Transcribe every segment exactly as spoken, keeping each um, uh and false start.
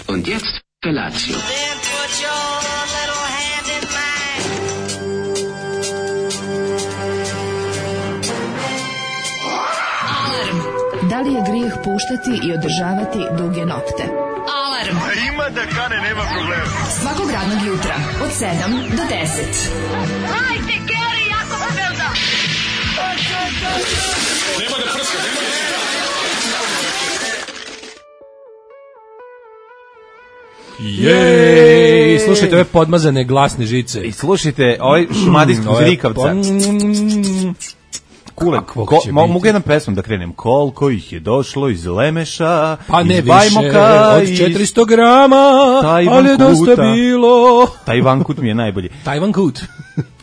Und jetzt Felatio. Da li je grijeh puštati i održavati duge nokte? Alarm! A ima da kane, nema problema. Svakog radnog jutra, od sedam do deset. Hajde, Geri, jako se velda! Nema da prska, nema da prska. Jej! Slušajte ove podmazane glasne žice. I slušajte ovaj šumadijskog zrikavca. Kulen, ko, mogu jedan pesmom da krenem. Koliko ih je došlo iz Lemeša, pa ne iz više, Bajmoka, od četiristo grama, ali je dosta bilo. Tajvan Kut mi je najbolji. Tajvan Kut.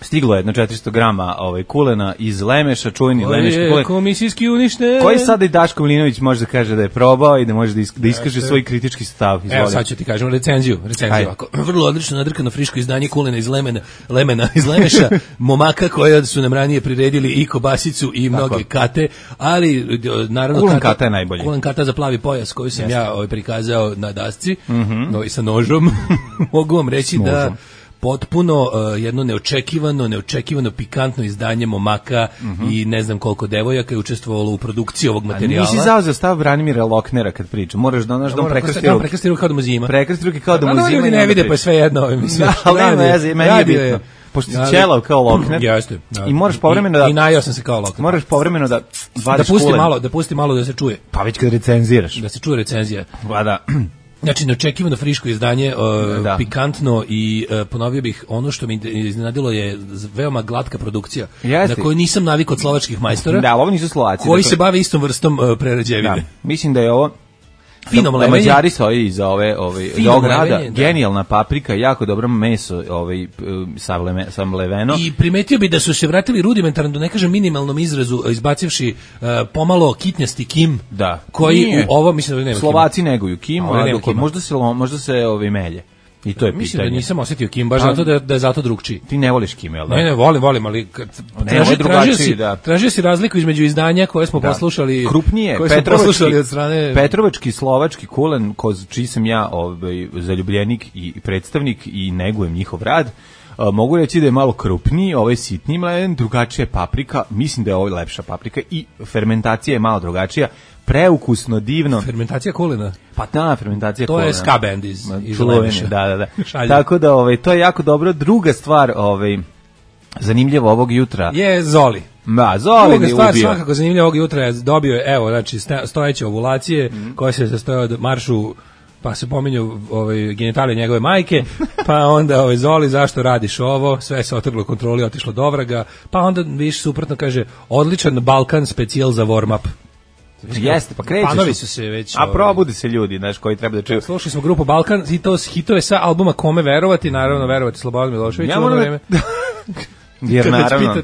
Stiglo je jedno četiristo grama ovaj, kulena iz Lemeša, čuveni lemeški kulen. Komisijski uništen. Koji sada i Daško Milinović može da kaže da je probao i da može da, isk, da iskaže svoj kritički stav. Izvoli. Evo sad ću ti kažem recenziju. recenziju ako. Vrlo odlično nadrkano friško izdanje kulena iz Lemena, Lemena iz Lemeša, momaka koje su nam ranije priredili i kobasicu i mnoge tako. Kate, ali naravno kulen kata, kata je najbolji. Kulen kata za plavi pojas koju sam Jeste. ja ovaj, prikazao na dasci, mm-hmm. no, i sa nožom. Mogu vam reći da potpuno uh, jedno neočekivano, neočekivano pikantno izdanje momaka mm-hmm. i ne znam koliko devojaka je učestvovalo u produkciji ovog materijala. A nisi zauzeo stav Branimira Loknera kad priča. Moraš da onaš da on prekrsti ruke. Prekrsti ruke kao da mu zima. Prekrsti ruke kao da mu zima. Ljudi ne vide, pa je sve jedno. Mislim, ali nema veze, meni je bitno. Pošto si ćelav kao Lokner. Jeste. I moraš povremeno da... I najao sam se kao Lokner. Moraš povremeno da vadiš da pusti kulen. malo, da pusti malo da se čuje. Pa već kad recenziraš. Da se čuje recenzija. Pa da... Znači, neočekivano friško izdanje, uh, pikantno i uh, ponovio bih, ono što mi iznenadilo je veoma glatka produkcija, Jeste. na kojoj nisam navik od slovačkih majstora, da, ovo nisu Slovaci, koji dakle, se bave istom vrstom uh, prerađevine. Da. Mislim da je ovo fino da, da Mađari stoji iza ove, ove ovog rada, genijalna paprika, jako dobro meso ovaj, samleveno. I primetio bi da su se vratili rudimentarno, da ne kažem minimalnom izrazu, izbacivši uh, pomalo kitnjasti kim, da. koji Nije. u ovo, mislim da nema Slovaci kima. neguju kim, a dok možda se, možda se ovaj, melje. I to je mislim pitanje. Da nisam osjetio kim, baš zato da, da je zato drugčiji. Ti ne voliš kim, jel da? Ne, ne, volim, volim, ali kad ne, traži, tražio, si, da. tražio si razliku između izdanja koje smo da. poslušali, krupnije, koje smo poslušali od strane... Petrovački, slovački kulen, koz, čiji sam ja ovaj, zaljubljenik i predstavnik i negujem njihov rad, Uh, mogu reći da je malo krupniji, ovaj sitniji mleden, drugačija je paprika, mislim da je ovo lepša paprika i fermentacija je malo drugačija, preukusno, divno. Fermentacija kulena? Pa da, fermentacija to kulena. To je ska band iz, iz Lemeša. Da, da, da. Tako da ovaj, to je jako dobro. Druga stvar, ovaj, zanimljiva ovog jutra. Je Zoli. Ma, Zoli Druga je stvar, ubio. svakako zanimljiva ovog jutra je dobio je, evo, znači, stojeće ovulacije, mm. koje se sastoje od maršu, pa se pominju ovaj, genitalije njegove majke, pa onda ovaj, Zoli, zašto radiš ovo, sve se otrglo kontroli, otišlo do vraga, pa onda više suprotno kaže, odličan Balkan specijal za warm-up. Jeste, pa krećeš. Panovi su se već... A probudi se ljudi, znaš, koji treba da čuju. Slušali smo grupu Balkan, i to hitove sa albuma Kome verovati, naravno verovati Slobodan Milošević ja u ono vreme. Jer naravno,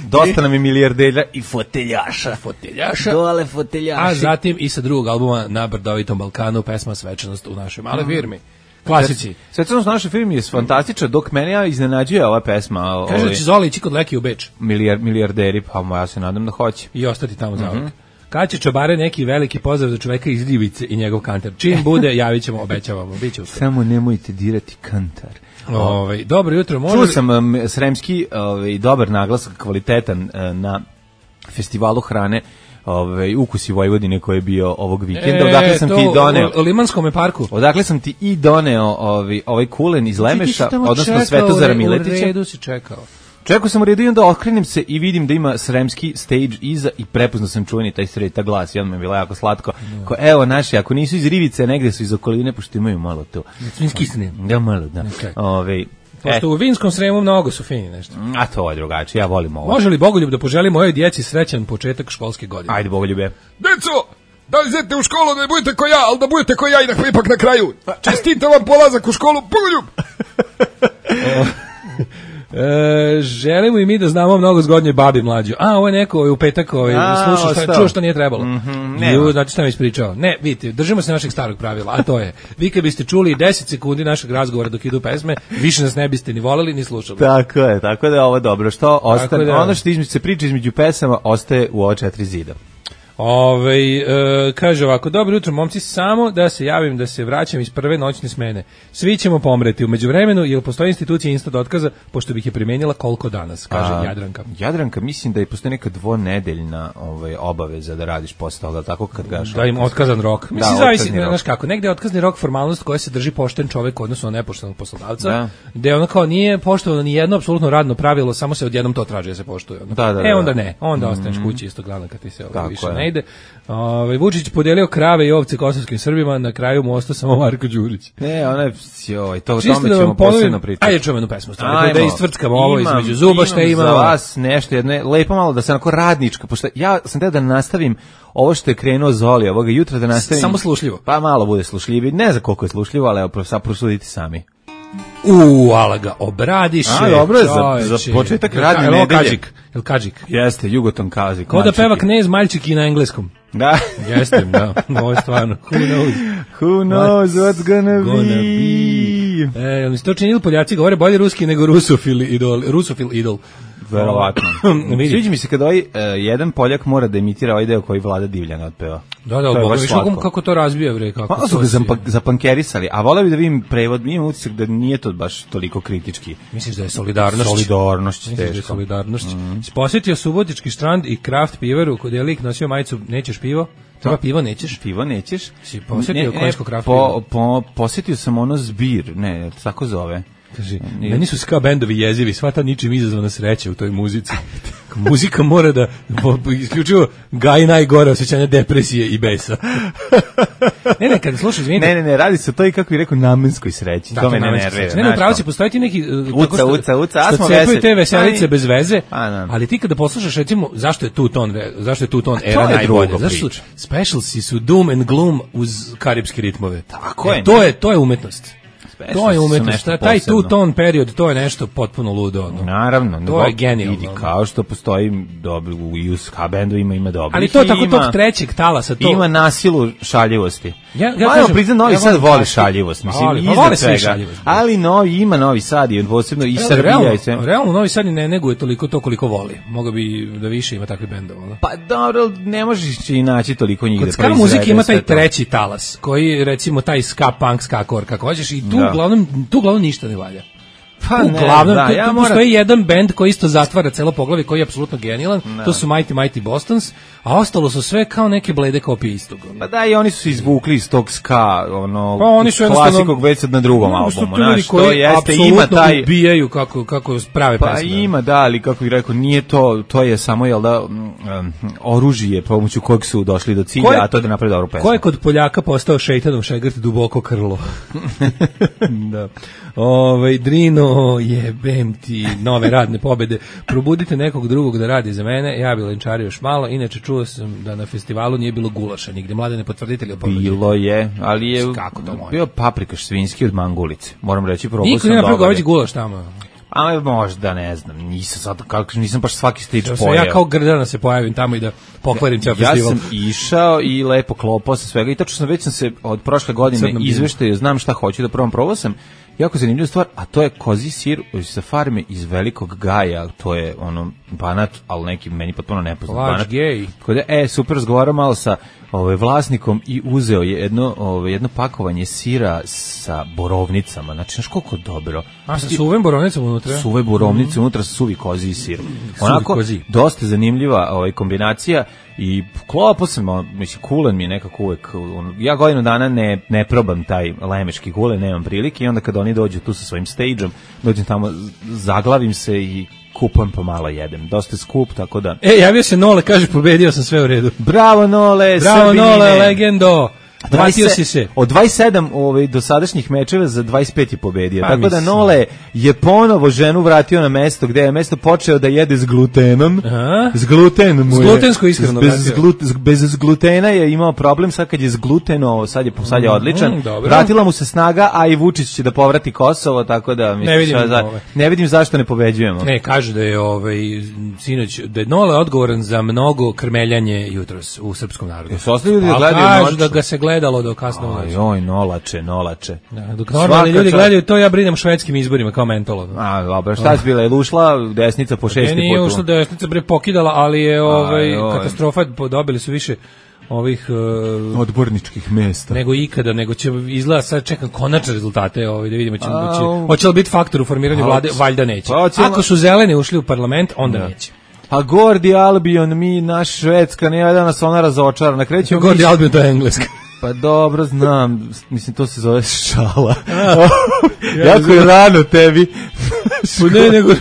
dosta nam je milijardelja i foteljaša. Foteljaša. Dole foteljaši. A zatim i sa drugog albuma na Brdovitom Balkanu pesma Svečanost u našoj male firmi. Klasici. Svečanost u našoj firmi je fantastična, dok mene ja iznenađuje ova pesma. Kaže da će Zoli ići kod Leki u Beč. Milijar, milijarderi, pa ja se nadam da hoće. I ostati tamo za uvek. Kad će čobare neki veliki pozdrav za čoveka iz Rivice i njegov kantar. Čim bude, javit ćemo, obećavamo. Biće samo nemojte dirati kantar. Ovaj dobro jutro, može. Čuo sam um, sremski ovaj dobar naglasak, kvalitetan uh, na festivalu hrane, ovaj Ukusi Vojvodine koji je bio ovog vikenda. E, odakle sam ti doneo u Limanskom parku. Odakle sam ti i doneo ovaj ovaj kulen iz Lemeša, odnosno Svetozara Miletića. U redu si čekao. Čekao sam u redu i onda otkrenem se i vidim da ima sremski stage iza i prepoznao sam čuveni taj sreta glas i on mi je bilo jako slatko. No. Ko, evo naši, ako nisu iz Rivice, negde su iz okoline, pošto imaju malo to. Svinskisne. Da, malo, da. Okay. Ove, pošto e. u Vinskom Sremu mnogo su fini nešto. A to je drugačije, ja volim ovo. Može li Bogoljub da poželi mojoj djeci srećan početak školske godine? Ajde, Bogoljube. Deco, da li idete u školu da ne budete ko ja, ali da budete ko ja i da ipak na kraju. Čestitam vam polazak u školu, Bogoljub! E, želimo i mi da znamo mnogo zgodnje babi mlađu. A, ovo je neko ovaj, u petak ovaj, slušao, šta, čuo što nije trebalo. Mm-hmm, Ju, znači šta mi ispričao. Ne, vidite, držimo se našeg starog pravila, a to je, vi kad biste čuli deset sekundi našeg razgovora dok idu pesme, više nas ne biste ni voleli ni slušali. Tako je, tako da je ovo dobro. Što ostane, da, ono što između, se priča između pesama ostaje u ova četiri zida. Ove, e, kaže ovako, dobro jutro momci, samo da se javim da se vraćam iz prve noćne smene. Svi ćemo pomreti u međuvremenu, jer postoji institucija instant otkaza, pošto bih je primenila koliko danas, kaže A, Jadranka. Jadranka, mislim da je postoji neka dvonedeljna ovaj, obaveza da radiš posle toga, tako kad gaš. Da im otkazan rok. Da, Mislim, zavisi, otkazni rok. znaš kako, negde je otkazni rok formalnost koja se drži pošten čovek odnosno nepoštenog poslodavca, Da. gde ono kao nije poštovano ni jedno apsolutno radno pravilo, samo se odjednom to traži da se poštuje. Ono. Da, da, da, e, onda da. ne, onda ostaneš kući isto glavno kad ti se ovaj, Tako više je. ne ide. Ovaj Vučić podelio krave i ovce kosovskim Srbima, na kraju mu ostao samo Marko Đurić. Ne, ona je, joj, to o Čisto tome da vam ćemo ponovim- posebno pričati. Ajde čujemo jednu pesmu, stvarno, Ajmo. da istvrckamo ovo Imam- između zuba, šta ima. Za vas nešto, jedno, lepo malo da se onako radnička, pošto ja sam teo da nastavim ovo što je krenuo Zoli ovoga jutra, da nastavim. Samo slušljivo. Pa malo bude slušljivi, ne znam koliko je slušljivo, ali evo, sad prosudite sami. U, ala ga obradiše. A, dobro je, za- čoveče. za početak Jel- radne jel ovo nedelje. Kadžik? Jel Kadžik? Jeste, Jugoton Kazik. Ko da peva Knez Maljčiki na engleskom. Da. Jeste, da, ovo je stvarno. Who knows? Who knows what's gonna, Gonna be. E, jel mi se to činili, Poljaci govore bolje ruski nego rusofil idol. Rusofil idol. Verovatno. Vidi. Sviđa mi se kada ovaj uh, jedan Poljak mora da imitira ovaj deo koji Vlada Divljana otpeva. Da, da, To je Boga, baš viš slatko. kako, kako to razbija, bre, kako Malo su to ga si- zampa- zapankerisali, a voleo bi da vidim prevod, imam utisak da nije to baš toliko kritički. Misliš da je solidarnost? Solidarnost, Misliš da je teško. solidarnost? Mm. Posjetio Subotički štrand i kraft pivaru, kod je lik nosio majicu, nećeš pivo? Treba pivo, nećeš? Pivo nećeš? Si posjetio konjsko kraft po, pivo? po, posjetio sam ono zbir, ne, tako zove. Kaže, Nije. meni su ska bendovi jezivi, sva ta ničim izazvana sreća u toj muzici. Muzika mora da po- po- isključivo gaji najgore osjećanja depresije i besa. ne, ne, kad slušaš, izvinite. Ne, ne, ne, radi se o toj, kako bih rekao, namenskoj sreći. Da, to me ne namenska nervira. sreća. Ne, ne, znaš upravo to. si, postoji ti neki uh, Uca, tako što- uca, uca, a što smo cepaju veseli. te veselice Aj. bez veze, A, da. ali ti kada poslušaš recimo zašto je tu ton, re- zašto je tu ton to era je najbolje, druga zašto su priča. specialsi su doom and gloom uz karipske ritmove. Tako E, je, to ne. je to je umetnost. To je su umetnost, nešto taj posebno. tu ton period, to je nešto potpuno ludo. ono. Naravno, To nego je genijalno. vidi, kao što postoji dobro u i u ska bendovima ima dobro. Ali to tako tog trećeg talasa, to Ima nasilu šaljivosti. Ja- ja Malo kažem, priznam, Novi ja Sad volim voli kaštu. šaljivost, mislim, Voli, pa iznad vole svi svega. šaljivost. Ali novi, ima Novi Sad i posebno i Srbija realno, i sve. realno Novi Sad ne neguje toliko to koliko voli. Mogao bi da više ima takvih bendova. ono. Pa dobro, ne možeš i naći toliko njih da Kod ska proizvede muzike ima sve taj to. treći talas, koji recimo taj ska punk, ska core, kako hoćeš, i tu Da. uglavnom, tu uglavnom ništa ne valja. Pa ne, Uglavnom, da, tu, ja tu moram- postoji jedan bend koji isto zatvara celo poglavlje, koji je apsolutno genijalan, to su Mighty Mighty Bostons, a ostalo su sve kao neke blede kopije istog. ono. Pa da, i oni su se izvukli iz tog ska, ono, Pa oni su jednostavno- klasikog već sad na drugom No, su albumu, to ljudi znaš, to koji jeste, ima apsolutno taj... ubijaju kako, kako prave Pa pesme. ima, da, ali kako bih rekao, nije to, to je samo, jel da, mm, um, oružje pomoću kojeg su došli do cilja, Ko je- a to je da napravi dobru pesmu. Ko je kod Poljaka postao šejtanom šegrt duboko krlo? da. Ovaj Drino, jebem ti nove radne pobede. Probudite nekog drugog da radi za mene. Ja bi lenčario još malo. Inače čuo sam da na festivalu nije bilo gulaša nigde. Mladene potvrditelji. Bilo je, ali je Kako to može? bio paprikaš svinjski od mangulice. Moram reći, probao Niko sam nema dobar. progoveći gulaš tamo. A možda, ne znam, nisam sad, kako, nisam baš svaki stič Da se pojeo. ja kao Grdana se pojavim tamo i da pokvarim ceo Ja festival. sam išao i lepo klopao sa svega i tačno sam već sam se od prošle godine Crnom bilu. izveštaju, znam šta hoću da probam, probao sam jako zanimljiva stvar, a to je kozi sir sa farme iz Velikog Gaja, to je ono Banat, ali neki meni potpuno nepoznat Laž Banat. gej. Kod je, e, super, razgovarao malo sa ovaj vlasnikom i uzeo je jedno, ovaj, jedno pakovanje sira sa borovnicama, znači, znaš koliko dobro. A sa suvim borovnicom unutra? Suve borovnice, unutra su suvi kozi i sir. Onako, kozi. dosta zanimljiva ovaj, kombinacija i klopo sam, ono, mislim, kulen mi je nekako uvek, ono, ja godinu dana ne, ne probam taj lemeški kulen, nemam prilike i onda kad oni dođu tu sa svojim stage-om, dođem tamo, zaglavim se i kupam pa malo jedem. Dosta je skup, tako da... E, javio se Nole, kaže, pobedio sam, sve u redu. Bravo Nole, Bravo Srbine! Nole, legendo. Vratio dvadeset si se. Od dvadeset sedam ovaj, dosadašnjih mečeva za dvadeset pet je pobedio. Pa, Tako da mislim. Nole je ponovo ženu vratio na mesto gde je mesto počeo da jede s glutenom. Aha. S glutenom mu S je. glutensko ishranu Bez, vratio. glut, bez glutena je imao problem, sad kad je s gluteno, sad je, sad je odličan. Mm, dobro. Vratila mu se snaga, a i Vučić će da povrati Kosovo, tako da mislim, Ne vidim šta za- ove. ne vidim zašto ne pobeđujemo. Ne, kaže da je ovaj sinoć da je Nole odgovoran za mnogo krmeljanje jutros u srpskom narodu. Jesu ostali ljudi da Pa gledaju kažu noću? da ga se gleda gledalo do kasno u noć. Aj, oj, nolače, nolače. Da, dok normalni ljudi gledaju to, ja brinem švedskim izborima kao mentolo. A, dobro, šta si bila? Je ušla desnica po šesti put? Ne, nije ušla desnica, bre, pokidala, ali je ovaj, Aj, katastrofa, dobili su više ovih uh, odborničkih mesta nego ikada, nego će izgleda sad čekam konačne rezultate, ovaj da vidimo će moći. Hoće li biti faktor u formiranju vlade? Valjda neće. Pa, ako su zeleni ušli u parlament, onda da. neće. A Gordi Albion, mi, naš Švedska, nije da nas ona razočara. Na kreću Gordi mi... Albion, to je engleska. Pa dobro, znam, mislim, to se zove šala. ja jako je rano tebi. Pa ne, nego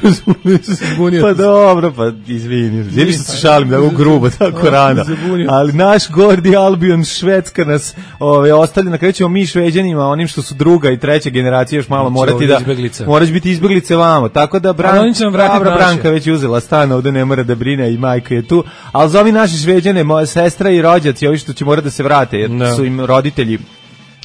se zbunio. Pa dobro, pa izvini. Vidiš što se šalim, da u grubo, tako rano. Ali naš Gordi Albion, Švedska nas ove, ostavlja, na kraju ćemo mi Šveđanima, onim što su druga i treća generacija, još malo morati da... Moraš biti izbeglice vamo. Tako da Bran, Bra, Branka već uzela stan, ovde ne mora da brine i majka je tu. Ali za ovi naši Šveđane, moja sestra i rođaci, ovi što će morati da se vrate, jer no. su im roditelji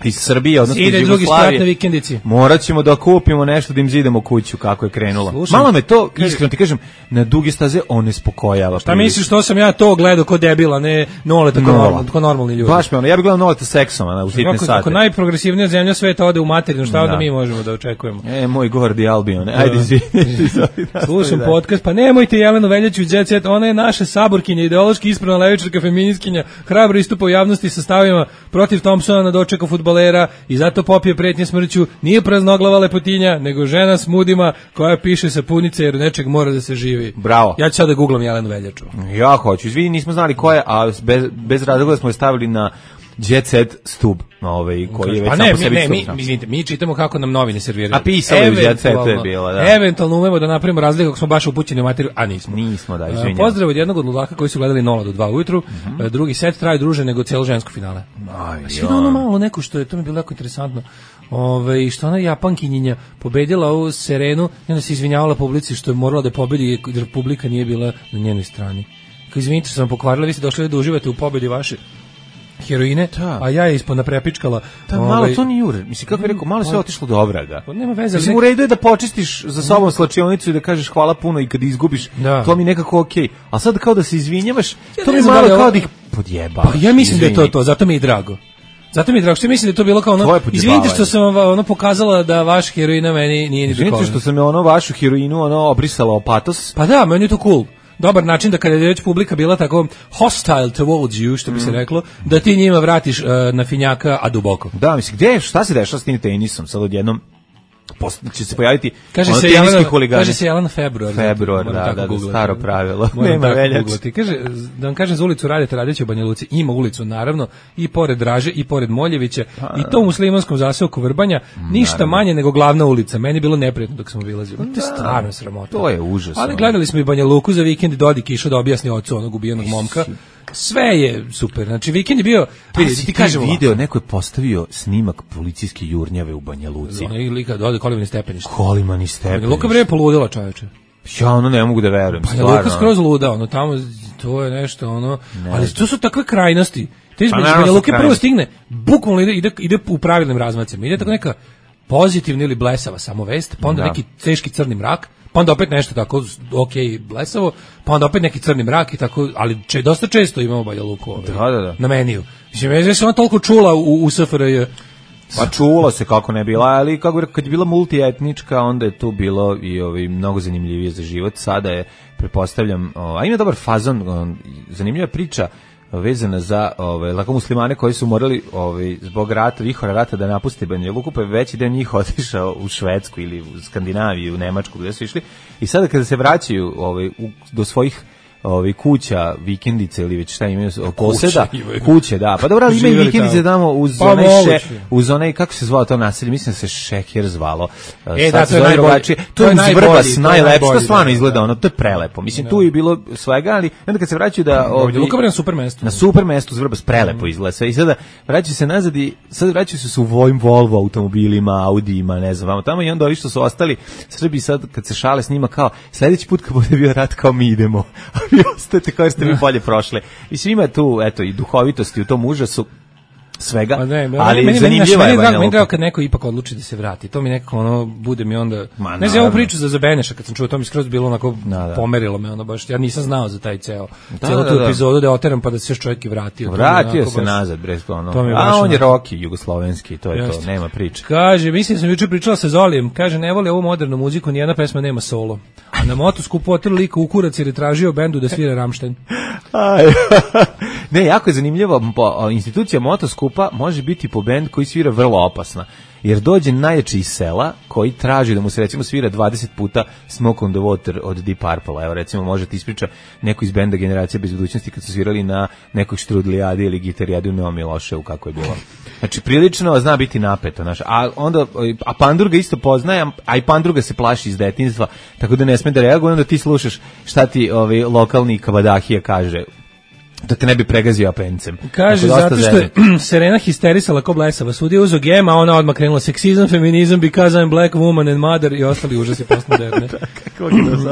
iz Srbije, odnosno iz Jugoslavije. Drugi sprat na vikendici. Morat ćemo da kupimo nešto da im zidamo kuću kako je krenulo. Slušam, malo me to, iskreno ti kažem, na duge staze on ne spokojava. Šta misliš što sam ja to gledao ko debila, ne Nole tako normalni, tako normalni ljudi. Baš me ono, ja bih gledao Noleta seksom na u sitne sate. Ako najprogresivnija zemlja sveta ode u materinu, šta onda mi možemo da očekujemo? E, moj Gordi Albion, ajde izvini. Slušam podcast, pa nemojte Jelenu Veljaču iz Jet Set, ona je naša saborkinja, ideološki ispravna levičarka, feministkinja, hrabro istupa u javnosti sa stavima protiv Thompsona na dočeku fudbalera i zato popije pretnje smrću, nije praznoglava lepotinja, nego žena s mudima koja piše sapunice jer nečeg mora da se živi. Bravo. Ja ću sad da googlam Jelenu Veljaču. Ja hoću, izvini, nismo znali ko je, a bez, bez razloga smo je stavili na Jet Set stub, ovaj, koji je već pa sam ne, po sebi ne, mi, izvinite, mi čitamo kako nam novine serviraju. A pisalo je Jet Setu je bilo, da. Eventualno umemo da napravimo razliku ako smo baš upućeni u materiju, a nismo. Nismo, da, izvinjam. Pozdrav od jednog od ludaka koji su gledali Nola do dva ujutru, mm -hmm. drugi set traje druže nego cijelo žensko finale. Aj, ja. Ono malo neko što je, to mi je bilo jako interesantno, Ove, što ona Japankinjinja pobedila ovu Serenu i onda se izvinjavala publici što je morala da pobedi jer publika nije bila na njenoj strani. Kao izvinite što sam pokvarila, vi ste došli da uživate u pobedi vaše heroine, da. A ja je ispod naprepičkala. Da, ovaj, malo to nije ure. Mislim, kako je rekao, malo sve otišlo do obraga. Pa nema veze. Mislim, nek... u redu je da počistiš za sobom slačionicu i da kažeš hvala puno i kad izgubiš, da. To mi nekako okej. Okay. A sad kao da se izvinjavaš, ja to mi malo kao da ih podjeba. Pa ja mislim izvini. Da je to to, zato mi je drago. Zato mi je drago, što mislim da je to bilo kao ono, izvinite što sam vam ono pokazala da vaš heroina meni nije ni izvinite što sam je ono vašu heroinu ono obrisala o patos. Pa da, meni je to cool. Dobar način da kada je već publika bila tako hostile towards you, što bi se reklo, da ti njima vratiš uh, na finjaka, a duboko. Da, mislim, gde je, šta se dešava s tim tenisom? Sad odjednom će se pojaviti kaže ono se Jelena, kaže se Jelena Februar. Februar, da, da, da, staro pravilo. Nema Veljače. Kaže, da vam kažem za ulicu Radeta Radića u Banja Luci, ima ulicu, naravno, i pored Draže, i pored Moljevića, pa, i to u muslimanskom zaseoku Vrbanja, ništa naravno. Manje nego glavna ulica. Meni je bilo neprijatno dok sam obilazio. To je stvarno sramota. To je užasno. Ali gledali smo i Banja Luku za vikend i Dodik išao da objasni ocu onog ubijenog momka. Sve je super. Znači vikend je bio, vidi, ti kažemo video, neko je postavio snimak policijske jurnjave u Banja Luci. Ona je lika dode Kolimani stepenište. Kolimani stepenište. Luka bre poludela, čoveče. Ja ono ne mogu da verujem. Pa je Luka skroz luda, ono tamo to je nešto ono, ne. Ali to su takve krajnosti. Te između pa, Banja Luke prvo stigne, bukvalno ide, ide, ide u pravilnim razmacima. Ide tako neka pozitivna ili blesava samo vest, pa onda da. Neki teški crni mrak. Pa onda opet nešto tako, ok, blesavo, pa onda opet neki crni mrak i tako, ali če, dosta često imamo Banja Luku ovaj, da, da, da. Na meniju. Mislim, ja sam ona toliko čula u, u S F R J. Pa čula se kako ne bila, ali kako, kad je bila multietnička, onda je tu bilo i ovaj, mnogo zanimljivije za život. Sada je, prepostavljam, o, a ima dobar fazon, o, zanimljiva priča, vezana za ovaj lako muslimane koji su morali ovaj zbog rata, vihora rata da napuste Banja Luku, pa veći deo njih otišao u Švedsku ili u Skandinaviju, u Nemačku gde su išli. I sada kada se vraćaju ovaj u, do svojih ovaj kuća, vikendice ili već šta imaju poseda, kuće, da. Pa dobro, ali imaju vikendice tamo uz pa onaj še, uz onaj kako se zvao to naselje, mislim da se Šeker zvalo. E, da, to je najbolje. To je Vrbas, najlepše, to stvarno izgleda ono, to je prelepo. Mislim, tu je bilo svega, ali onda kad se vraćaju da ovdje Luka na super mestu. Na super mestu Vrbas prelepo izgleda sve. I sada vraćaju se nazad i sad vraćaju se u Vojm Volvo automobilima, Audijima, ne znam, tamo i onda ovi što su ostali Srbi sad kad se šale s njima kao sledeći put kad bude bio rat kao mi idemo. Vi ostajete kao ste vi bolje prošle. Mislim, ima tu, eto, i duhovitosti u tom užasu. svega, Pa ne, ali meni, zanimljiva je Banja Luka. Meni je drago Luka. kad neko ipak odluči da se vrati. To mi nekako ono, bude mi onda... Ma, ne znam, ovu naravno. priču za Zabeneša, kad sam čuo, to mi skroz bilo onako, Da, da. pomerilo me, ono baš, ja nisam znao za taj ceo, Da, celu da, tu da. epizodu da je oteram pa da se još čovjek i vratio. To mi je Vratio onako se baš- nazad, bre, ono. to mi je A baš on je onako- roki jugoslovenski, to je Jeste. to, nema priče. Kaže, mislim sam juče pričala sa Zolijem, kaže ne voli ovu modernu muziku, nijedna pesma nema solo. A na motoskupu otrli lika u kurac jer je tražio bendu da svira Rammstein. Aj. Ne, jako je zanimljivo, po- institucija motoskupa može biti po bend koji svira vrlo opasna. Jer dođe najjači iz sela koji traži da mu se recimo svira dvadeset puta Smoke on the Water od Deep Purple. Evo recimo možete ispriča neko iz benda Generacija bez budućnosti kad su svirali na nekoj štrudlijadi ili gitarijadi u Neom Miloševu kako je bilo. Znači prilično zna biti napeto, znaš. A onda a Pandurga isto poznaje, a i Pandurga se plaši iz detinjstva, tako da ne sme da reaguje, onda ti slušaš šta ti ovaj lokalni kabadahija kaže. Da te ne bi pregazio apencem. Kaže, Tako, zato dosta što je zezne. Serena histerisala ko blesava. Sudija uzo gema, a ona odmah krenula seksizam, feminizam, because I'm black woman and mother i ostali užasi postmoderne.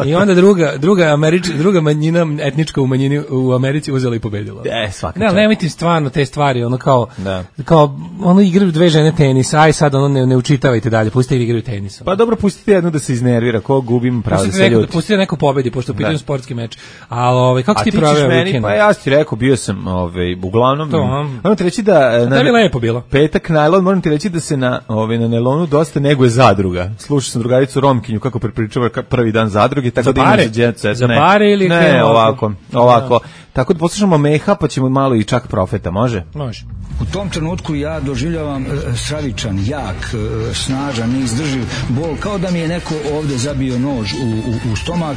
I onda druga, druga, Američ, druga manjina etnička u, manjini, u Americi uzela i pobedila. E, svaka Ne, ali čast. nemojte stvarno te stvari, ono kao, Da. kao ono igraju dve žene tenis, aj sad ono ne, ne učitavajte dalje, pustite ih igraju tenis. Pa dobro, pustite jednu da se iznervira, ko gubim pravo da Pustite se neko, ljuti. pustite neko pobedi, pošto je pitanje Da. sportski meč. Ali ovaj, kako A si ti ti ćeš proveo meni, vikend? pa ja ti rekao, bio sam ovaj, uglavnom, To, a? moram ti reći da... e, tebi lepo bilo. Petak najlon, moram ti reći da se na, ovaj, na nelonu dosta neguje zadruga. Slušao sam drugaricu Romkinju kako prepričava ka- prvi dan zadruge, tako Za da pare? imaš jet set. Za Ne. pare ili Ne, krenu ovako, ovako? ovako. Tako da poslušamo Meha, pa ćemo malo i čak Profeta, može? Može. U tom trenutku ja doživljavam e, stravičan, jak, e, snažan, neizdrživ bol, kao da mi je neko ovde zabio nož u, u, u stomak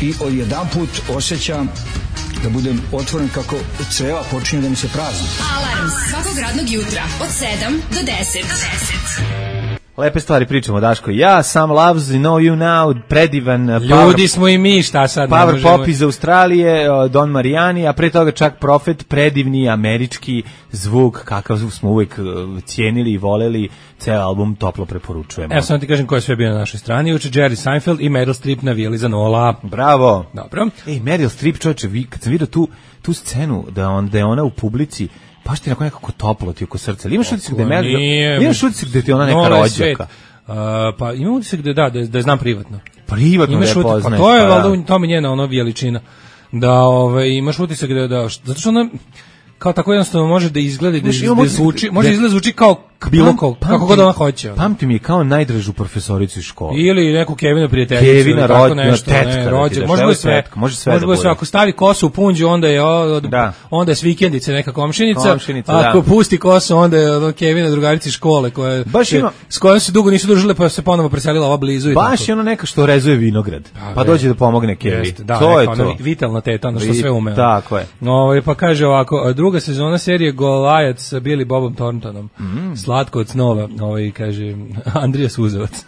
i odjedanput osjećam da budem otvoren kako creva počinju da mi se prazni. Alarm svakog radnog jutra od sedam do deset. Lepe stvari pričamo, Daško. Ja, Sam Loves, Know You Now, predivan uh, Ljudi Power, smo i mi, šta sad? ne Power možemo- Pop iz Australije, uh, Don Marijani, a pre toga čak Prophet, predivni američki zvuk, kakav smo uvek uh, cijenili i voleli, ceo album toplo preporučujemo. Evo samo ti kažem ko je sve bio na našoj strani. Juče Jerry Seinfeld i Meryl Streep navijali za Nola. Bravo. Dobro. Ej, Meryl Streep, čovječe, vi, kad sam vidio tu, tu scenu, da, on, da je ona u publici, baš ti nekako toplo ti oko srca. Ali imaš utisak da je Meryl, Nije. imaš utisak da ti je ona neka Nola je svet. rođaka? Uh, pa imam utisak da, da, da, je- da je znam privatno. Privatno da Imaš je utisak, pa poznaš. to je pa da. valjda u tome njena ono veličina. Da ovaj, imaš utisak da, da, zato što ona kao tako jednostavno može da izgleda i da, Znaš, da imam utisak zvuči, da- može da- izgleda zvuči kao bilo Pam- kao, kako pamtim- god ona hoće. ono. Pamtim je kao najdražu profesoricu iz škole. Ili neku Kevina prijateljicu. Kevina ili tako rođ- nešto, tetka, ne, da ti rođak, daš, može evo bude sve. tetka, može sve može da bude sve. bude. Ako stavi kosu u punđu, onda je od, Da. onda je s vikendice neka komšinica. Komšinica, Ako da. pusti kosu, onda je ono Kevina drugarica iz škole koja Baš se- ima- s kojom se dugo nisu družile pa se ponovo preselila ova blizu i Baš tako. je ono neka što rezuje vinograd, pa ve- dođe da pomogne Kevi. Jeste, da, to je neka ona to. vi- vitalna teta, ono što Vi- sve ume. tako je. Ovaj pa kaže ovako, druga sezona serije Goliath sa Billy Bobom Thorntonom. Mm. Slatko od snova, ovaj kaže Andrija Suzovac.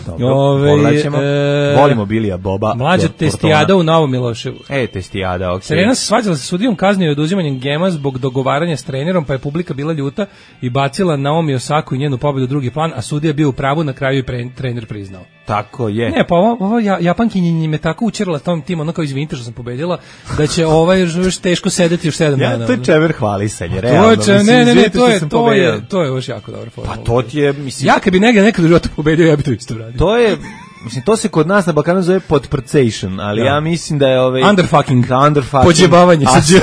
Dobro, Ovaj, pogledaćemo. e, Volimo Bilija Boba. Mlađa Por- testijada Portona. u Novom Miloševu. E, testijada, okej. Serena se svađala sa sudijom kaznio i oduzimanjem gema zbog dogovaranja s trenerom, pa je publika bila ljuta i bacila Naomi Osaku i njenu pobedu u drugi plan, a sudija je bio u pravu, na kraju i pre, trener priznao. Tako je. Ne, pa ovo, ovo ja, Japankinji me tako učerala tom tim, ono kao izvinite što sam pobedila, da će ovaj još, još teško sedeti još sedam dana. Ja, to je ono. čever hvalisanje, To realno. je, če- mislim, ne, ne, ne, izvinite to što je, sam to pobedio. je, to je još jako dobra formula. Pa to ti je, mislim, Ja kad bi negdje nekad u životu pobedio, ja bi to isto radio. to je, mislim, to se kod nas na Balkanu zove podprcation, ali Da. ja mislim da je ovaj... Underfucking. Da, underfucking. Pođebavanje A, sa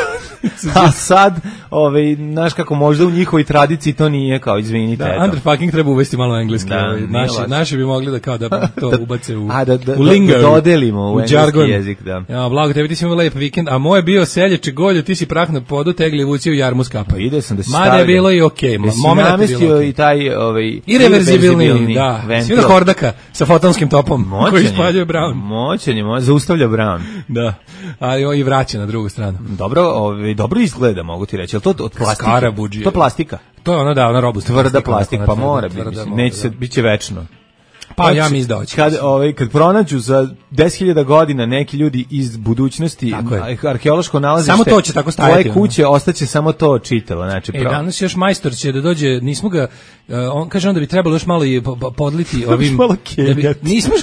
a sad, ovaj, znaš kako možda u njihovoj tradiciji to nije kao, izvinite. Da, eto. underfucking treba uvesti malo engleski. Da, ovaj, nije naši, loše. naši bi mogli da kao da to ubace u, A, da- da- u da- lingo, da dodelimo u engleski jargon. jezik, da. Ja, blago tebi, ti si imao lep vikend, a moj je bio seljače golju, ti si prah na podu, tegli vuci u jarmu skapa. Pa ide sam da si Mada je stavio. bilo i okej, okay, Jesi moment je namestio bilo okej. i taj ovaj Irreverzibilni, da. ventil. Svi na hordaka sa fotonskim topom Moćan koji je. ispaljuje Brown. Moćan je, mo- zaustavlja Brown. Da, ali on i vraća na drugu stranu. Dobro, ovaj, dobro izgleda, mogu ti reći. Jel to od plastike? Skarabuđije. To je plastika. To je ono da, ona robustna Tvrda plastika, plastika, onako, pa ona mora tvrda, biti. tvrda, Neće mora, se, da. bit će večno. Pa ja Hoće- mi izdaoći. Kad, ovaj, kad pronađu za deset hiljada godina neki ljudi iz budućnosti, Tako je. a- arheološko nalazište, Samo to će tako stajati, tvoje ono. kuće ostaće samo to čitalo. Znači, E, pro- danas još majstor će da dođe, nismo ga, uh, on kaže onda bi trebalo još malo i po- po- podliti ovim... malo da bi, kenjati. nismo,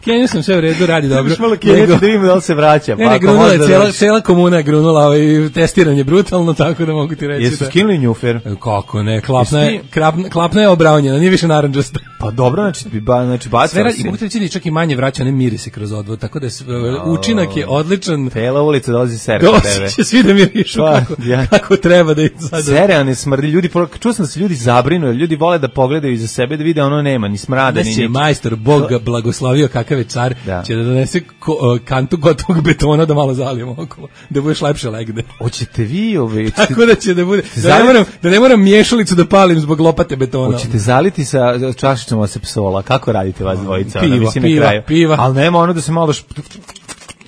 Kenju sam sve u redu, radi dobro. Još malo Kenju da vidimo da li se vraća. Ne, ne, grunula je, cijela, cijela komuna je grunula, ovaj, testiranje brutalno, tako da mogu ti reći. Jesu da... skinuli njufer? Kako ne, klapna je, klapna, klapna je obravnjena, nije više narandžasta. Pa dobro, znači, ba, znači bacala si. Mogu ti reći da čak i manje vraća, ne mirise kroz odvod, tako da je, učinak je odličan. Cela ulica dolazi sere po tebe. Doći će svi da mirišu pa, kako, ja. kako treba da ih sad... Sere, ne smrdi, ljudi, čuo sam da se ljudi zabrinu, ljudi vole da pogledaju iza sebe, da vide ono nema, ni smrada, ni ničeg. je majstor, Bog ga blagoslovio, kakav je car, da. će da donese ko, kantu gotovog betona da malo zalijemo okolo, da budeš lepše legne. Hoćete vi ove... Tako da će da bude, da ne moram, da ne moram miješalicu da palim zbog lopate betona. Hoćete zaliti sa čašićom osepsola, kako radite vas dvojica? Piva, mislim, piva, piva. Ali nema ono da se malo šp...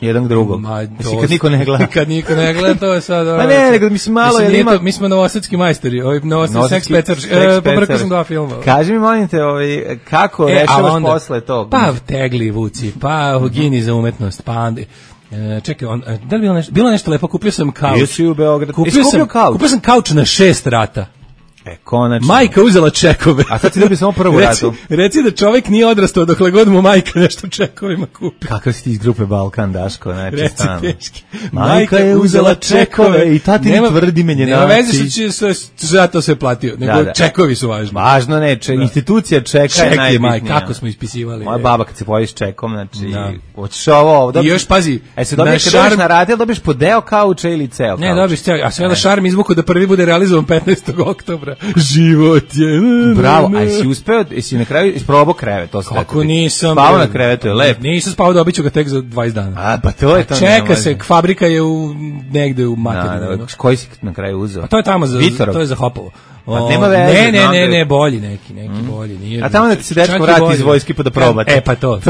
jedan drugog. Ma, mislim, kad niko ne gleda. Kad niko ne gleda, to je sad... Pa ne, nego mislim malo... Mislim, ima... to, mi smo novosadski majstori, ovaj novosadski Sex Petar, pobrkao sam dva filma. Kaži mi, molim te, ovaj, kako e, rešavaš onda, posle tog? Pa tegli vuci, pa gini za umetnost, pa... E, čekaj, on, da li bilo nešto, bilo nešto lepo, kupio sam kauč. Jesi u Beogradu. Kupio sam kauč. Kupio sam kauč na šest rata. E, konačno. Majka uzela čekove. A sad ti dobio samo prvu ratu. Reci da čovjek nije odrastao dokle god mu majka nešto čekovima kupi. Kakav si ti iz grupe Balkan, Daško? Znači, reci teški. Majka je uzela čekove i tati ne tvrdi menjenaci. Nema veze što će zato se platio, nego da, da. Čekovi su važni. Važno ne, če, institucija čeka ček je najbitnija. Majka, kako smo ispisivali. Moja baba kad se pojavi s čekom, znači, da. Hoćeš ovo, ovo. I još pazi. E se dobiješ kad dobiš na radi, dobiješ po deo kauča ili ceo kauč? Ne, dobiješ ceo, a sve da šarm izvuku da prvi bude realizovan petnaestog oktobra. Živo je. Bravo, a jesi uspeo, jesi na kraju isprobao krevet, to sve. Kako nisam. Spao na krevetu, je lep. Nisam spao, dobiću ga tek za dvadeset dana. A, pa to je to. Čeka se, fabrika je u, negde u materinu. Da, da, koji si na kraju uzeo? A to je tamo za, to je za Hopovo. Pa nema veze. Ne, ne, ne, ne, bolji neki, neki mm. bolji. Nije, a tamo da ti se dečko vrati iz vojske pa da probate. E, pa to.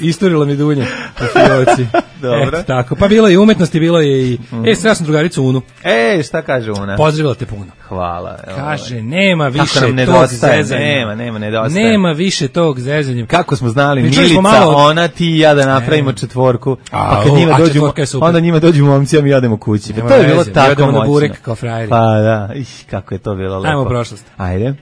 Isturila mi dunja po fioci. Dobro. E, tako, pa bilo je i umetnosti, bilo je i... Mm. E, srela sam drugaricu Unu. E, šta kaže Una? Pozdravila te puno. Hvala. Kaže, nema više tog nedostaje, zezanja. Nema, nema, nedostaje. Nema više tog zezanja. Kako smo znali, Milica, malo... ona, ti i ja da napravimo četvorku, a, pa kad njima a dođu, onda njima dođu momci, a mi jademo kući. Pa to je bilo tako moćno. Na burek kao frajeri. Pa da, iš, kako je to bilo lepo. Ajmo u prošlost. Ajde.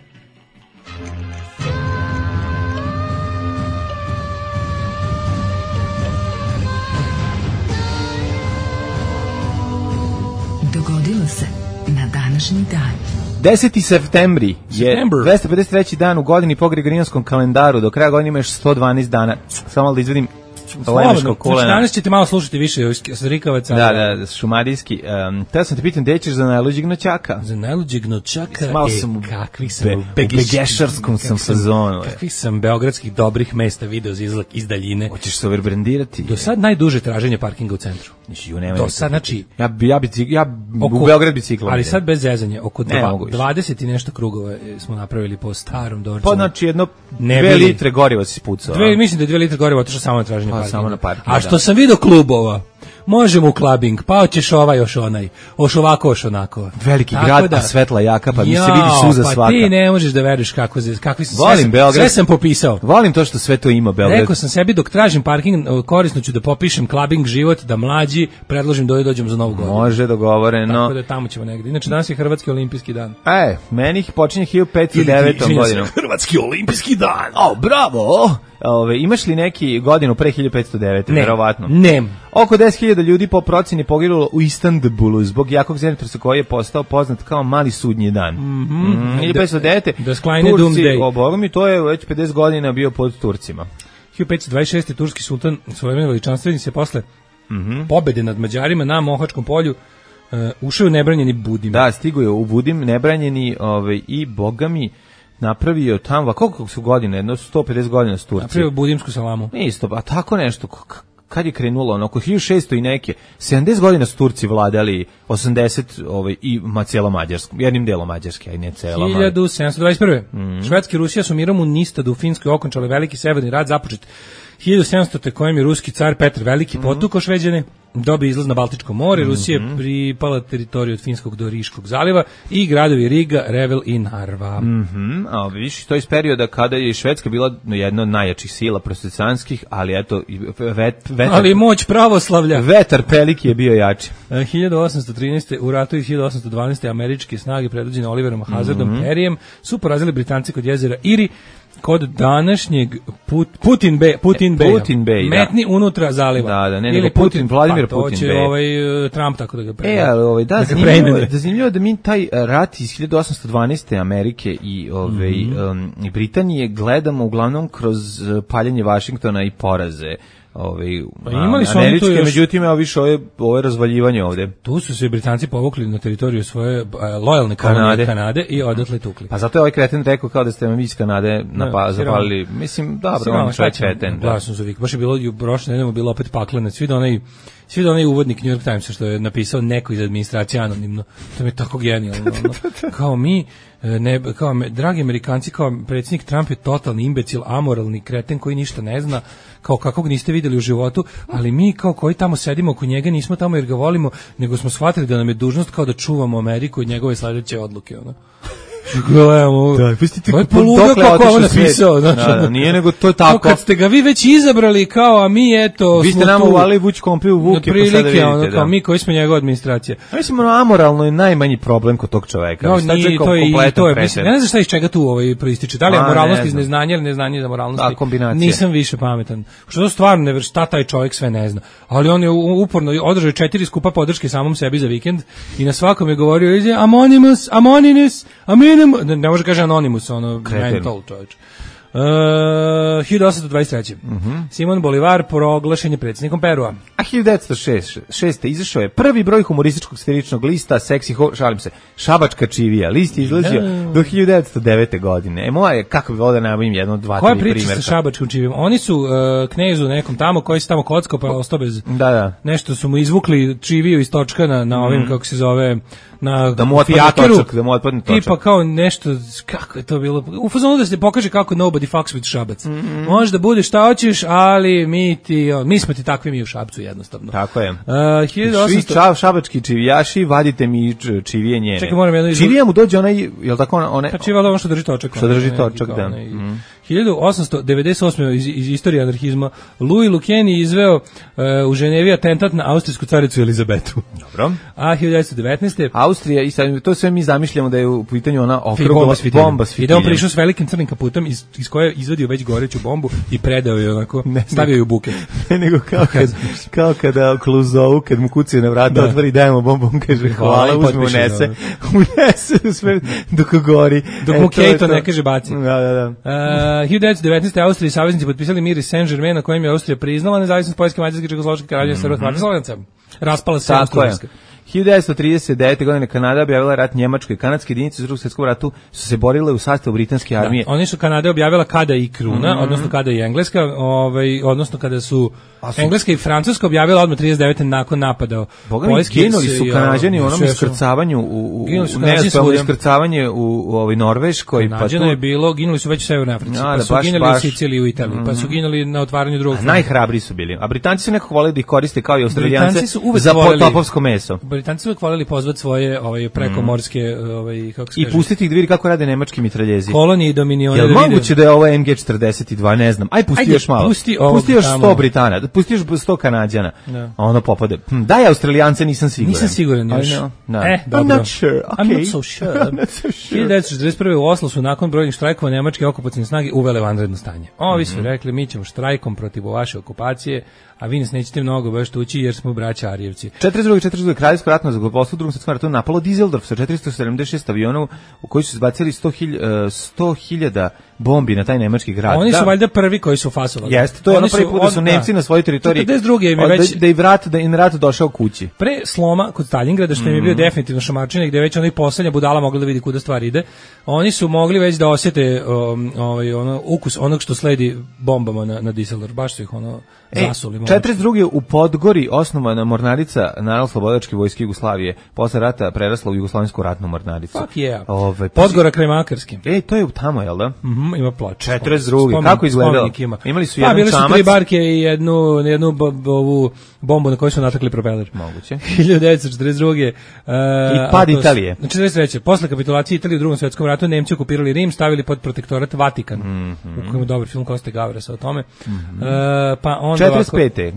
Dogodilo se na današnji dan. deseti septembri je dvesta pedeset treći dan u godini po Gregorijanskom kalendaru. Do kraja godine imaš sto dvanaest dana. Samo da izvedim Lemeško kolena. Znači, danas ćete malo slušati više Rikavaca. Da, da, šumadijski. Um, Teo sam te pitan, gde ćeš za najluđeg noćaka? Za najluđeg noćaka? Malo e, sam u, kakvih sam be, u begešarskom sam fazonu. Kakvih sam beogradskih dobrih mesta video za izlak iz daljine. Hoćeš se overbrandirati? Do sad najduže traženje parkinga u centru. Do sad, znači... Ja, ja, bi, ja oko, u Beograd biciklom. Ali sad bez zezanja, oko dva, dvadeset i nešto krugova smo napravili po starom Dorčinu. Pa znači jedno dve litre goriva si pucao. Dve, mislim da je dve litre goriva otišao samo na traženje parkinga. Samo na parkinga. A što sam vidio klubova, možemo u klubing, pa hoćeš ovaj još onaj, oš ovako, oš onako. Veliki tako grad, da, a svetla jaka, pa mi se vidi suza pa svaka. Pa ti ne možeš da veriš kako, kakvi sam, volim sve, Beograd, sve sam popisao. Volim to što sve to ima Beograd. Rekao sam sebi dok tražim parking, korisno ću da popišem clubbing život, da mlađi predložim da dođem za Novu godinu. Može, dogovoreno. Tako da tamo ćemo negde. Inače danas je Hrvatski olimpijski dan. E, meni ih počinje hiljadu petsto devetom godinom. Hrvatski olimpijski dan. O, bravo! Ove, imaš li neki godinu pre hiljadu petsto devete? Ne, verovatno. Ne. Oko deset hiljada ljudi po proceni poginulo u Istanbulu zbog jakog zemljotresa koji je postao poznat kao mali sudnji dan. Mm -hmm. mm, hiljadu petsto devete. Da sklajne Doomsday. O, boga mi, to je već pedeset godina bio pod Turcima. hiljadu petsto dvadeset šeste. turski sultan svojevremeno veličanstveni se posle mm -hmm. pobede nad Mađarima na Mohačkom polju uh, ušao u nebranjeni Budim. Da, stigo je u Budim nebranjeni ovaj, i bogami napravio tamo, koliko su godine, jedno sto pedeset godina s Turci. Napravio budimsku salamu. Isto, a tako nešto, kad je krenulo, ono, oko hiljadu šesto i neke, sedamdeset godina su Turci vladali, osamdeset ovaj, i ma, cijela Mađarska, jednim delom Mađarske, a i ne cijela. hiljadu sedamsto dvadeset prve. Mm. Švedska i Rusija su mirom u Nistadu u Finskoj okončali veliki severni rat započet hiljadu sedamsto. kojem je ruski car Petar Veliki mm. potukao Šveđane, dobio izlaz na Baltičko more, mm-hmm. Rusija je pripala teritoriju od Finskog do Riškog zaliva i gradovi Riga, Revel i Narva. Mhm, a vidiš, to je iz perioda kada je Švedska bila jedna od najjačih sila protestanskih, ali eto, vet, vetar, ali moć pravoslavlja. Vetar Peliki je bio jači. hiljadu osamsto trinaeste. u ratu iz hiljadu osamsto dvanaeste. američke snage predvođene Oliverom Hazardom mm-hmm. Perryjem su porazili Britanci kod jezera Iri kod današnjeg Put, Putin Bay, Putin Bay, Putin Bay, metni da. Unutra zaliva. Da, da, ne, ili nego Putin, Vladimir pa, Putin će Bay. ovaj Trump tako da ga preime. E, ali ovaj da, da zanimljivo, da zanimljivo da mi taj rat iz hiljadu osamsto dvanaeste. Amerike i ove mm-hmm. um, i Britanije gledamo uglavnom kroz paljenje Vašingtona i poraze. Ovaj pa imali su američke, još... međutim evo više ove, ove razvaljivanje ovde. Tu su se Britanci povukli na teritoriju svoje uh, lojalne kolonije Kanade i odatle tukli. Pa zato je ovaj kreten rekao kao da ste mi iz Kanade napa, zapalili. Mislim, dobro, on je kreten. Glasno za vik. Baš je bilo, prošle nedelje bilo opet pakleno. Svi da onaj Svi da onaj uvodnik New York Timesa što je napisao neko iz administracije anonimno, to mi je tako genijalno. Ono. Kao mi, ne, kao, dragi Amerikanci, kao predsjednik Trump je totalni imbecil, amoralni kreten koji ništa ne zna, kao kakvog niste videli u životu, ali mi kao koji tamo sedimo oko njega nismo tamo jer ga volimo, nego smo shvatili da nam je dužnost kao da čuvamo Ameriku i njegove sledeće odluke. Ono. Gledamo, da, pustite ovo je poluga kako ovo napisao. Znači, da, da, nije nego to je tako. Kad ste ga vi već izabrali kao, a mi eto... Vi ste nama uvali Vuć kompi u Vuke, prilike, pa sada vidite. Ono, kao da. mi koji smo njegova administracija. Mislim, ono, amoralno je najmanji problem kod tog čoveka. No, nije, to je, i to je, mislim, ne znam šta iz čega tu ovaj proističe. Da li je moralnost iz neznanja ili neznanje za moralnosti? Da, kombinacija. Nisam više pametan. Što to stvarno ne šta taj čovjek sve ne zna. Ali on je uporno održao četiri skupa podrške samom sebi za vikend i na svakom je govorio ize Anonymous, Anonymous, Anonymous, ne, ne može kaže Anonymous, ono mental čovječ. Uh, hiljadu osamsto dvadeset treće. Mm-hmm. Simon Bolivar proglašen je predsjednikom Perua. A hiljadu devetsto šeste. izašao je prvi broj humorističkog satiričnog lista Seksi, ho, šalim se, Šabačka čivija. List je izlazio no. do hiljadu devetsto devete. godine. E moja, kako bi ovdje nabavim jedno, dva, koja tri primjerka. Koja priča sa Šabačkom čivijom? Oni su uh, knezu nekom tamo koji se tamo kockao pa ostao bez... Da, da. Nešto su mu izvukli čiviju iz točka na, na ovim, mm. kako se zove... na da mu otpadne točak, da mu otpadne točak. Tipa kao nešto, kako je to bilo, u fazonu da se pokaže kako nobody fucks with Šabac. Mm-hmm. Može da bude šta hoćeš, ali mi ti, mi smo ti takvi mi u Šapcu jednostavno. Tako je. Uh, hiljadu osamsto... Svi čav, šabački čivijaši, vadite mi čivije njene. Čekaj, moram jedno... Čivija mu dođe onaj, jel tako one... Pa čiva ono što drži točak. Što drži točak, da. Onaj, mm. hiljadu osamsto devedeset osme. iz, iz istorije anarhizma Louis Lucchini izveo uh, u Ženevi atentat na austrijsku caricu Elizabetu. Dobro. A hiljadu devetsto devetnaeste. Austrija, i sad, to sve mi zamišljamo da je u pitanju ona okrugla bomba s fitiljem. Bomba s fitiljem. I da on prišao s velikim crnim kaputom iz, iz koje je izvadio već goreću bombu i predao je onako, ne, stavio je u buket. Ne, nego kao, kad, kao kada Kluzovu, kad mu kucaju na vrata, da. Otvori, dajemo bombu, on kaže hvala, uzme, unese, unese sve dok gori. Dok mu Kejto ne kaže baci. Da, da, da. Uh, hiljadu devetsto devetnaeste. Austrija i saveznici potpisali mir iz Saint-Germain na kojem je Austrija priznala nezavisnost Poljske, Mađarske, Čehoslovačke, Kraljevine, mm-hmm. Srba, Hrvatske, Slovenaca. Raspala se Austro-Ugarska. hiljadu devetsto trideset devete. godine Kanada objavila rat Njemačkoj. Kanadske jedinice u Drugom svjetskom ratu su se borile u sastavu britanske armije. Da, oni su Kanada objavila kada i Kruna, mm-hmm. odnosno kada i Engleska, ovaj, odnosno kada su, su Engleska i Francuska objavila odmah trideset devete. nakon napada. Poljski ginuli su Kanađani u onom iskrcavanju u, u, u neuspelno iskrcavanje u, u ovoj Norveškoj. Kanađana pa tu... je bilo, ginuli su već u Severnoj Africi, pa su baš, ginuli baš. u Siciliji i u Italiji, mm-hmm. pa su ginuli na otvaranju drugog fronta. Najhrabri su bili. A Britanci su nekako voleli da ih koriste kao i Australijanci za potopovsko meso. Britanci su uvek voljeli pozvati svoje ovaj, prekomorske, ovaj, kako se i kaže? pustiti ih da vidi kako rade nemački mitraljezi. Kolonije i dominione. Jel da moguće da je ovo em ge četrdeset dva, ne znam. Aj, pusti Ajde, još malo. Pusti, pusti još sto Britana, pusti još sto Kanađana. No. A ono popade. Hm, daj Australijance, nisam siguran. Nisam siguran još. No. No. Eh, dobro. I'm not sure. Okay. I'm not so sure. I'm not so sure. hiljadu devetsto četrdeset prve. u Oslu su nakon brojnih štrajkova nemačke okupacione snage uvele vanredno stanje. Ovi su mm-hmm. rekli, mi ćemo štrajkom protiv vaše okupacije, a vi nas nećete mnogo baš tući jer smo braća Arijevci. četrdeset druge. četrdeset druge. Kraljevsko ratno zrakoplovstvo u Drugom svjetskom ratu napalo Düsseldorf sa četiristo sedamdeset šest aviona u koji su zbacili sto hiljada bombi na taj nemački grad. Oni su da. valjda prvi koji su fasovali. Jeste, to je ono prvi put da su Nemci na svojoj teritoriji. četrdeset druge. im je već da, da i vrat da im rat došao kući. Pre sloma kod Stalingrada što im je bio definitivno šamačina gde već onaj poslednja budala mogla da vidi kuda stvar ide. Oni su mogli već da osjete um, ovaj ono ukus onog što sledi bombama na na Düsseldorf. Baš su ih ono zasuli. četrdeset druge. u Podgori osnovana mornarica Narodnooslobodilačke vojske Jugoslavije. Posle rata prerasla u Jugoslavensku ratnu mornaricu. Fuck yeah. Ovaj Podgora kraj Makarske. Ej, to je tamo, jel da? Mhm, ima ploču. četrdeset druge. Kako izgledalo? Imali su jedan pa, bili čamac. su tri barke i jednu jednu ovu bombu na kojoj su natakli propeler. Moguće. hiljadu devetsto četrdeset druge. Uh, I pad Italije. Znači četrdeset treće. Posle kapitulacije Italije u Drugom svjetskom ratu Nemci okupirali Rim, stavili pod protektorat Vatikan. Mm-hmm. U kojem je dobar film Koste Gavresa o tome. Mm-hmm. Uh, pa onda četrdeset pete.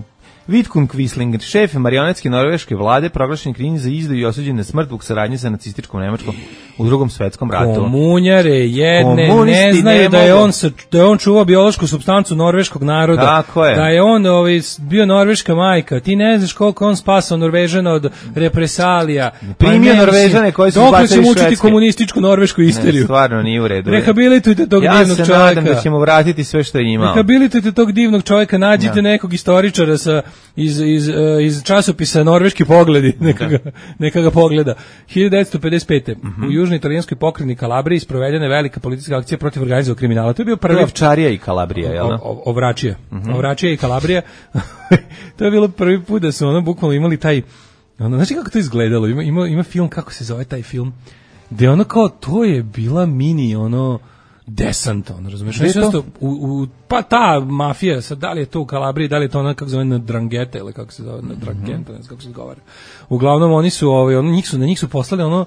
Vidkun Quisling, šef marionetske norveške vlade, proglašen krivim za izdaju i osuđen na smrt zbog saradnje sa nacističkom Nemačkom u Drugom svetskom ratu. Komunjare jedne Komunisti ne znaju ne da je mogu. on sa, da je on čuvao biološku supstancu norveškog naroda. Tako je. Da je on ovaj bio norveška majka. Ti ne znaš koliko on spasao Norvežana od represalija. Primio Pa ne, Norvežane koji su dokle izbacili ćemo učiti Švedske? komunističku norvešku Ne, isteriju. stvarno nije u redu. Rehabilitujte tog Ja divnog se čovjeka. nadam da ćemo vratiti sve što je imao. Rehabilitujte tog divnog čovjeka, nađite Ja. nekog istoričara sa, iz, iz, uh, iz časopisa Norveški pogledi, neka ga, neka ga pogleda. hiljadu devetsto pedeset pete. Mhm. U južnoj italijanskoj pokrajini Kalabriji sprovedena je velika politička akcija protiv organizovanog kriminala. To je bio prvi Ovčarija i Kalabrija, jel da? O- o- Ovračija. Ovračija i Kalabrija. To je bilo prvi put da su ono bukvalno imali taj, ono, znači kako to izgledalo, ima, ima, ima film, kako se zove taj film, gde ono kao, to je bila mini, ono, desant, ono, razumiješ? Gde je Znači, to? nešto U, u, pa ta mafija, sad, da li je to u Kalabriji, da li je to ona, kako se zove, na Drangheta, ili kako se zove, na Drangheta, ne znam kako se govore. Uglavnom, oni su, ovaj, ono, njih su, na njih su poslali, ono,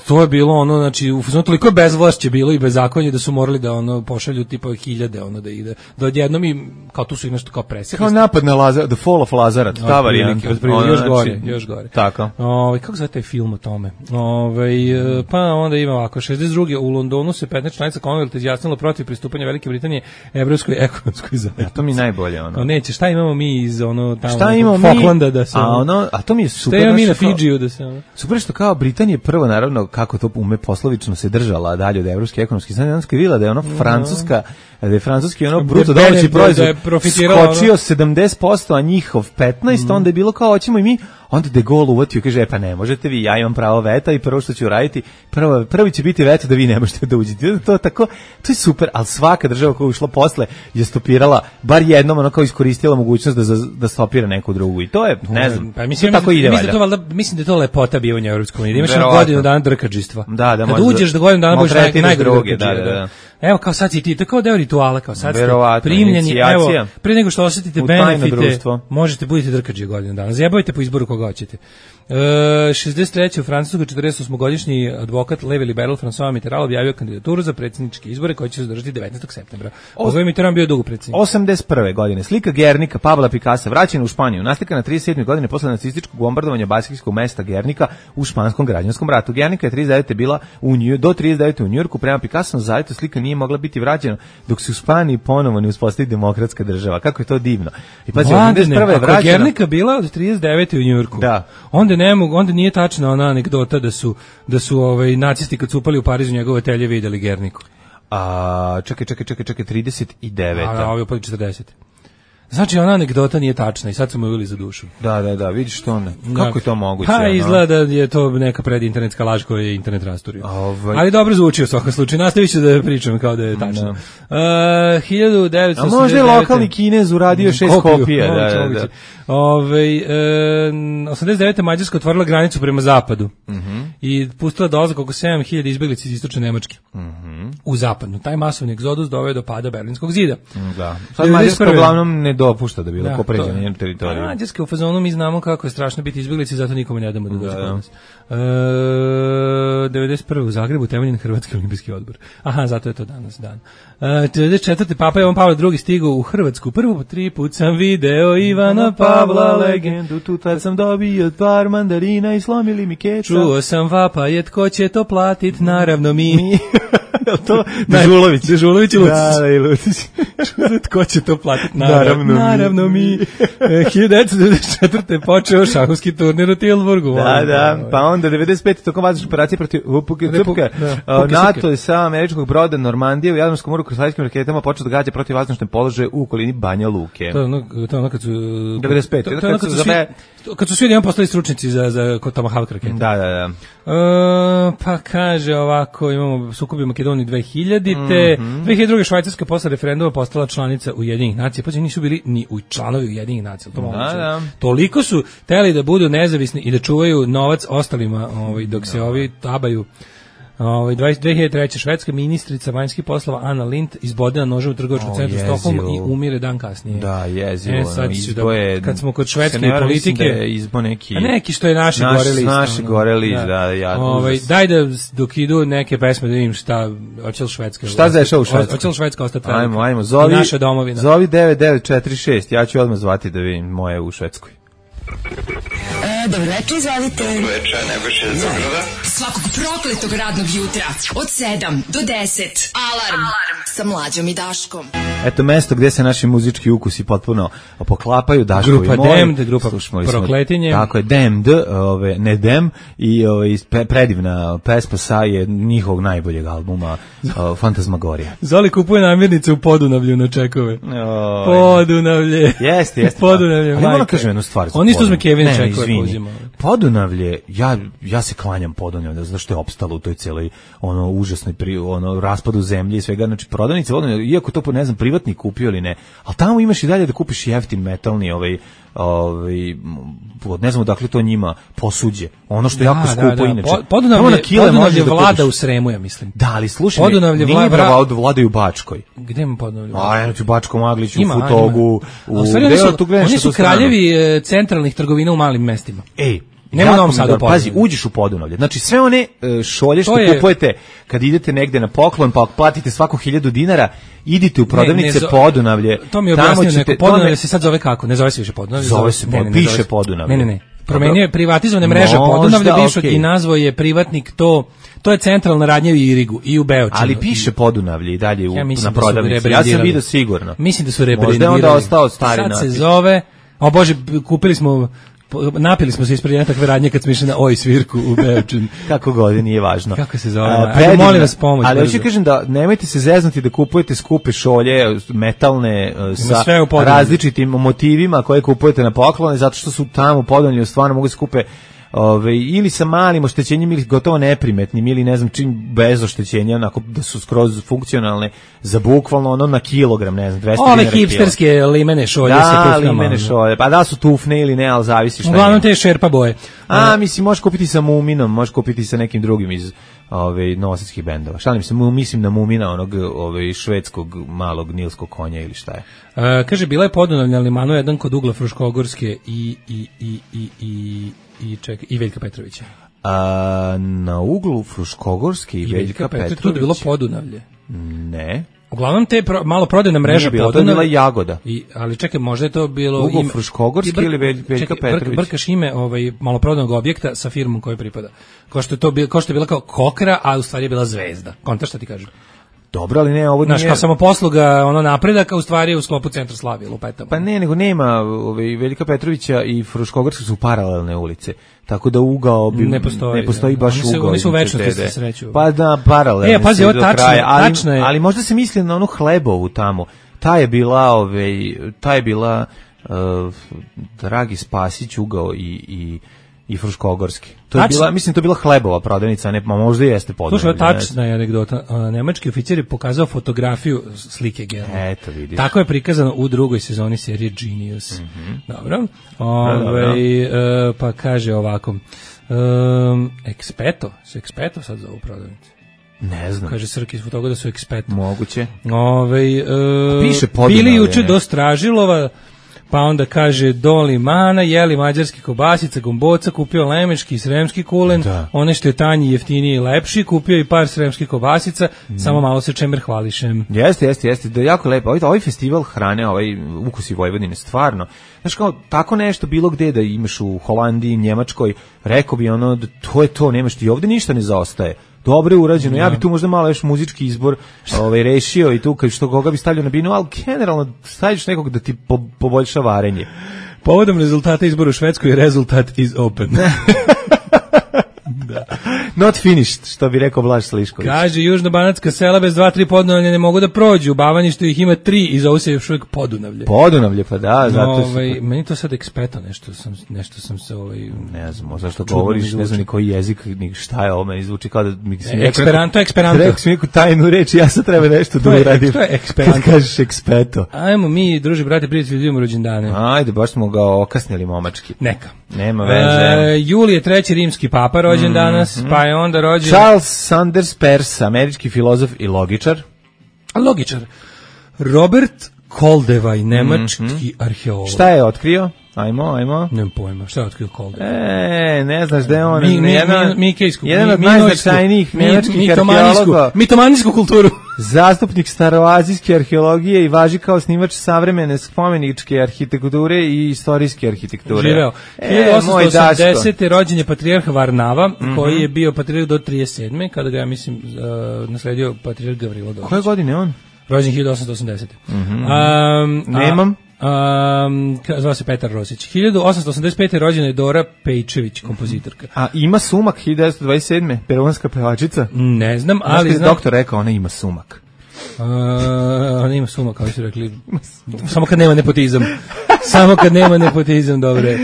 to je bilo ono, znači, u fazonu toliko je bezvlašće bilo i bezakonje da su morali da ono pošalju tipa hiljade ono da ide. Da odjednom im, kao tu su i nešto kao presjekli. Kao napad na Lazar, The Fall of Lazarus, ta varijanta. Otprilike, Ono, još znači, gore, još gore. Tako. Ovaj kako zove taj film o tome? Ovaj e, pa onda ima ovako šezdeset druge u Londonu se petnaest članica Commonwealtha izjasnilo protiv pristupanja Velike Britanije evropskoj ekonomskoj zajednici. To mi je najbolje ono. No neće, šta imamo mi iz ono tamo Šta nekog imamo mi? Falklanda da se A ono, a to mi je super. Šta imamo mi na znaš, kao- Fidžiju da se ono. Super što kao Britanija prvo naravno kako to ume poslovično se držala dalje od evropske ekonomske zajednice, onda je videla da je ono francuska, da je francuski ono bruto Da je domaći Bene- proizvod da je profitirala skočio sedamdeset posto, a njihov petnaest, onda je bilo kao hoćemo i mi, onda De Gaulle uvatio i kaže e pa ne možete vi, ja imam pravo veta i prvo što ću raditi, prvo, prvi će biti veto da vi ne možete da uđete. To je tako, to je super, ali svaka država koja je ušla posle je stopirala, bar jednom ono kao iskoristila mogućnost da, za- da stopira neku drugu i to je, ne znam, Pa mislim, to tako ide mislim da valjda. to valjda, mislim da je to lepota bivanja u Evropskoj uniji. Da imaš na Verovatno. godinu dana drkadžistva. Da, da, Kad možda uđeš da godinu dana budeš naj, maltretiraš najgore druge, drkadžija, da, da, da. Evo kao sad si ti, to je kao deo rituala, kao sad ste Verovatno, primljeni, inicijacija. evo, pre nego što osetite U tajno benefite, društvo. možete budete drkadžije godinu dana. Zjebajte po izboru koga hoćete. E, šezdeset treće u Francuskoj četrdeset osmogodišnji advokat levi liberal François Mitterrand objavio kandidaturu za predsjedničke izbore koji će se održati devetnaestog septembra. Ovo je Mitterrand bio dugo predsjednik. osamdeset prve godine slika Gernika Pabla Picassa vraćena u Španiju, naslikana trideset sedme godine posle nacističkog bombardovanja baskijskog mesta Gernika u španskom građanskom ratu. Gernika je trideset devete bila u Nju, do trideset devete u Njujorku, prema Picassom zajedno slika nije mogla biti vraćena dok se u Španiji ponovo ne uspostavi demokratska država. Kako je to divno. I pazi, osamdeset prve je Ako je vraćena. Gernika bila od trideset devete u Njujorku. Da. Onda ne mogu, onda nije tačna ona anegdota da su da su ovaj nacisti kad su upali u Parizu njegove telje videli Gerniku. A, čekaj, čekaj, čekaj, čekaj, trideset devete. A, a ovi upali četrdeset. Znači ona anegdota nije tačna i sad su mu uveli za dušu. Da, da, da, vidiš to ne. Kako je to moguće? Pa ono? izgleda da je to neka predinternetska laž koju je internet rasturio. Ovaj. Ali dobro zvuči u svakom slučaju. Nastavit ću da pričam kao da je tačno. Uh, hiljadu devetsto A osamdeset možda je devete lokalni Kinez uradio šest Kopiju, kopija. Da, moguće, da, moguće. da. Ovaj, e, osamdeset devete Mađarska otvorila granicu prema zapadu i pustila dolazak oko sedam hiljada izbeglica iz istočne Nemačke u zapadnu. Taj masovni egzodus doveo do pada Berlinskog zida. Da. Sad Mađarska devedeset prve. uglavnom ne dopušta da bilo Da, ko pređe to na je. njen teritoriju. Mađarska u fazonu mi znamo kako je strašno biti izbeglici, zato nikome ne damo da dođe Da, kod da. nas. E, devedeset prve u Zagrebu temeljen Hrvatski olimpijski odbor. Aha, zato je to danas dan. E, devedeset četvrte Papa Jovan Pavle drugi stigao u Hrvatsku. Prvo po tri put sam video Ivana Pavla legendu. Tu tad sam dobio par mandarina i slomili mi keca. Čuo sam vapaje, tko će to platit, naravno mi. Jel to Dežulović? Dežulović i Lucić. Da, da, i Lucić. Čuo tko će to platiti, naravno, Naravno mi. naravno mi. E, hiljadu devetsto devedeset četvrte počeo šahovski turnir u Tilburgu. Da, da, pa onda devedeset pete tokom vazdušne operacije protiv Vupuke Repu- Cupka, da, a, Puke NATO Cupke. je sa američkog broda Normandije u Jadranskom moru krstaljskim raketama počeo da gađa protiv vazdušne položaje u okolini Banja Luke. To je ono, to je ono kad su... devedeset pete To, to je ono kad kad su su, svi, zabe- kad su svi odjednom postali stručnici za, za kod Tomahawk rakete. Da, da, da. E, pa kaže ovako, imamo sukob u Makedoniji dve hiljadite. Mhm. dve hiljade druge Švajcarska posle referenduma postala članica Ujedinjenih nacija. Pa nisu bili ni u članovi Ujedinjenih nacija. To moguće. da. Toliko su teli da budu nezavisni i da čuvaju novac ostalima, ovaj, dok se ovi tabaju Ovaj dve hiljade treće. švedska ministrica vanjskih poslova Anna Lindh izbodena nožem u trgovačkom O, centru jezivo. Stokholma i umire dan kasnije. Da, jezivo. E, sad ono, ću izbo da- je- kad smo kod švedske se ne varam, mislim politike- da je izbo neki... A neki što je naši Naš- gore list. naši ono. gore list, da, ja, Ovaj, užas. daj da dok idu neke pesme da vidim šta, hoće li Švedska. Šta se dešava u Švedskoj? Hoće li Švedska ostati velika? Ajmo, ajmo, zovi, I naša domovina. zovi devet devet četiri šest, ja ću odmah zvati da vidim moje u Švedskoj. E, dobro večer, izvalite. Svakog prokletog radnog jutra od sedam do deset. Alarm. Alarm. Sa Mlađom i Daškom. Eto mesto gde se naši muzički ukusi potpuno poklapaju, Daško Grupa i moj. Damned, grupa Slušali smo- Prokletinje. Tako je, Damned, ove, ne Dem, i ove, pe- predivna pesma sa je njihovog najboljeg albuma, o, Fantasmagorija. Zoli kupuje namirnice u Podunavlju na čekove. Oj. Podunavlje. Jeste, jeste. Podunavlje, Ali moram majka. kažem jednu stvar. za On isto uzme Podunavlje. Kevin Ne, čekove izvini. pa uzima. Podunavlje, ja, ja se klanjam Podunavlje, zato što je opstalo u toj celoj ono užasnoj pri, ono raspadu zemlje i svega, znači prodavnice Podunavlja, iako to ne znam privatnik kupio ili ne, ali tamo imaš i dalje da kupiš jeftin metalni ovaj ovaj m, ne znam odakle to njima posuđe. Ono što je jako skupo inače. Po- Tamo Podunavlje, na kile Podunavlje možeš da vlada kupiš. u Sremu, ja mislim. Da, ali slušaj, Podunavlje nije vla- brava vra- od vladaju u Bačkoj. Gde ima Podunavlje? A, eno ću Bačkom Agliću, u Ima, Futogu, ima. A u... u stvari gde oni je su, tu gledaš oni na su tu stranu? kraljevi e, centralnih trgovina u malim mestima. Ej, Nema u jako Novom mi Sadu dobro. Pazi, Podunavlje. uđeš u Podunavlje. Znači sve one e, šolje što To je- kupujete kad idete negde na poklon, pa platite svako hiljadu dinara, idite u prodavnice Ne, ne zo- Podunavlje. To mi je tamo objasnio ćete- neko. to Podunavlje me- se sad zove kako? Ne zove se više Podunavlje. Zove se ne, ne, Pod- ne piše zove se- Podunavlje. Ne, ne, ne. Promenio je privatizovane mreže Možda, Podunavlje bivšeg okej. i nazvao je privatnik to. To je centralna radnja u Irigu i u Beočinu. Ali piše Podunavlje i dalje u, Ja mislim na da su prodavnici. Ja sam rebrendirali. vidio sigurno. Mislim da su Možda je rebrendirali. onda ostao stari Sad se natpis. zove, o Bože, kupili smo, napili smo se ispred jedne takve radnje kad smo išli na oj svirku u Beočin. Kako god, nije važno. Kako se zove? A, Ajde, predivna- molim vas, pomoć, Ali brzo. hoću kažem da nemojte se zeznuti da kupujete skupe šolje, metalne, e, sa sve u Podunavlju. različitim motivima koje kupujete na poklone, zato što su tamo u Podunavlju stvarno mogu se kupe ove, ili sa malim oštećenjem ili gotovo neprimetnim ili ne znam čim bez oštećenja, onako da su skroz funkcionalne za bukvalno ono na kilogram, ne znam, dvesta Ove dinara kilo. hipsterske limene šolje sa Da, tufkama. limene šolje, pa da su tufne ili ne, ali zavisi šta Uglavnom ima. te šerpa boje. A, mislim, možeš kupiti sa Muminom, možeš kupiti sa nekim drugim iz ove, novosadskih bendova. Šalim se, mu- mislim na Mumina, onog ove, švedskog malog nilskog konja ili šta je. E, kaže, bila je Podunavlje na limanu jedan kod ugla Fruškogorske i, i, i, i, i, i, čekaj, i Veljka Petrovića. A, na uglu Fruškogorske i, I Veljka Petrović. Tu je bilo Podunavlje. Ne. Uglavnom te pro, malo prodajna mreža Nije bila, to je Podunavlje. bila Jagoda. I, ali čekaj, možda je to bilo... Ugao ime- Fruškogorski I br- ili Velj- Veljka čekaj, brk- Petrović? Brkaš ime ovaj, maloprodajnog objekta sa firmom kojoj pripada. Kao što je to bilo, kao što je bila kao kokra, a u stvari je bila zvezda. Konta šta ti kažem? Dobro, ali ne, ovo Znaš, nije... kao samoposluga, ono napredak, a u stvari je u sklopu centra Slavije, lupetamo. Pa ne, nego nema, ove, Veljka Petrovića i Fruškogorska su paralelne ulice. Tako da ugao bi, Ne postoji, ne postoji da. baš Oni se- ugao. oni su u između večnosti te se sreću. Pa da, paralelne E, pazi, su ovo do tačno, kraja, ali, tačno je. ali možda se misli na onu Hlebovu tamo. Ta je bila, ove, ta je bila uh, Dragi Spasić ugao i, i i Fruškogorski. To je Tačno. bila, mislim to je bila Hlebova prodavnica, a ne, ma možda i jeste Podunavlje. Slušaj, ovo ne tačna je anegdota. A, Nemački oficir je pokazao fotografiju slike Germana. Eto, vidiš. Tako je prikazano u drugoj sezoni serije Genius. Dobro. Ove, dobro. e, pa kaže ovako. Um, Expeto, su Expeto sad za ovu prodavnicu. Ne znam. Kaže Srki iz fotoga da su Expeto. Moguće. Ove, e, piše Podunavlje, bili juče ne? do Stražilova, pa onda kaže do Limana, jeli mađarski kobasica, gomboca, kupio lemeški i sremski kulen, Da. one što je tanji, jeftiniji i lepši, kupio i par sremskih kobasica, samo malo se čemer hvališem. Jeste, jeste, jeste, da je jako lepo. Ovaj, ovaj festival hrane, ovaj Ukusi Vojvodine, stvarno. Znaš kao, tako nešto bilo gde da imaš u Holandiji, Njemačkoj, rekao bi ono, da to je to, nemaš ti ovde ništa ne zaostaje. Dobro je urađeno. Ja bi tu možda malo još muzički izbor ovaj, rešio i tu kad što koga bi stavljao na binu, ali generalno staviš nekog da ti po, poboljša varenje. Povodom rezultata izbora u Švedskoj, rezultat is open. Not finished, što bi rekao Blaž Slišković. Kaže, južno-banatska sela bez dva, tri podunavlja ne mogu da prođu. U Bavanjištu ih ima tri i zove se još uvijek Podunavlje. Podunavlje, pa da, zato su... Ovaj, meni to sad ekspeto nešto sam, nešto sam se ovaj... Ne znam, zašto Čudno mi govoriš, zvuči. ne znam ni koji jezik, ni šta je ovo, meni zvuči kao da mi si E, Esperanto, Esperanto. Rekao si mi neku tajnu reč, ja sad treba nešto To da je- uradim. to je Esperanto. Kad kažeš ekspeto. Ajmo mi, druži, brate, prijatelji, idemo rođendane. Ajde, baš smo ga okasnili momački. Neka. Nema veze. E, Julije treći rimski papa rođen mm, danas, mm. pa je onda rođen... Charles Sanders Peirce, američki filozof i logičar. Logičar. Robert Koldevaj, nemački mm-hmm. arheolog. Šta je otkrio? Ajmo, ajmo. Nemam pojma, šta je otkrio Koldevaj? E, ne znaš da je on... Mi, mi, jedan, mi, mi, jedan od najznačajnijih nemačkih arheologa. Mitomanijsku kulturu. Zastupnik staroazijske arheologije i važi kao snimač savremene spomeničke arhitekture i istorijske arhitekture. Živeo. E, hiljadu osamsto osamdesete. rođen je patrijarh Varnava, mm-hmm. koji je bio patrijarh do trideset sedme. kada ga, ja mislim, uh, nasledio patrijarh Gavrilo Dobrić. Koje godine on? Rođen hiljadu osamsto osamdesete. Mm-hmm. Um, Nemam. Um, zvao se Petar Rosić. hiljadu osamsto osamdeset pete. rođena je Dora Pejčević, kompozitorka. A ima sumak hiljadu devetsto dvadeset sedme. peruanska pevačica? Ne znam, ali znam. Znam... Doktor rekao, ona ima sumak. Uh, ona ima sumak, kao su rekli. Samo kad nema nepotizam. Samo kad nema nepotizam, dobre.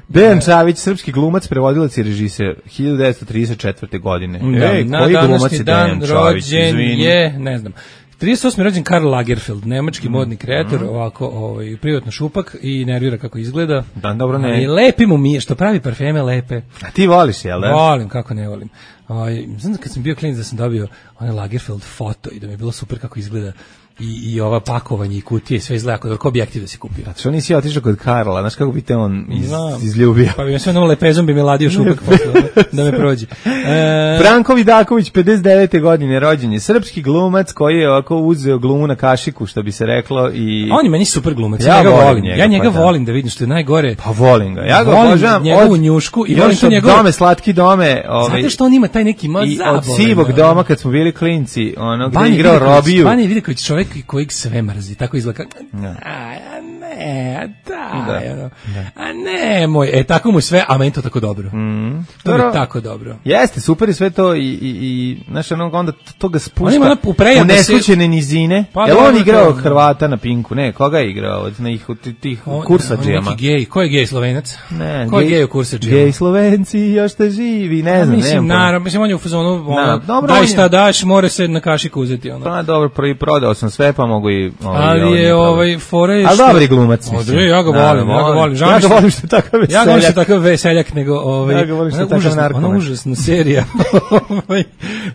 Dejan Čavić, srpski glumac, prevodilac i režiser, hiljadu devetsto trideset četvrte. godine. Da, Ej, na koji glumac je dan Dejan Čavić? rođen je, ne znam. trideset osme. rođen Karl Lagerfeld, nemački mm. modni kreator, mm. ovako ovaj, privatno šupak i nervira kako izgleda. Dan, dobro, ne. I lepi mu mi je, što pravi parfeme lepe. A ti voliš, jel da? Volim, kako ne volim. Ovaj, znam da kad sam bio klinac da sam dobio onaj Lagerfeld foto i da mi je bilo super kako izgleda i, i ova pakovanje i kutije i sve izgleda kod objektiv da se kupio. A što nisi otišao kod Karla, znaš kako bi te on iz, izljubio? Pa bi me sve onom lepezom bi me ladio šupak posle, da me prođe. E... Branko Vidaković, pedeset devete. godine rođen je, srpski glumac koji je ovako uzeo glumu na kašiku, što bi se reklo. I... On je meni super glumac, ja, ja njega volim, njega, ja njega pa, volim da vidim što je najgore. Pa volim ga, ja ga volim obožavam. Njegovu njušku i volim to njegove... Dome, slatki dome. Ovaj, zato što on ima taj neki ma i od sivog doma kad smo bili klinci, ono gde je igrao Robiju. Banja Vidaković, čovjek kojeg sve mrzi, tako izgleda. No. A ne, da, da. Ono, da. A ne, moj, e, tako mu sve, a meni to tako dobro. Mm. To je tako dobro. Jeste, super i sve to i, i, i znaš, ono, onda to ga spušta on ima u, u neslućene se... nizine. Pa, je li on igrao Hrvata na Pinku? Ne, koga je igrao od njih tih kursađijama? On neki gej, ko je gej Slovenac? Ne, ko je gej u kursađijama? Gej Slovenci, još te živi, ne znam, mislim, ne naravno, mislim, on je u fazonu, ono, dobro, daj šta daš, more se na kašiku uzeti, ono. Pa dobro, prvi prodao sam sve, pa mogu i... Ovaj, ali je ovaj fore što... Ali dobri glumac, mislim. Ja ga volim, ja ga volim. Ja ga volim što je takav veseljak. Ja ga volim što je takav veseljak, nego ovaj... Ja ga volim što je takav narkoman. Ona užasna serija.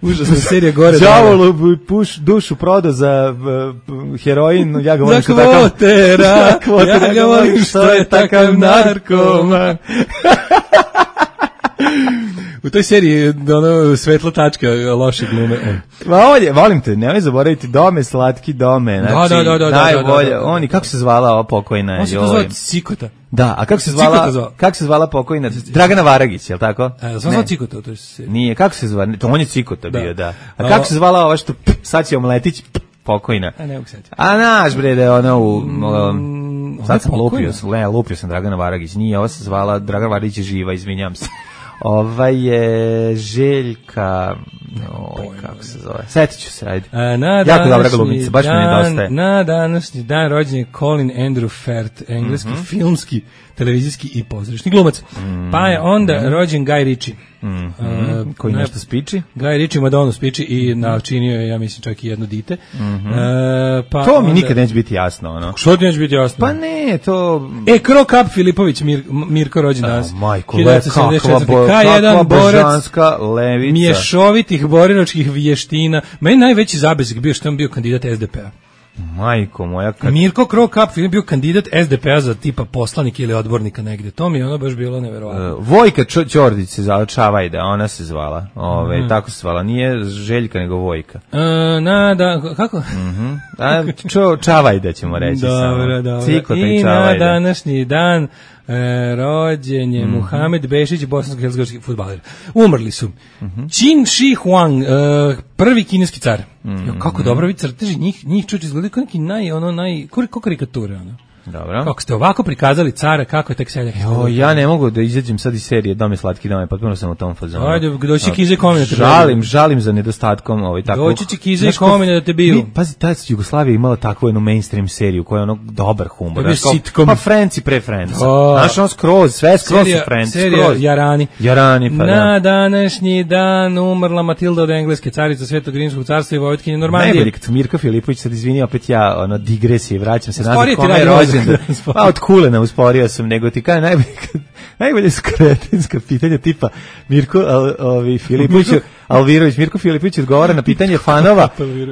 Užasna serija gore. Đavolu puš dušu prodao za uh, heroin, ja ga volim što je takav... Za kvotera, ja ga volim što je takav narkoman. U toj seriji je ono svetla tačka loše glume. Ma ovdje, volim te, nemoj zaboraviti Dome, slatki dome. Znači, da, da, da, najbolje. Da, da, da. Oni, kako se zvala ova pokojna? On se to zvala Cikota. Da, a kako se zvala, kako se zvala pokojna? Dragana Varagić, je li tako? E, sam zvala Cikota u toj seriji. Nije, kako se zvala? To on je Cikota da. bio, da. A kako se zvala ova što sad će omletić pokojna? A ne mogu setiti. A naš bre, da je ona u... Um, sad sam lupio, ne, lupio sam Dragana Varagić. Nije, ova se zvala Dragana Varagić je živa, izvinjam se. Ova je Željka, oj, kako se zove, setit ću se, ajde. A, na jako dobra glumica, baš dan, mi nedostaje. Na današnji dan rođen je Colin Andrew Firth, engleski mm-hmm. filmski, televizijski i pozorišni glumac. Mm-hmm. Pa je onda mm-hmm. rođen Guy Ritchie. Mm-hmm. Uh, koji nešto spiči? Guy Ritchie Madonu spiči i načinio je, ja mislim, čak i jedno dite. Mm-hmm. Uh, pa to mi onda... nikad neće biti jasno, ono. Što ti neće biti jasno? Pa ne, to... E, Krokap Filipović, Mir, Mirko rođen danas. Oh, majko, le, kakva, bo, kakva božanska levica. Mješovitih borilačkih vještina. Meni najveći zabezak bio što on bio kandidat S D P-a. Majko moja. Kad... Mirko Krokap film bio kandidat S D P-a za tipa poslanik ili odbornika negde. To mi je ono baš bilo neverovatno. Uh, Vojka Čo, Ćordić se zvala Čavajda, ona se zvala. Ove, mm. Tako se zvala. Nije Željka nego Vojka. Uh, na, da, kako? Mm-hmm. A, čo, Čavajda ćemo reći dobro, samo. Dobro. Cikota i, I Čavajda. na današnji dan E, rođen je mm-hmm. Muhamed Bešić, bosansko-hercegovački fudbaler. Umrli su. Mm-hmm. Qin Shi Huang, e, prvi kineski car. Mm-hmm. Jo, kako dobro vi crteži, njih, njih čuči izgledaju kao neki naj, ono, naj, kako karikature, ono. Dobro. Kako ste ovako prikazali cara, kako je tek seljak. Jo, ja ne mogu da izađem sad iz serije Dome slatki dome, potpuno sam u tom fazonu. Ajde, doći Kize Komine da te žalim, biju. Žalim za nedostatkom ovaj tako. Doći će Kize Komine da te biju. Mi, pazi, ta Jugoslavija imala takvu jednu mainstream seriju koja je ono dobar humor. Znaš, sitcom. Pa Friends i pre Friends. Znaš, on skroz, sve skroz serija, su Friends. Serija skroz. Jarani. Jarani, pa da. Na današnji dan umrla Matilda od engleske carica Svetog Rimskog carstva i vojvotkinje Normandije. Najbolje kad Mirko Filipović sad izvini, opet ja ono digresije, vraćam se nazad kome rođen. kažem da, pa od kulena usporio sam, nego ti kažem najbolje, najbolje su kretenska pitanja tipa Mirko al, ovi, Filipović, Alvirović, Mirko Filipović odgovara na pitanje fanova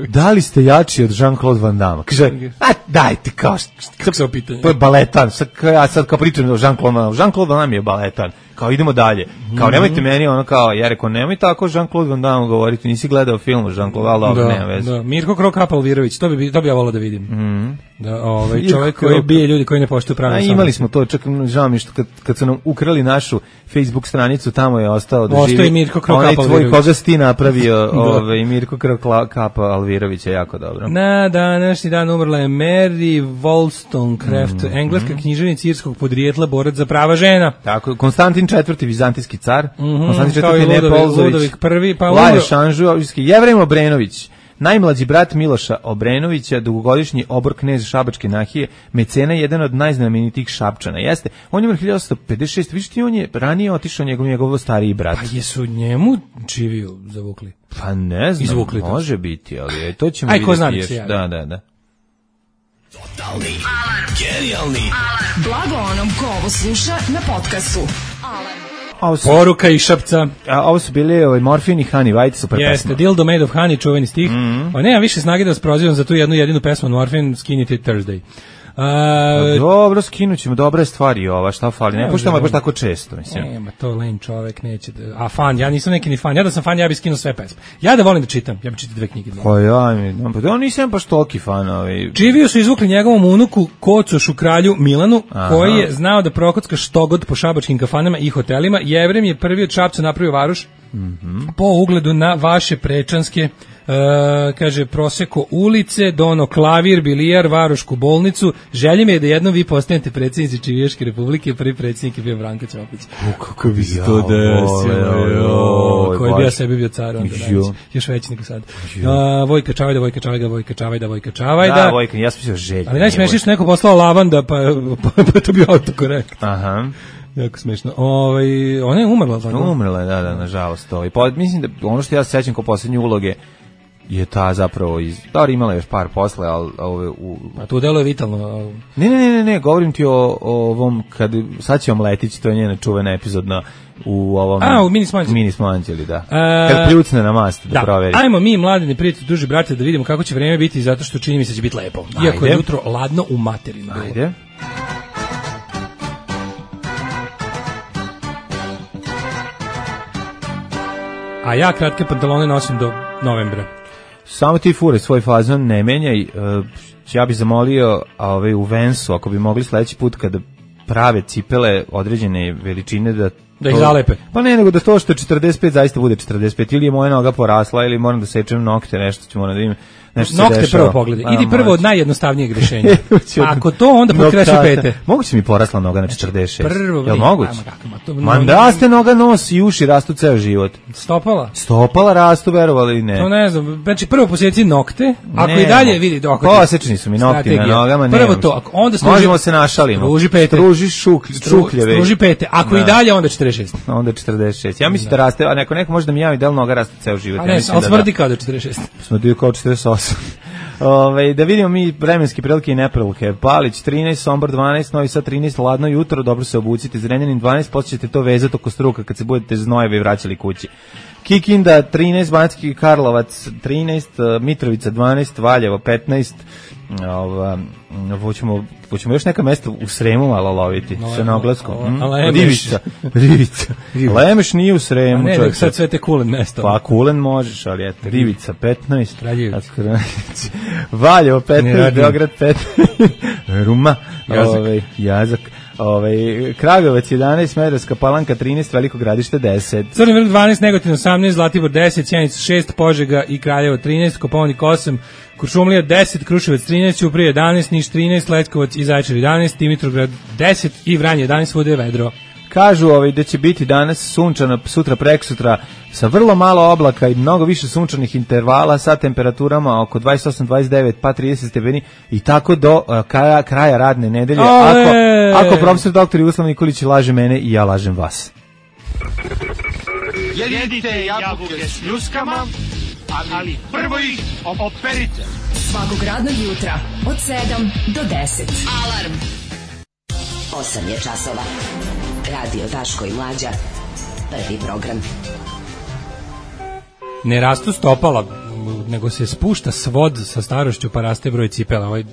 da li ste jači od Jean-Claude Van Damme. Kaže, a dajte, kao kako se ovo pitanje? To je baletan, sad, ja sad kao pričam o Jean-Claude Van Damme, Jean-Claude Van Damme je baletan. Kao idemo dalje. Kao nemojte meni ono kao ja rekao nemoj tako Jean-Claude Van Damme govoriti, nisi gledao film Jean-Claude, al dobro, nema veze. Da, Mirko Krokap Alvirović, to bi to bi ja voleo da vidim. Mm. Da, ovaj čovjek koji bije ljudi koji ne poštuju pravila. A imali smo to, čak žao mi što kad kad su nam ukrali našu Facebook stranicu, tamo je ostao da živi. Ostaje Mirko Krokap Alvirović. Onaj tvoj koga si ti napravio, ovaj Mirko Krokap Alvirović je jako dobro. Na današnji dan umrla je Mary Wollstonecraft, mm. engleska književnica irskog podrijetla, borac za prava žena. Tako, Konstantin četvrti vizantijski car, mm-hmm, Konstantin četvrti Nepolzović, prvi, pa Laja Šanžujovski, Jevrem Obrenović, najmlađi brat Miloša Obrenovića, dugogodišnji obor knez Šabačke nahije, mecena, jedan od najznamenitijih Šapčana. Jeste, on je umro hiljadu osamsto pedeset šeste. Viš ti, on je ranije otišao njegov, njegov stariji brat. Pa jesu njemu čiviju zavukli? Pa ne znam, izvukli može to. Biti, ali to ćemo Aj, vidjeti. Aj, ko zna još. se javi. Da, da, da. Totalni alarm. Genijalni alarm. Blago onom ko ovo sluša na podcastu. Alarm. Su, Poruka i Šapca. A ovo su bili ovaj, Morfin i Honey White, super pesma. Jeste, Dildo Made of Honey, čuveni stih. Mm-hmm. O, nemam više snage da vas prozivam za tu jednu jedinu pesmu Morfin, Skinny It Thursday. Uh, dobro, skinućemo dobre stvari ova, šta fali, ne puštamo je baš tako često, mislim. Nema, to len čovek neće da, a fan, ja nisam neki ni fan, ja da sam fan, ja bih skinuo sve pesme. Ja da volim da čitam, ja bih čitao dve knjige. Pa ja, mi, pa ja nisam baš toliki fan. Ovaj. Čiviju su izvukli njegovom unuku, Kocošu kralju Milanu, aha, koji je znao da prokocka štogod po šabačkim kafanama i hotelima. Jevrem je prvi od Šapca napravio varoš, mm-hmm, po ugledu na vaše prečanske, Uh, kaže, proseko ulice, dono klavir, bilijar, varošku bolnicu. Želje mi je da jednom vi postanete predsjednici Čivijaške republike, prvi predsjednik je bio Branko Ćopić. U, kako bi se to desilo. Koji bi ja sebi bio car onda, još veći nego sad. Uh, Vojka Čavajda, Vojka Čavajda, Vojka Čavajda, Vojka Čavajda. Da, Vojka, ja sam mislio Želja. Ali najsmešnije što neko poslao lavanda, pa, pa, pa to bio autokorekt. Aha. Jako smešno. Ovaj, ona je umrla, tako? Umrla je, da, da, nažalost. Ovaj. Pa, mislim da ono što ja se sećam kao posljednje uloge je ta zapravo iz... Dobro, imala još par posle, ali... Ove, u... A tu delo je vitalno. Ne, ne, ne, ne, govorim ti o, o ovom, kad sad će Omletić, to je njena čuvena epizodna u ovom... A, u Mini Smanđeli. Mini Smanđeli, da. A, kad pljucne na mast, da, da proveri. Ajmo mi, mladini prijatelji, duži brate, da vidimo kako će vreme biti, zato što čini mi se će biti lepo. Iako je jutro ladno u materinu. Ajde. A ja kratke pantalone nosim do novembra. Samo ti fure svoj fazon, ne menjaj. Uh, ja bih zamolio ove, u Vensu, ako bi mogli sledeći put kada prave cipele određene veličine da... Da ih zalepe. Pa ne, nego da to što je četrdeset pet zaista bude četrdeset pet. Ili je moja noga porasla, ili moram da sečem nokte, nešto ću moram da im... Nokte prvo pogledaj. Idi prvo od najjednostavnijeg rješenja. Ako to, onda potkreši pete. Moguće mi porasla noga na četrdeset šest. Prvo, jel moguće? Man raste noga, nos i uši rastu ceo život. Stopala? Stopala rastu, verovali ili ne? To ne znam. Znači prvo posjeci nokte, ako ne, i dalje vidi dok. Posečni su mi nokti na nogama, ne. Prvo to, ako onda struži, možemo se našalimo. Struži pete. Struži šuklje, šukljeve. Struži pete. Ako da. I dalje onda četrdeset šest. Onda četrdeset šest. Ja mislim da, da raste, a neko neko može da mi javi da li noga raste ceo život. A ne, al smrdi kao da četrdeset šest. Smrdi kao četrdeset osam. Ove, da vidimo mi vremenske prilike i neprilike. Palić trinaest, Sombor dvanaest, Novi Sad trinaest, ladno jutro, dobro se obucite. Zrenjanin dvanaest, posle ćete to vezati oko struka kad se budete znojevi vraćali kući. Kikinda trinaest, Banatski Karlovac trinaest, Mitrovica dvanaest, Valjevo petnaest. Ova, hoćemo, hoćemo još neka mesta u Sremu malo loviti, no, sa naglaskom. Mm? Rivica. Rivica. Lemeš nije u Sremu. A ne, nek sad sve te Kulen mesta. Pa Kulen možeš, ali eto. Rivica petnaest. Valjevo petnaest, Beograd petnaest. Ruma. Jazak. Ove, jazak. Ovaj Kragujevac jedanaest, Smederevska Palanka trinaest, Veliko Gradište deset. Crni vrh dvanaest, Negotin osamnaest, Zlatibor deset, Sjenica šest, Požega i Kraljevo trinaest, Kopaonik osam, Kuršumlija deset, Kruševac trinaest, Ćuprija jedanaest, Niš trinaest, Leskovac i Zaječar jedanaest, Dimitrovgrad deset i Vranje jedanaest, svuda je vedro. Kažu ovaj da će biti danas sunčano, sutra preksutra sa vrlo malo oblaka i mnogo više sunčanih intervala sa temperaturama oko dvadeset osam dvadeset devet pa trideset stepeni i tako do uh, kraja, kraja radne nedelje. Ako, ako profesor doktor Jugoslav Nikolić laže mene i ja lažem vas. Jedite jabuke s ljuskama Ali prvo ih operite. Svakog radnog jutra od sedam do deset. Alarm. osam je časova. Radio Daško i Mlađa. Prvi program. Ne rastu stopala, nego se spušta svod sa starošću pa raste broj cipela. Ovaj,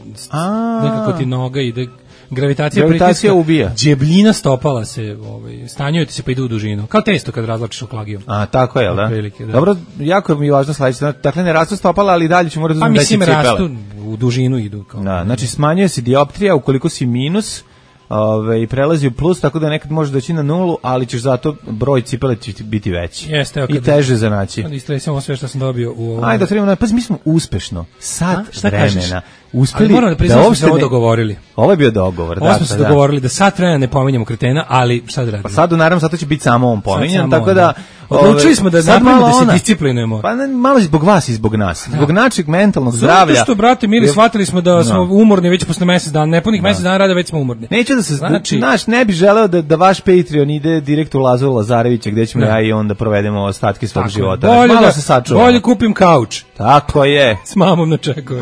nekako ti noga ide... Gravitacija, Gravitacija ubija. Džebljina stopala se, ovaj, stanjujete se pa idu u dužinu. Kao testo kad razlačiš oklagijom. A, tako je, da? Prilike, da. Dobro, jako mi je važno sledeće. Dakle, ne rastu stopala, ali dalje ću morati da uzmem veće cipele. Pa mislim, rastu, u dužinu idu. Kao. Da, znači, smanjuje se dioptrija ukoliko si minus, ove, i prelazi u plus, tako da nekad može doći na nulu, ali ćeš zato broj cipele će biti veći. Jeste, i teže za naći. Onda istresimo sve što sam dobio u ovom... Ajde, da trebamo, pa mi smo uspešno, sat vremena, uspeli ali moram da priznam da smo se ovo dogovorili. Ovo je bio dogovor, ovo da. smo se dogovorili da sat vremena ne pominjemo kretena, ali šta da radimo? Pa sad, naravno, zato će biti samo on pominjan, tako da... Odlučili smo da napravimo da se disciplinujemo. Pa ne, malo zbog vas i zbog nas. Zbog našeg mentalnog zdravlja. Zato što, brate, mili, shvatili smo da smo umorni već posle mesec dana, nepunih mesec dana rada već smo umorni. Neću da se, znači, naš, ne bi želeo da, da vaš Patreon ide direkt u Lazoru Lazarevića, gde ćemo ja i onda provedemo ostatke svog života. Bolje, malo da, se sačuvamo. Bolje kupim kauč. Tako je. S mamom na čeku.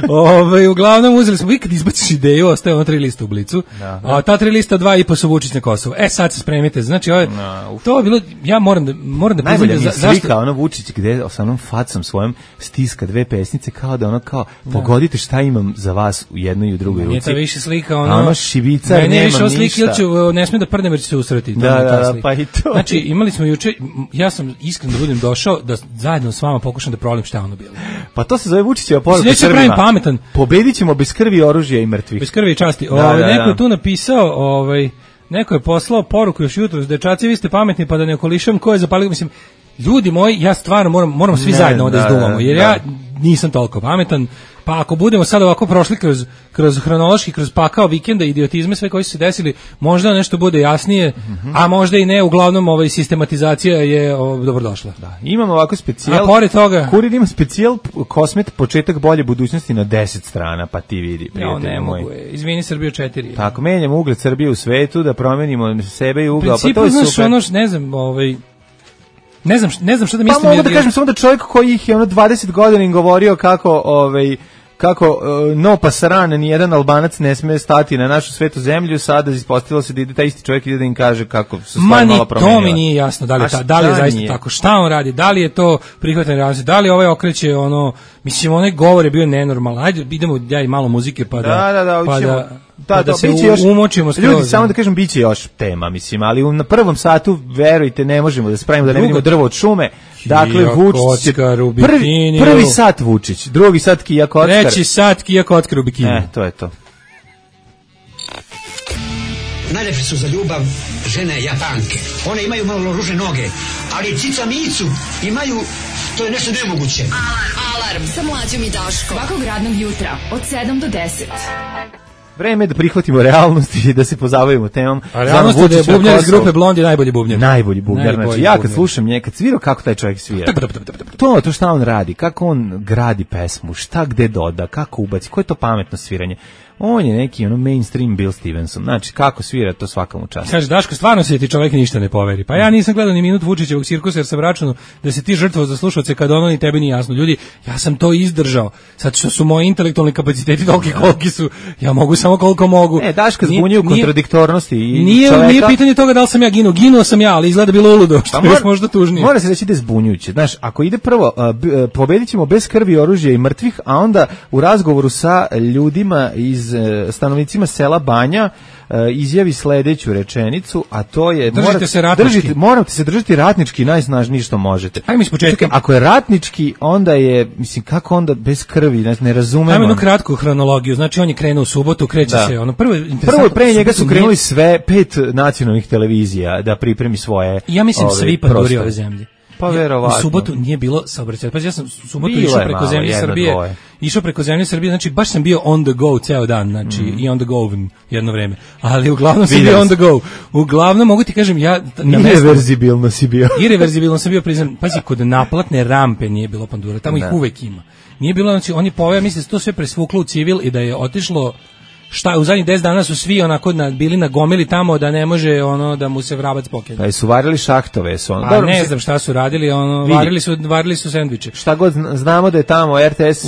Ove, uglavnom uzeli smo, vi kad izbaciš ideju, ostaje ono tri lista u Blicu, da. A ta tri lista, dva i po su Vučić na Kosovo. E, sad se spremite. Znači, ove, no, to je bilo, ja moram da, moram da priznam da... Slika, zašto? Ono Vučić gde sa onom facom svojom stiska dve pesnice kao da ono kao pogodite šta imam za vas u jednoj i u drugoj ruci. Nije to više slika ono... A ono šibicar nema ništa. Ne, više slika ili ću, ne sme da prdnem jer će se usrati. Da, da, da, pa i to. Znači imali smo juče, ja sam iskreno da budem došao da zajedno s vama pokušam da provalim šta je ono bilo. Pa to se zove Vučićeva poruka Srbima. Neću pravim pametan. Pobedit ćemo bez krvi, oružja i mrtvih. Bez krvi i časti. Da, Ove, da, neko da. je tu napisao, ovaj, neko je poslao poruku još jutros, dečaci vi ste pametni pa da ne okolišam ko je zapalio, mislim, ljudi moji, ja stvarno moram, moramo svi ne, zajedno ovdje izduvamo, jer da. Ja nisam toliko pametan, pa ako budemo sad ovako prošli kroz, kroz hronološki, kroz pakao vikenda, idiotizme, sve koji su se desili, možda nešto bude jasnije, mm-hmm. a možda i ne, uglavnom ovaj, sistematizacija je o, dobrodošla. Da. Imamo ovako specijal, a pored toga... Kurir ima specijal Kosmet, početak bolje budućnosti na deset strana, pa ti vidi, prijatelji ja, ne moj. mogu, je. Izvini Srbiju četiri. Tako, menjamo ugled Srbije u svetu, da promenimo sebe i ugao, pa to je znaš, super. Ono, ne znam, ovaj... Ne znam, ne znam šta da mislim. Pa mogu da kažem samo da čovjek koji ih je ono dvadeset godina im govorio kako ovaj kako uh, no pasaran, ni jedan Albanac ne sme stati na našu svetu zemlju, sada ispostavilo se da ide taj isti čovjek ide da im kaže kako se stvari malo promenila. Ma ni to mi nije jasno, da li je, ta, da li je zaista nije? Tako, šta on radi, da li je to prihvatanje realnosti, da li ovaj okreće ono, mislim, onaj govor je bio nenormalan, ajde idemo ja i malo muzike pa da, da, da, da, pa učimo. da Da, pa da, da se još, umočimo skroz. Ljudi, samo da kažem, biće još tema, mislim, ali u, na prvom satu, verujte, ne možemo da spravimo da ne vidimo drvo od šume. Dakle, Vučić je prvi, prvi sat Vučić, drugi sat Kija Kockar. Treći sat Kija Kockar u bikini. E, to je to. Najlepše su za ljubav žene Japanke. One imaju malo ružne noge, ali cica micu imaju, to je nešto nemoguće. Alarm, alarm, sa Mlađom i Daškom. Svakog radnog jutra, od sedam do deset. Vreme je da prihvatimo realnost i da se pozabavimo temom. A realnost je da je bubnjar iz grupe Blondi najbolji bubnjar. Najbolji bubnjar. Znači, ja kad slušam nje, kad svirao kako taj čovjek svira. To, to šta on radi, kako on gradi pesmu, šta gde doda, kako ubaci, koje je to pametno sviranje. On je neki ono mainstream Bill Stevenson. Znači, kako svira, to svakom času. Kaže, Daško, stvarno se ti čovjek ništa ne poveri. Pa ja nisam gledao ni minut Vučićevog cirkusa jer sam računao da se ti žrtvovao za slušalce kad ono ni tebi nije jasno. Ljudi, ja sam to izdržao. Sad što su moji intelektualni kapaciteti toliki koliki su, ja mogu samo koliko mogu. E, Daška zbunjuju kontradiktornosti i nije, čoveka. Nije pitanje toga da li sam ja ginuo. Ginuo sam ja, ali izgleda bilo uludo, što pa je možda tužnije. Mora se reći da je zbunjujuće. Znaš, ako ide prvo, uh, b, uh, pobedit ćemo bez krvi, oružja i mrtvih, a onda u razgovoru sa ljudima iz uh, stanovnicima sela Banja uh, izjavi sledeću rečenicu, a to je držite morate, se ratnički. Držite, morate se držati ratnički najsnažnije što možete. Ajmo iz početka. Ako je ratnički, onda je, mislim, kako onda bez krvi, ne, ne razumemo. Ajmo jednu kratku hronologiju. Znači on je krenuo u subotu, kreće da. se ono prvo prvo pre njega su krenuli sve pet nacionalnih televizija da pripremi svoje. Ja mislim ove, svi panduri ove zemlje. Pa verovatno. U subotu nije bilo saobraćaja. Pa ja sam u subotu išao preko zemlje Srbije. Dvoje. Išao preko zemlje Srbije, znači baš sam bio on the go ceo dan, znači mm. i on the go jedno vreme. Ali uglavnom sam bio on the go. Uglavnom mogu ti kažem ja na irreverzibilno si bio. Irreverzibilno sam bio, priznam. Pazi, kod naplatne rampe nije bilo pandura. Tamo da. ih uvek ima. Nije bilo, znači oni pove, mislim da se to sve presvuklo u civil i da je otišlo šta u zadnjih deset dana su svi onako na, bili na gomili tamo da ne može ono da mu se vrabac pokine. Pa su varili šahtove, su ono. Pa dobro, ne znam šta su radili, ono vidi. varili su varili su sendviče. Šta god znamo da je tamo R T S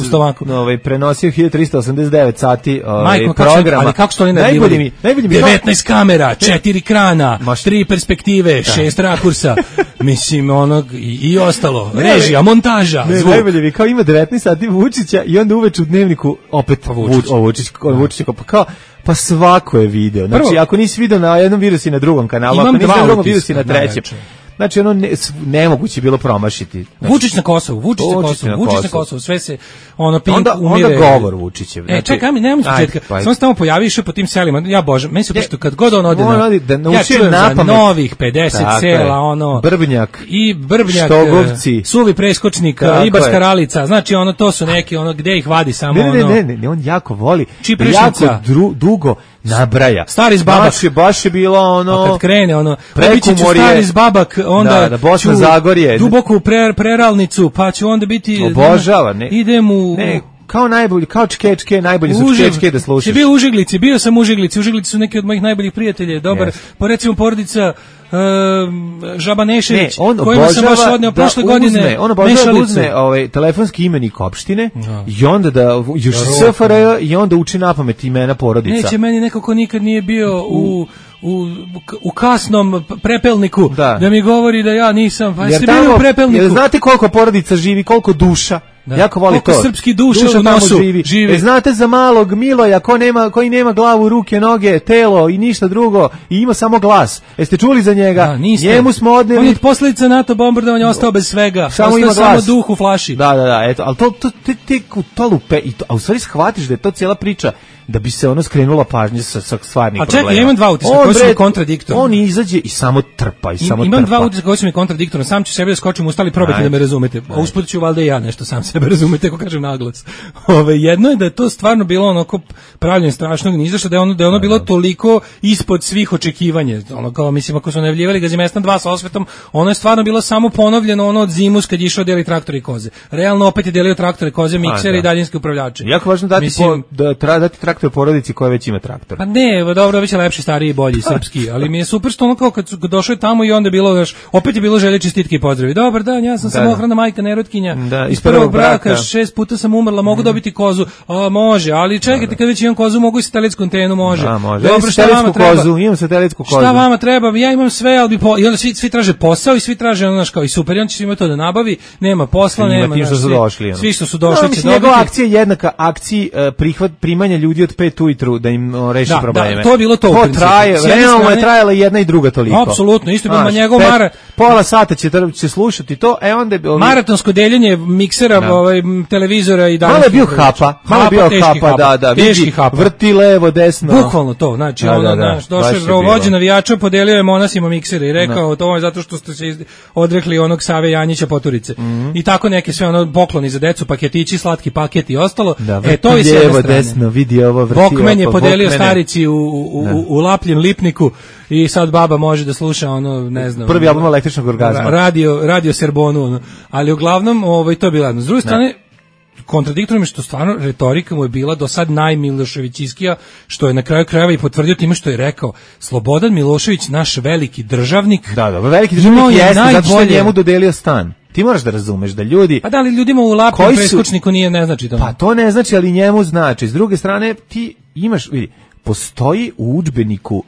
ovaj prenosio hiljadu trista osamdeset devet sati ovaj Majko, programa. Ali kako što oni najbolje mi, najbolje mi devetnaest kamera, četiri krana, tri perspektive, da. šest rakursa. Mislim onog i, i ostalo. Režija, montaža, ne, zvuk. Najbolje mi kao ima devetnaest sati Vučića i onda uveče u dnevniku opet pa Vučić, o, Vučić, Vučić pa kao pa svako je video. Znači prvo, ako nisi video na jednom video si na drugom kanalu, ako nisi na drugom video si na trećem. Znači ono ne, nemoguće bilo promašiti. Znači, Vučić na Kosovu, Vučić na Kosovu, Vučić na Kosovu, sve se ono Pink onda, umire. Onda govor Vučićev. Znači, e, čekaj, mi nemamo početka. Samo se tamo pojavi išao po tim selima. Ja bože, meni se baš kad god on ode on na. Da ja čujem za novih pedeset tako sela, ono Brbnjak i Brbnjak, Štogovci, Suvi preskočnik, Ibarska Ralica. Znači ono to su neki ono gde ih vadi samo ne, ono. Ne, ne, ne, on jako voli. Jako dru, dugo nabraja. Stari zbabak. Baš je, baš je bilo ono... A kad krene ono... Prekumor je... Stari zbabak, onda... Da, da, Bosna Zagorje. Duboku pre, preralnicu, pa će onda biti... Obožava, ne. Idem u... Ne, kao najbolji, kao čkečke, najbolji su čkečke da slušaš. Si bio u Užiglici, bio sam u Užiglici. Užiglici su neki od mojih najboljih prijatelja. Dobar, yes. Pa recimo porodica... Uh, Žaba Nešević, ne, kojima sam baš odneo prošle godine on obožava da uzme ovaj, telefonski imenik opštine no. i onda da još S F R J i onda uči napamet imena porodica. Neće meni neko ko nikad nije bio u u, u kasnom prepelniku da. da mi govori da ja nisam, pa jeste bili u prepelniku. Jer znate koliko porodica živi, koliko duša? Da. Jako voli koliko to. Srpski duša, duša u nosu živi. živi. E, znate za malog Miloja ko nema, koji nema glavu, ruke, noge, telo i ništa drugo i ima samo glas. Jeste čuli za njega? Da, njemu smo odneli. On je posljedica NATO bombardovanja ostao bez svega. Samo ima samo duh u flaši. Da, da, da, eto, al to to te te to lupe i to, a u stvari shvatiš da je to cijela priča da bi se ono skrenula pažnja sa sa stvarnih problema. A čekaj, ja imam dva utiska koji su mi kontradiktorni. On izađe i samo trpa i samo imam trpa. Imam dva utiska koji su mi kontradiktorni. Sam ću sebe da skočim ustali probati da me razumete. A usput ću valjda i ja nešto sam sebe razumete, kako kažem naglas. Ove, jedno je da je to stvarno bilo onako pravljenje strašnog nizašto, da je ono da je ono bilo toliko ispod svih očekivanja. Ono kao mislim ako su najavljivali Gazimestan dva sa osvetom, ono je stvarno bilo samo ponovljeno ono od zimus kad je išao deli traktori i koze. Realno opet je delio traktore, koze, miksere i daljinski upravljači. Jako važno dati mislim, po, da treba dati traktor porodici koja već ima traktor. Pa ne, dobro, već je lepši, stariji, bolji, srpski, ali mi je super što ono kao kad su došli tamo i onda je bilo još, opet je bilo želje čestitke i pozdravi. Dobar dan, ja sam da, samohrana majka nerotkinja, da, iz prvog braka, braka, šest puta sam umrla, mogu mm. dobiti kozu. A, može, ali čekajte, da, kad već imam kozu, mogu i satelitsku antenu, može. Da, može. Dobro, šta vama treba? Kozu, imam satelitsku kozu. Šta vama treba? Ja imam sve, ali bi po, i onda svi, svi traže posao i svi traže ono kao i super, on će svima to da nabavi, nema posla, nema, naš, svi, došli, ono. svi što su došli no, će dobiti. Njegova akcija je jednaka akciji uh, prihvat primanja ljudi od pet ujutru da im uh, reši da, probleme. Da, to je bilo to. To traje, realno je trajala jedna i druga toliko. Apsolutno, isto bilo njegov mara. Pola sata će, će slušati to, e onda... Ovi... Maratonsko deljenje miksera, da. ovaj, televizora i dalje. Malo je bio hapa, malo je bio hapa, da, da, vidi, vrti levo, desno. Bukvalno to, znači, da, ono, da, da, došao je vođa navijača, podelio je monasima miksere i rekao, to je zato što ste se odrekli onog Save Janjića Poturice. Mm -hmm. I tako neke sve ono pokloni za decu, paketići, slatki paket i ostalo. Da, e, to je s jedne strane. Desno, vidi ovo, vrti Bokmen je podelio starici u, u, u, u Lapljen Lipniku i sad baba može da sluša ono, ne znam. Prvi album električnog orgazma. Radio, radio Serbonu, ono. Ali uglavnom, ovaj, to je bilo jedno. S druge strane, kontradiktorno je što stvarno retorika mu je bila do sad najmiloševićiskija, što je na kraju krajeva i potvrdio time što je rekao Slobodan Milošević, naš veliki državnik. Da, da, veliki državnik jeste zato što je njemu dodelio stan. Ti moraš da razumeš da ljudi... Pa da li ljudima u Lapljem preskočniku nije ne znači to? Pa to ne znači, ali njemu znači. S druge strane, ti imaš, vidi, postoji u udžbeniku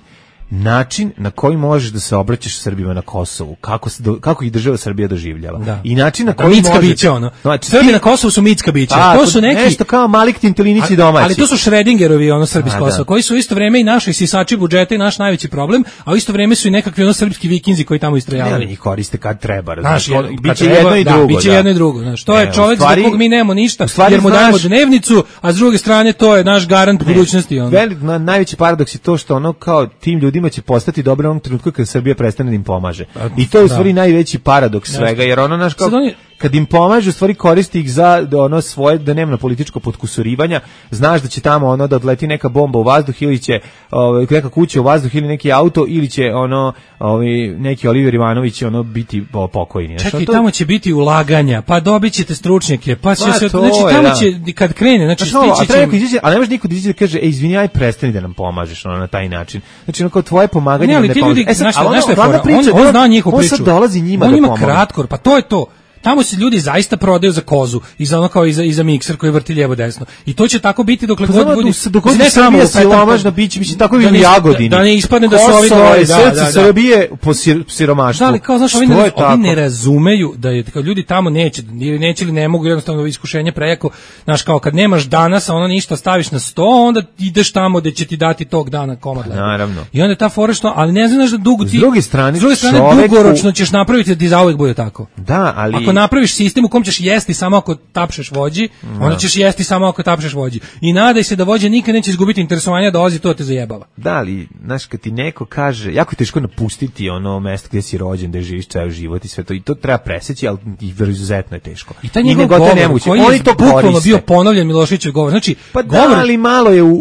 način na koji možeš da se obraćaš Srbima na Kosovu, kako se do, kako ih država Srbija doživljava. Da. I način na koji mitska možeš... bića ono. Znači, Srbi ti... na Kosovu su mitska bića. A, to su neki nešto kao Malik Tintelinići domaći. Ali to su Šredingerovi ono Srbi s Kosova, koji su u isto vrijeme i naši sisači budžeta i naš najveći problem, a u isto vrijeme su i nekakvi ono srpski vikinzi koji tamo istrajavaju. Ne, njih koriste kad treba, znaš, biće jedno i drugo. Da, biće jedno i drugo, znaš. To je čovjek za kog mi nemamo ništa, jer mu dajemo dnevnicu, a s druge strane to je naš garant budućnosti ono. Najveći paradoks je to što ono kao tim ljudima će postati dobro u onom trenutku kad Srbija prestane da im pomaže. I to je u stvari najveći paradoks svega, jer ono naš kao kad im pomaže, u stvari koristi ih za da ono svoje dnevno političko potkusurivanja, znaš da će tamo ono da odleti neka bomba u vazduh ili će ovaj neka kuća u vazduh ili neki auto ili će ono ovaj neki Oliver Ivanović ono biti pokojni. Čekaj, to... tamo će biti ulaganja, pa dobićete stručnjake, pa će se znači tamo je, će kad krene, znači stići će, izaći, ali ne može niko da izađe da kaže ej izvini, aj prestani da nam pomažeš ono na taj način. Znači ono kao tvoje pomaganje ne, ali ne ti pomaže. Ljudi, e sad, znaš, znaš ono, on, priča, on, on zna njihovu priču. On sad dolazi njima on da ima pomogne. kratkor, pa to je to. Tamo se ljudi zaista prodaju za kozu i za ono kao i za, i za mikser koji vrti lijevo desno. I to će tako biti dokle god bude. Dok god ne samo siromašna biće, mislim tako bi u Jagodini. Da ne ispadne da su ovi dvoje, da, da, da. Srbije po siromaštvu. Da, ali kao znaš, ovi, ne, ovi ne razumeju da je kao ljudi tamo neće, ili neće ili ne mogu jednostavno iskušenje prejako. Znaš, kao kad nemaš danas, a ono ništa staviš na sto, onda ideš tamo gde će ti dati tog dana komad. Naravno. I onda je ta fora što, ali ne znaš da dugo ti. S druge strane, s druge strane dugoročno ćeš napraviti da ti zauvek bude tako. Da, ali ako napraviš sistem u kom ćeš jesti samo ako tapšeš vođi, no. onda ćeš jesti samo ako tapšeš vođi. I nadaj se da vođa nikad neće izgubiti interesovanja da ozi to te zajebava. Da, ali, znaš, kad ti neko kaže, jako je teško napustiti ono mesto gdje si rođen, gdje živiš ceo život i sve to, i to treba preseći, ali i izuzetno je teško. I taj njegov govor, koji je bukvalno bio ponovljen Miloševićev govor. Znači, pa govor, da, ali malo je, u,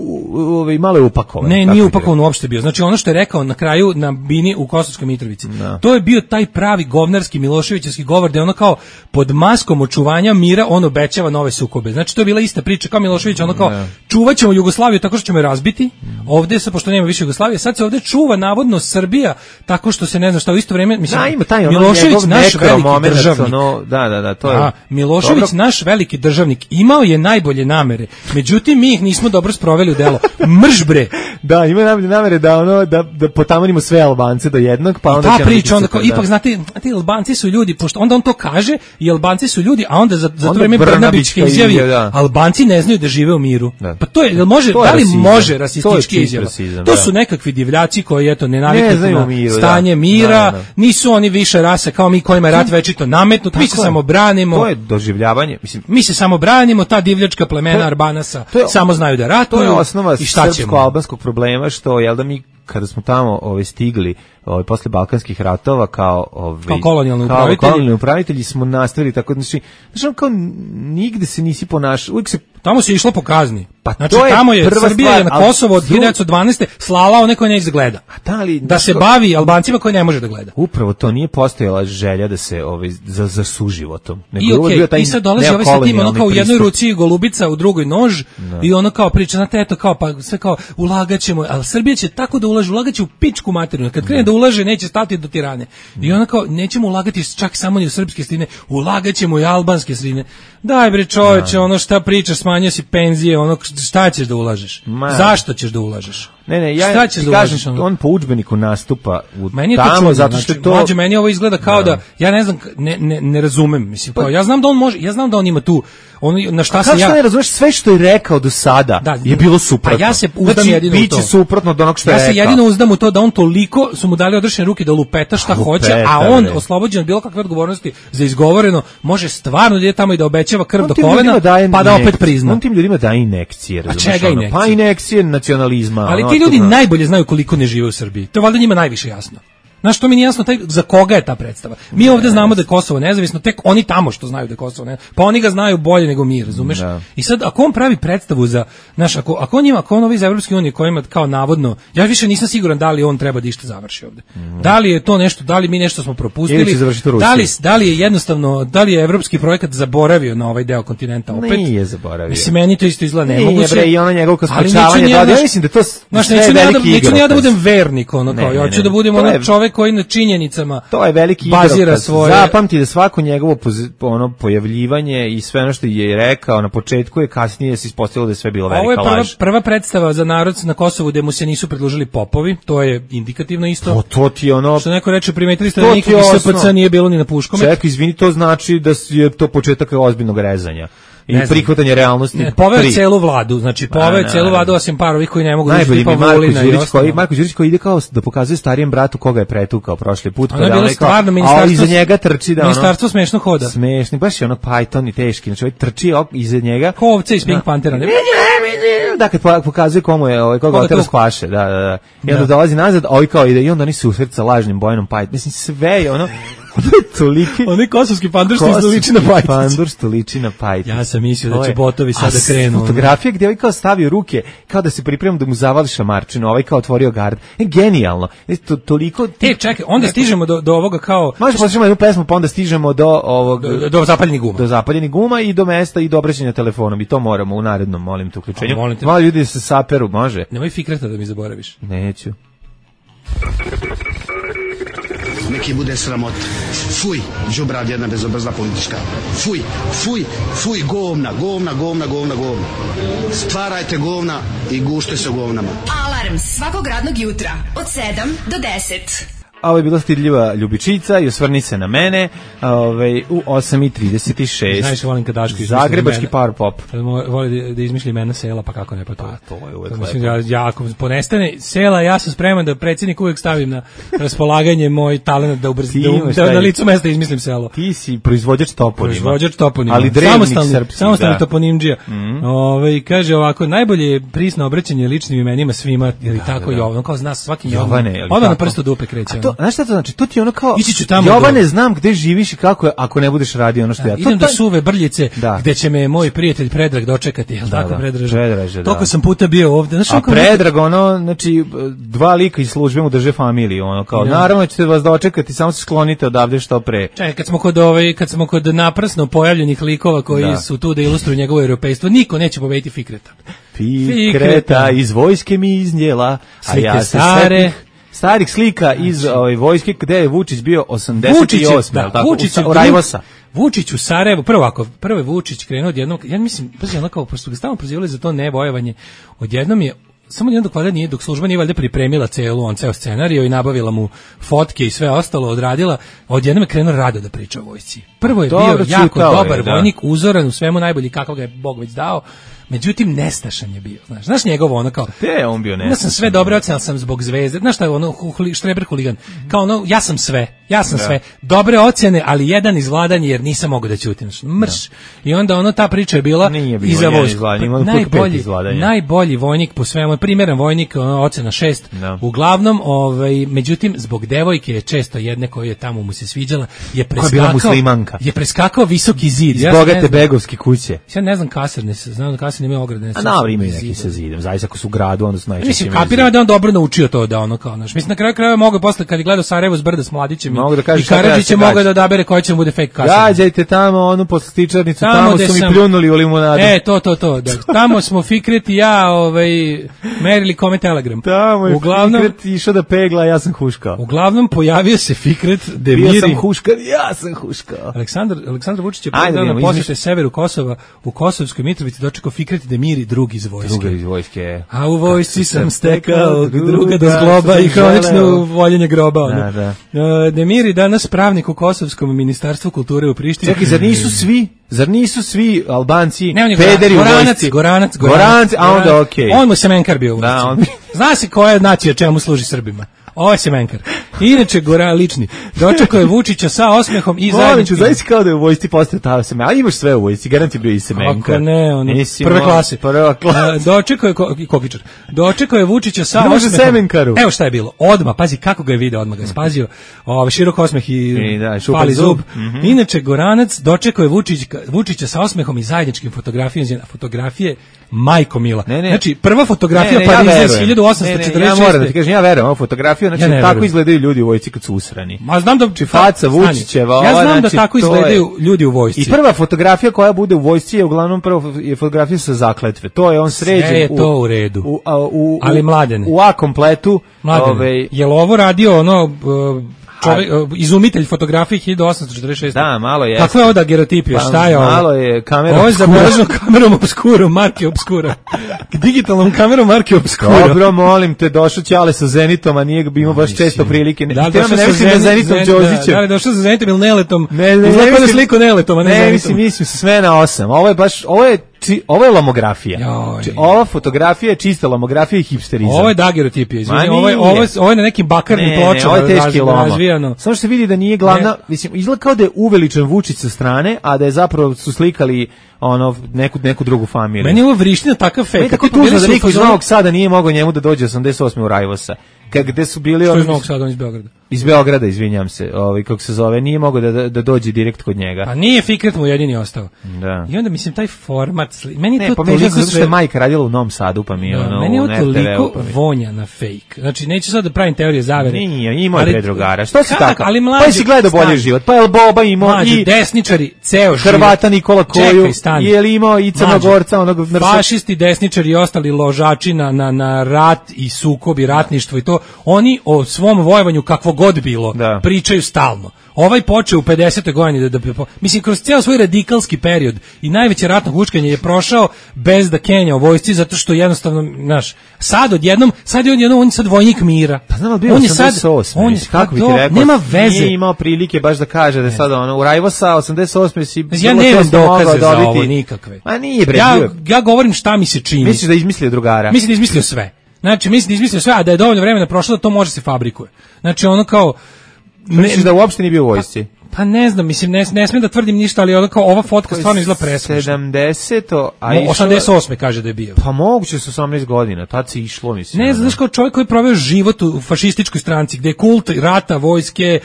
u, malo je upakovan. Ne, nije upakovan uopšte bio. Znači, ono što je rekao na kraju na bini u Kosovskoj Mitrovici, no. to je bio taj pravi govnarski Miloševićevski govor, gde ono kao pod maskom očuvanja mira on obećava nove sukobe. Znači to je bila ista priča kao Milošević, ono kao ne. čuvaćemo Jugoslaviju tako što ćemo je razbiti. Ovde se pošto nema više Jugoslavije, sad se ovde čuva navodno Srbija tako što se ne zna šta u isto vrijeme mislim da, ima taj, ono, Milošević naš veliki moment, državnik. Ono, da, da, da, to je. A, Milošević dobro. Naš veliki državnik imao je najbolje namere. Međutim mi ih nismo dobro sproveli u delo. Mrž bre. Da, ima najbolje namere da ono da da potamanimo sve Albance do jednog, pa onda ta priča onda kao da. Ipak znate, ti Albanci su ljudi, pošto onda on to kaže i Albanci su ljudi, a onda za za to vreme Brnabićka izjavi da. Albanci ne znaju da žive u miru. Da. Pa to je može to je da li rasizam. Može rasistički izjava. To da. Su nekakvi divljaci koji eto ne naviknu na miru, stanje da. Mira, da, da. Nisu oni više rase kao mi kojima je rat večito nametnut, mi se samo branimo. To je doživljavanje, mislim, mi se samo branimo, ta divljačka plemena Arbanasa samo znaju da ratuju. To je osnova i šta ćemo albanskog problema što jel da mi kada smo tamo ovaj stigli ovaj posle balkanskih ratova kao ovaj kao kolonijalni upravitelji, kolonijalni upravitelji smo nastavili tako znači znači kao nigde se nisi ponašao, uvijek se tamo se išlo po kazni. Pa znači to je tamo je prva Srbija stvar, je na Kosovo od hiljadu devetsto dvanaeste slala one koje neće da gleda. A da li da se bavi Albancima koji ne može da gleda. Upravo to nije postojala želja da se ovaj za za suživotom. Nego I, okay, bio taj i sad dolazi ovaj sa tim ono kao u jednoj ruci golubica, u drugoj nož no. I ono kao priča na eto kao pa sve kao ulagaćemo, al Srbija će tako da ulaže, ulagaće u pičku materinu. Kad krene no. Da ulaže neće stati do tirane. I ono kao nećemo ulagati čak samo ni u srpske sredine, ulagaćemo i albanske sredine. Daj bre čoveče, ono šta pričaš, smanjio si penzije, ono šta ćeš da ulažeš? Ma. Zašto ćeš da ulažeš? Ne, ne, ja ti da kažem, ono? On po udžbeniku nastupa u meni tamo, čudno, zato što znači, to... Mlađe, meni ovo izgleda kao da, da ja ne znam, ne, ne, ne razumem, mislim, kao, ja znam da on može, ja znam da on ima tu, on, na šta se ja... Kako ne razumeš, sve što je rekao do sada da, je bilo suprotno. A ja se uzdam znači, jedino u to. Biće suprotno od onog što ja je rekao. Ja se jedino uzdam u to da on toliko, su mu dali odrešene ruke da lupeta šta a, hoće, lupeta, a on, ne. Oslobođen od bilo kakve odgovornosti za izgovoreno, može stvarno da ide tamo i da obećava krv on do kolena, pa da opet prizna. On tim ljudima daje inekcije, razumiješ? Inekcije? Pa inekcije nacionalizma. Ali ti ljudi najbolje znaju koliko ne žive u Srbiji. To je valjda njima najviše jasno. Znaš, to mi nije jasno taj, za koga je ta predstava. Mi ovdje znamo da je Kosovo nezavisno, tek oni tamo što znaju da je Kosovo nezavisno. Pa oni ga znaju bolje nego mi, razumeš? Da. I sad, ako on pravi predstavu za, znaš, ako, ako on ima, ako on ovi iz Evropske unije kojima kao navodno, ja više nisam siguran da li on treba da išta završi ovdje. Mm. Da li je to nešto, da li mi nešto smo propustili, da li, da li je jednostavno, da li je evropski projekat zaboravio na ovaj deo kontinenta opet? Nije zaboravio. Mislim, meni to isto izgleda nemoguće. Nije, i ono njegovo skočavanje, ja mislim da to znaš, neću ja da, neću ja da budem vernik, ono kao, ja hoću da budem ono čovek koji na činjenicama to je veliki bazira svoje. Zapamti da svako njegovo ono pojavljivanje i sve ono što je rekao na početku je kasnije se ispostavilo da je sve bilo velika laž. Ovo je prva, prva predstava za narod na Kosovu gde mu se nisu predložili popovi, to je indikativno isto. To, to ti ono što neko reče, primetili ste da nikog iz S P C nije bilo ni na Puškome. Čekaj, izvini, to znači da je to početak ozbiljnog rezanja. I prihvatanje realnosti. Ne, poveo je celu vladu, znači poveo je celu vladu osim par ovih koji ne mogu da tipa Vulina i ostalo. Marko Đurić koji ide kao da pokazuje starijem bratu koga je pretukao prošli put. Ono je bilo stvarno ministarstvo, a iza njega trči da ono... Ministarstvo smešno hoda. Smešni, baš je ono Python i teški, znači ovaj trči iza njega. Ko ovce iz Pink Panthera. Da, kad pokazuje komu je, ovaj, koga otera spaše, da, da, da. I onda dolazi nazad, ovaj kao ide i onda oni se usreća lažnim Bojanom Python. Mislim, sve je ono... Toliki. Onaj kosovski pandur što liči na pajticu. Pandur što liči na pajticu. Ja sam mislio da će botovi sada krenu. Fotografija gdje ovaj kao stavio ruke, kao da se priprema da mu zavali šamarčinu, ovaj kao otvorio gard. E, genijalno. E, to, toliko... Ti... E, čekaj, onda stižemo do, do ovoga kao... Možeš poslušamo jednu pesmu, pa onda stižemo do ovog... Do, do zapaljenih guma. Do zapaljenih guma i do mesta i do obraćanja telefonom. I to moramo u narednom, molim te, uključenju. Molim te. Malo ljudi se saperu, može? Nemoj fikreta da mi zaboraviš. Neću. Neki bude sramot. Fuj, đubrad jedna bezobrazna politička. Fuj, fuj, fuj, govna, govna, govna, govna, govna. Stvarajte govna i gušte se govnama. Alarm svakog radnog jutra od sedam do deset. A ovo je bila stidljiva Ljubičica i osvrni se na mene ovaj, u osam i trideset šest. Znaš, volim kad Daško izmisli Zagrebački power pop. Voli da, da izmišlji imena sela, pa kako ne, pa to. Pa, to je uvek to mislim, ja, ja, ako ponestane sela, ja sam spreman da predsjednik uvek stavim na raspolaganje moj talent da, ubrz, da, da na licu mesta izmislim selo. Ti si proizvođač toponima. Proizvođač toponima. Ali drevnik srpski. Samostalni toponimdžija. Mm. Ove, kaže ovako, najbolje je prisno obraćanje ličnim imenima svima, ili da, tako da, da. Jovan, kao zna svaki Jovane. Odmah na prstu dupe kreće. Znaš šta to znači? To ti ono kao, Jovane, do... znam gde živiš i kako je, ako ne budeš radio ono što da, ja. Idem to, do Suve Brljice, da. Gde će me moj prijatelj Predrag dočekati, jel da, tako, da, Predraže? Predraže, da. Toliko sam puta bio ovde. Znaš, a Predrag, ono, znači, dva lika iz službe mu drže familiju, ono, kao, ja. Naravno ćete vas dočekati, samo se sklonite odavde što pre. Čekaj, kad smo kod, ovaj, kad smo kod naprasno pojavljenih likova koji da. Su tu da ilustruju njegovo europejstvo, niko neće pobediti Fikreta. Fikreta, Fikreta iz vojske mi iznjela, a ja se stare... starih slika iz znači, ovaj, vojske gde je Vučić bio osamdeset osam. Da, tako, Vučić u Rajvosa. Vučić u Sarajevu, prvo ako, prvo je Vučić krenuo odjednom, ja mislim, pazi, ono kao, pošto ga stalno prozivali za to nebojevanje, odjednom je, samo jednom dok valjda nije, dok služba nije valjda pripremila celu, on ceo scenariju i nabavila mu fotke i sve ostalo, odradila, odjednom je krenuo rado da priča o vojsci. Prvo je Dobro, bio jako dobar je, da. Vojnik, uzoran u svemu najbolji kako ga je Bog već dao. Međutim, nestašan je bio, znaš, znaš njegovo ono kao... Te je on bio nestašan. Ja sam sve dobro ocen, ali sam zbog Zvezde, znaš šta je ono, štreber huligan, kao ono, ja sam sve, ja sam da. Sve, dobre ocjene, ali jedan izvladanje jer nisam mogao da ćutim, mrš. Da. I onda ono, ta priča je bila iza vojsku. Najbolji, najbolji vojnik po svemu, primjeran vojnik, ono, ocena šest, da. Uglavnom, ovaj, međutim, zbog devojke je često jedne koje je tamo mu se sviđala, je preskakao, je preskakao visoki zid. Iz ja bogate begovske kuće. Ja ne znam kasarne, znam da nema ograde. A dobro, imaju neki sa zidom. Zaista ako su u gradu, onda su najčešće. Mislim, kapiram da on dobro naučio to da ono kao, znaš. Mislim, na kraju krajeva mogu posle kad je gledao Sarajevo s brda s Mladićem i Karadžićem mogu da odabere koja će mu bude fake kasarna. Gađajte tamo onu poslastičarnicu, tamo, tamo su mi sam, pljunuli u limunadu. E, to, to, to. Da. Tamo smo Fikret i ja ovaj, merili kome telegram. Tamo je uglavnom, Fikret išao da pegla, ja sam huškao. Uglavnom pojavio se Fikret Demiri. Bio sam huškao, ja sam huškao. Aleksandar, Aleksandar Vučić je predano posjete severu Kosova u Kosovskoj Mitrovici dočekao Fikret Demiri drugi iz vojske. Druga iz vojske. A u vojsci sam stekao druga do zgloba i hronično voljenje groba. Ono. Da, da. Demiri danas pravnik u Kosovskom ministarstvu kulture u Prištini. Čekaj, zar nisu svi, zar nisu svi Albanci ne, pederi goranac, u vojsci? Goranac, Goranac, Goranac, a onda okej. Okay. On mu semenkar bio u vojsci. Da, on... Zna se koja nacija čemu služi Srbima. Ovo je semenkar. Inače, Gora lični. Dočekao je Vučića sa osmehom i zajedničkim. Zaista kao da je u vojsci postao ta semenkar. A imaš sve u vojsci, garant je bio i semenkar. Ako ne, ono, prve klase. Prva klasa. Dočekao je, ko, kokičar, dočekao je Vučića sa osmehom. Semenkaru. Evo šta je bilo. Odma, pazi kako ga je video, odmah ga je spazio. Ovaj širok osmeh i, I da, pali zub. zub. Mm-hmm. Inače, Goranac dočekao je Vučić, Vučića sa osmehom i zajedničkim fotografijama. Fotografije Majko Mila. Ne, ne. Znači, prva fotografija ne, ne, Pariza iz hiljadu osamsto četrdeset šeste. Ja moram da ti kažem, ja verujem, ovu fotografiju, znači ja tako izgledaju ljudi u vojsci kad su usrani. Ma znam da či faca Vučićeva, ja znam znači, da tako izgledaju je... ljudi u vojsci. I prva fotografija koja bude u vojsci je uglavnom prva je fotografija sa zakletve. To je on sređen. Sve je to u redu. U, a, u, ali Mladene. U A kompletu. Ove... Je li ovo radio ono... Uh, Čovjek, izumitelj fotografije hiljadu osamsto četrdeset šeste. Da, malo je. Kako je ovo da gerotipija? Pa, šta je ovo? Malo je kamera. Ovo je zabeleženo kamerom obskuro, marke obskura. Digitalnom kamerom marke obskura. Dobro, molim te, došao Ćale sa Zenitom, a nije imao baš često prilike. Da li došao sa Zenitom, Zenitom Đorđićem? Da li došao sa Zenitom ili Neletom? Ne, ne, Izgleda da sliku Neletom, a ne, ne Zenitom. Mislim, mislim, sve na osam. Ovo je baš, ovo je Či, ovo je lomografija. Či, ova fotografija je čista lomografija i hipsterizam. Ovo je dagerotipija, izvini. Ovo je, ovo, je, ovo je na nekim bakarnim ne, pločama. Ne, ovo je teški loma. Razvijano. Samo što se vidi da nije glavna, ne. Mislim, izgleda kao da je uveličan Vučić sa strane, a da je zapravo su slikali ono neku neku drugu familiju. Meni je ovo vriština takav fake. Meni tako tužno da niko iz Novog Sada nije mogao njemu da dođe osamdeset osme u Rajvosa. Kad gde su bili oni iz Novog Sada, on iz Beograda. Iz Beograda, izvinjam se, ovaj kako se zove, nije mogao da, da, da dođe direkt kod njega. Pa nije Fikret mu jedini ostao. Da. I onda mislim taj format, sli... meni ne, to pa toliko zato što je majka radila u Novom Sadu, pa mi je da, ono meni je u toliko pa mi... vonja na fake. Znači neću sad da pravim teorije zavere. Nije, imao je predrugara. Što si kak, tako? Ali mlađi, pa si gledao bolji život. Pa je Boba imao i desničari ceo život. Hrvata Nikola Koju, i je li imao i Crnogorca, onog nrsa. Fašisti, desničari i ostali ložači na, na, na rat i sukob i ratništvo i to, oni o svom vojovanju kakvo god bilo da. pričaju stalno. Ovaj počeo u pedesetoj godini da, da mislim kroz ceo svoj radikalski period i najveće ratno huškanje je prošao bez da kenja u vojsci zato što jednostavno, znaš, sad odjednom, sad je odjednom on je sad vojnik mira. Pa znam, bio on je sad on je kako bi ti rekao, nema veze. Nije imao prilike baš da kaže da je sad ono u Rajvosa osamdeset osme si ja nemam dokaze za ovo nikakve. Ma nije bre. Ja, ja govorim šta mi se čini. Misliš da je izmislio drugara? Mislim da je izmislio sve. Znači, mislim da je izmislio sve, a da je dovoljno vremena prošlo da to može se fabrikuje. Znači, ono kao misliš da uopšte nije bio u vojsci? Pa, pa ne znam, mislim, ne, ne smijem da tvrdim ništa, ali ono kao ova fotka stvarno izgleda presmešno. sedamdeseto a išlo... osamdeset osme kaže da je bio. Pa moguće su osamnaest godina, tad se išlo, mislim. Ne, znaš kao čovjek koji je proveo život u fašističkoj stranci, gde je kult rata, vojske,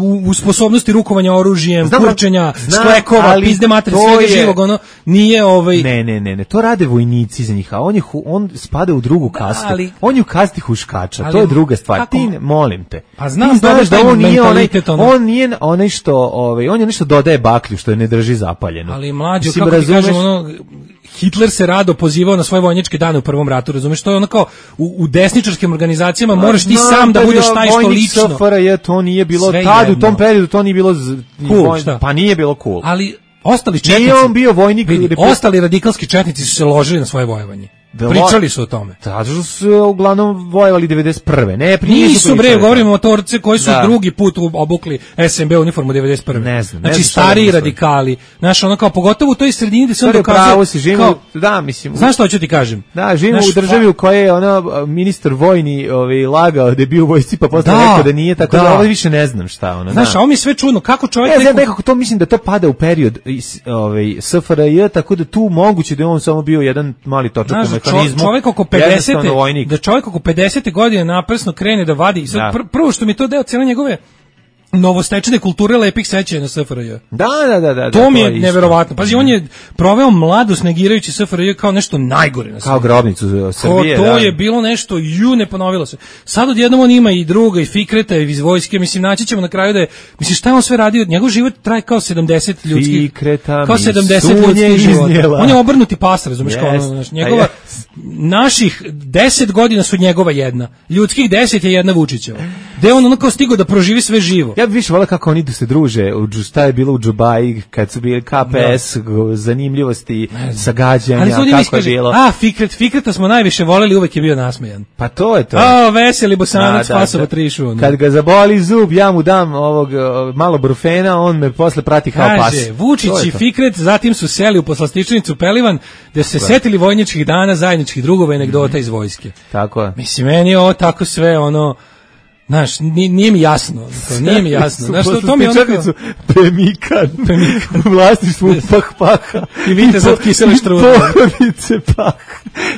u, u sposobnosti rukovanja oružjem, znam, kurčenja, znam, sklekova, pizde materije, svega je... živog, ono, nije ovaj... Ne, ne, ne, ne, to rade vojnici za njih, a on, je, on spada u drugu kastu. Da, ali... On je u kasti huškača, ali... to je druga stvar. Kako... Ti, molim te. Pa znam, znaš da on nije onaj, on nije onaj što, ovaj, on je nešto dodaje baklju što je ne drži zapaljeno. Ali mlađo, kako razumeš... ti kažem, ono, Hitler se rado pozivao na svoje vojničke dane u prvom ratu, razumeš, to je ono kao u, u desničarskim organizacijama moraš ti no, sam da budeš taj što lično. F R J, to nije bilo tad, u tom periodu to nije bilo cool, vojn, pa nije bilo cool. Ali ostali četnici, nije on bio vojnik, vidi, ostali radikalski četnici su se ložili na svoje vojevanje. Pričali su o tome. Zato što su uglavnom vojevali devedeset prve. Ne, nisu bre, govorimo o torce koji su da. drugi put obukli S M B uniformu devedeset prve. Ne znam. Znači ne stariji radikali. Znaš, ono kao pogotovo u toj sredini gde se on dokazuje. Pravo si živimo, kao, da, mislim. Znaš što hoću ti kažem? Da, živimo u državi u kojoj je ono ministar vojni, ovaj lagao da je bio u vojsci, pa posle da, rekao da nije, tako da, da ovo više ne znam šta ono. Znaš, a ovo mi sve čudno, kako čovjek ne, neko... nekako to mislim da to pada u period ovaj S F R J, tako da tu moguće da je on samo bio jedan mali točak u mehanizmu. Čovjek oko pedesete da čovjek oko pedesete godine naprasno krene da vadi i sad pr prvo što mi to deo cijele njegove novostečene kulture lepih sećanja na S F R J. Da, da, da, da. To da, mi je, je neverovatno. Pazi, on je proveo mladost negirajući S F R J kao nešto najgore na svijetu. Kao grobnicu Srbije. To, to da. je bilo nešto, ju, ne ponovilo se. Sad odjednom on ima i druga, i Fikreta, i iz vojske, mislim, naći ćemo na kraju da je, mislim, šta je on sve radio? Njegov život traje kao sedamdeset ljudskih, Fikreta, kao sedamdeset ljudskih života. On je obrnuti pas, razumiješ, yes. kao ono, znaš, njegova, yes. naših deset godina su njegova jedna, ljudskih deset je jedna Vučićeva. Gde on ono kao stigao da proživi sve živo. Ja bih više volio kako oni da se druže, u, šta je bilo u Džubaji, kad su bili K P S, da. zanimljivosti, sagađanja, kako iskaže, je bilo. A, Fikret, Fikreta smo najviše voleli, uvek je bio nasmejan. Pa to je to. A, veseli Bosanac, Fasova trišu. Kad ga zaboli zub, ja mu dam ovog malo brufena, on me posle prati kao pas. Kaže, Vučić i Fikret, zatim su seli u poslastičnicu Pelivan, gde su se setili vojničkih dana, zajedničkih drugova i anegdota mm-hmm. iz vojske. Tako je. Mislim, meni je ovo tako sve, ono, znaš, nije, nije mi jasno, to nije mi jasno. Znaš, to, to mi je onako... Pemikan, Pemikan. U vlasništvu Pah Paha. I vidite sad kisele štrude. Porodice Pah.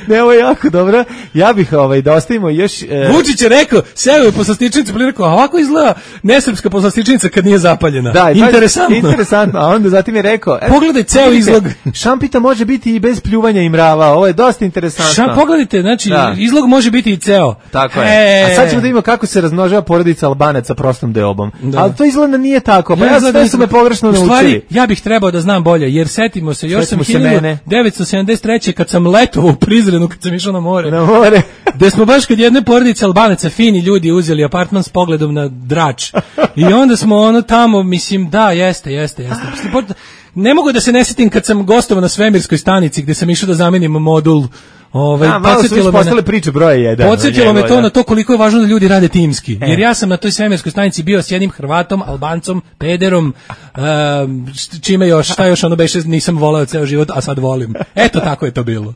Ne, ovo je jako dobro. Ja bih ovaj, da ostavimo još... E... Vučić je rekao, seo je poslastičnica, pa je rekao, a ovako izgleda nesrpska poslastičnica kad nije zapaljena. Da, interesantno. Interesantno, a onda zatim je rekao... E, pogledaj ceo izlog. Šampita može biti i bez pljuvanja i mrava, ovo je dosta interesantno. Šam, pogledajte, znači, da. izlog može biti i ceo. Tako je. E... A sad ćemo da vidimo kako se razmnožava porodica Albanaca prostom deobom. Da. Ali to izgleda nije tako. Pa ja, ja sve su me pogrešno naučili. U stvari, ja bih trebao da znam bolje, jer setimo se, još setimo sam hiljadu devetsto sedamdeset treće kad sam letovao u Prizrenu, kad sam išao na more. Na more. Gde smo baš kod jedne porodice Albanaca, fini ljudi, uzeli apartman s pogledom na Drač. I onda smo ono tamo, mislim, da, jeste, jeste, jeste. Ne mogu da se ne setim kad sam gostovao na svemirskoj stanici, gde sam išao da zamenim modul. Ovaj a, podsjetilo me na priče broje jedan. Podsjetilo me to da. na to koliko je važno da ljudi rade timski. E. Jer ja sam na toj svemirskoj stanici bio s jednim Hrvatom, Albancom, pederom, uh, čime još, šta još ono beše nisam voleo ceo život, a sad volim. Eto tako je to bilo.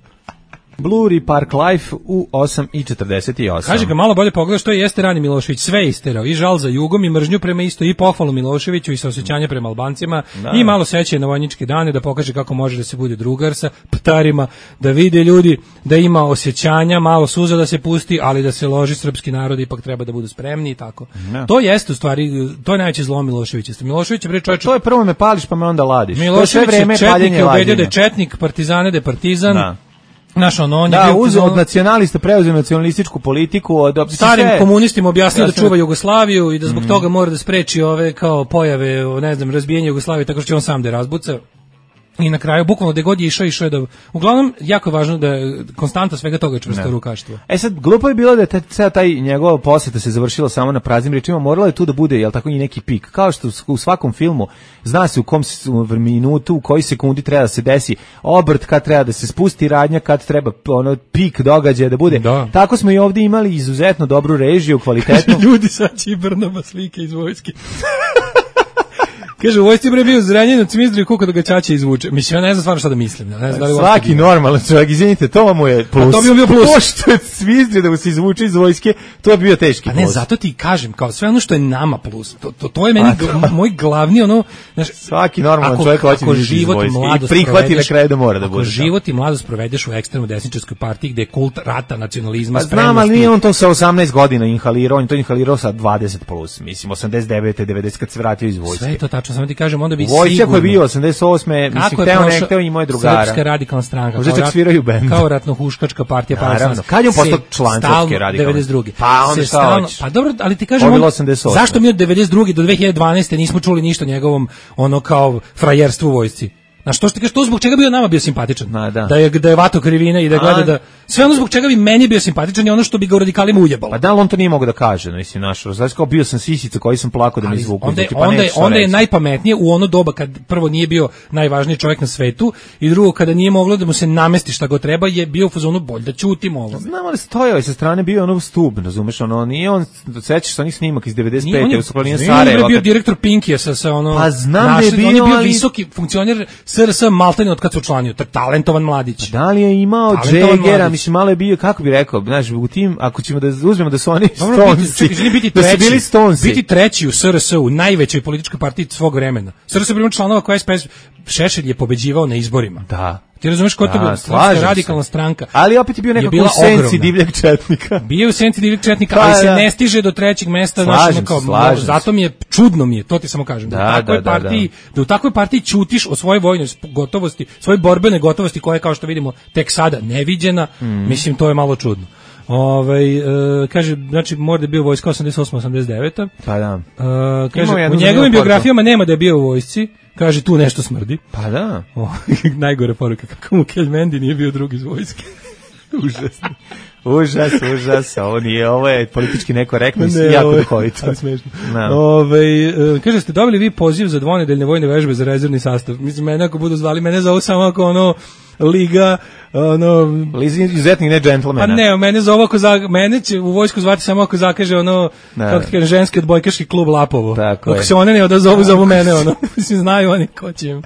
Bluri Park Life u osam i četrdeset osam. Kaže ga malo bolje pogledaš, to jeste rani Milošević, sve isterao, i žal za jugom, i mržnju prema isto, i pohvalu Miloševiću, i saosećanje prema Albancima, da. I malo sećanje na vojničke dane, da pokaže kako može da se bude drugar sa ptarima, da vide ljudi da ima osjećanja, malo suza da se pusti, ali da se loži srpski narod, ipak treba da budu spremni i tako. Da. To jeste u stvari, to je najveće zlo Miloševića. Milošević je bre čovjek. To je prvo me pališ pa me onda ladiš. Milošević je četnik, je ubedio da je četnik, partizane da je partizan. Da. Naš on, on da, je bio uz, od nacionalista preuzeo nacionalističku politiku, od starim sve, komunistima objasnio da čuva Jugoslaviju i da zbog mm. toga mora da spreči ove kao pojave, ne znam, razbijanje Jugoslavije, tako što će on sam da je razbuca. I na kraju, bukvalno gde god je išao, išao je da... Uglavnom, jako je važno da je konstanta svega toga čvrsto rukaštvo. E sad, glupo je bilo da je taj, taj njegova poseta se završila samo na praznim rečima, moralo je tu da bude, jel tako, i neki pik. Kao što u svakom filmu zna se u kom minutu, u koji sekundi treba da se desi obrt, kad treba da se spusti radnja, kad treba ono pik događaja da bude. Da. Tako smo i ovdje imali izuzetno dobru režiju, kvalitetnu. Ljudi sad će i Brnaba slike iz vojske. Kaže, u vojsci bre bio Zrenjanin, cimizdri kuka da ga ćaća izvuče. Mislim, ja ne znam stvarno šta da mislim. Ne znam da li svaki normalan čovjek, izvinite, to mu je plus. A to bi bio plus. To što je cimizdri da mu se izvuče iz vojske, to bi bio teški plus. A ne, zato ti kažem, kao sve ono što je nama plus. To, to, to je meni gl, moj glavni, ono... Znaš, svaki normalan čovjek hoće da izvuče iz vojske i prihvati na kraju da mora da bude. Ako život i mladost provedeš u ekstremno desničarskoj partiji gde je kult rata, nacionalizma, pa znam, ali nije on to sa osamnaest godina inhalirao, on to inhalirao sa dvadeset plus, mislim, osamdeset devete devedeset kad se vratio iz vojske. Sve je to tačno, samo ti kažem, onda bi vojska koji je bio osamdeset osme mislim, hteo ne hteo i moje drugara. Srpska radikalna stranka. Možda čak sviraju bend. Kao ratno-huškačka partija. Naravno. Kad je on postao član Srpske radikalne? devedeset druge. Pa onda šta hoćeš? Pa dobro, ali ti kažem, on, zašto mi od devedeset druge do dve hiljade dvanaeste nismo čuli ništa o njegovom ono kao frajerstvu u vojsci? Na što što ti kažeš, to zbog čega bio nama bio simpatičan? Na, da. da je da je vato krivina i da gleda da sve ono zbog čega bi meni bio simpatičan je ono što bi ga u radikalima ujebalo. Pa da li on to nije mogao da kaže, no, mislim naš, znači kao bio sam sisica koji sam plakao da me izvuku. Onda pa onda, onda je najpametnije u ono doba kad prvo nije bio najvažniji čovjek na svetu i drugo kada nije moglo da mu se namesti šta go treba je bio u fazonu bolje da ćutimo ovo. Znamo da stojao i sa strane bio ono stub, razumeš, ono nije on sećaš se onih snimaka iz devedeset pete u Sokolinie Sarajevo. On je bio direktor Pinkija sa sa ono. Pa znam da je bio, on je bio visoki funkcioner S R S maltene od kad se učlanio, talentovan mladić. Da li je imao Džegera, mislim malo je bio, kako bi rekao, znaš, u tim, ako ćemo da uzmemo da su oni Stonesi, biti, biti da su bili Stonesi. Biti treći u S R S-u, najvećoj političkoj partiji svog vremena. S R S je bio članova koja je S P S, Šešelj je pobeđivao na izborima. Da. Ti razumeš ko je to bila radikalna stranka. Ali opet je bio nekako u senci divljeg četnika. Bio u senci divljeg četnika, ali se ne stiže do trećeg mesta. Slažem se, slažem se. Zato mi je, čudno mi je, to ti samo kažem. Da, da, u takvoj partiji, da u takvoj partiji ćutiš o svojoj vojnoj gotovosti, svojoj borbene gotovosti koja je, kao što vidimo, tek sada neviđena. Mm. Mislim, to je malo čudno. Ovaj e, kaže, znači mora da je bio u vojska osamdeset osma osamdeset deveta. Pa da. E, kaže, u njegovim biografijama nema da je bio u vojsci. Kaže, tu nešto smrdi. Pa da. O, najgore poruka, kako mu Keljmendi nije bio drugi iz vojske. Užasno. Užas, užas, ovo nije, ovo je politički nekorektno i jako duhovito. Ali smešno. Ove, e, kaže, ste dobili vi poziv za dvonedeljne vojne vežbe za rezervni sastav. Mislim, mene ako budu zvali, mene zovu samo ako ono, liga, ono... Lizi izuzetnih ne džentlmena. Pa ne, mene zove ako za, mene će u vojsku zvati samo ako zakaže ono, da. Kako ti kaže, ženski odbojkaški klub Lapovo. Tako ako je. Se one ne odazovu, zovu mene, ono. Mislim, znaju oni ko će im.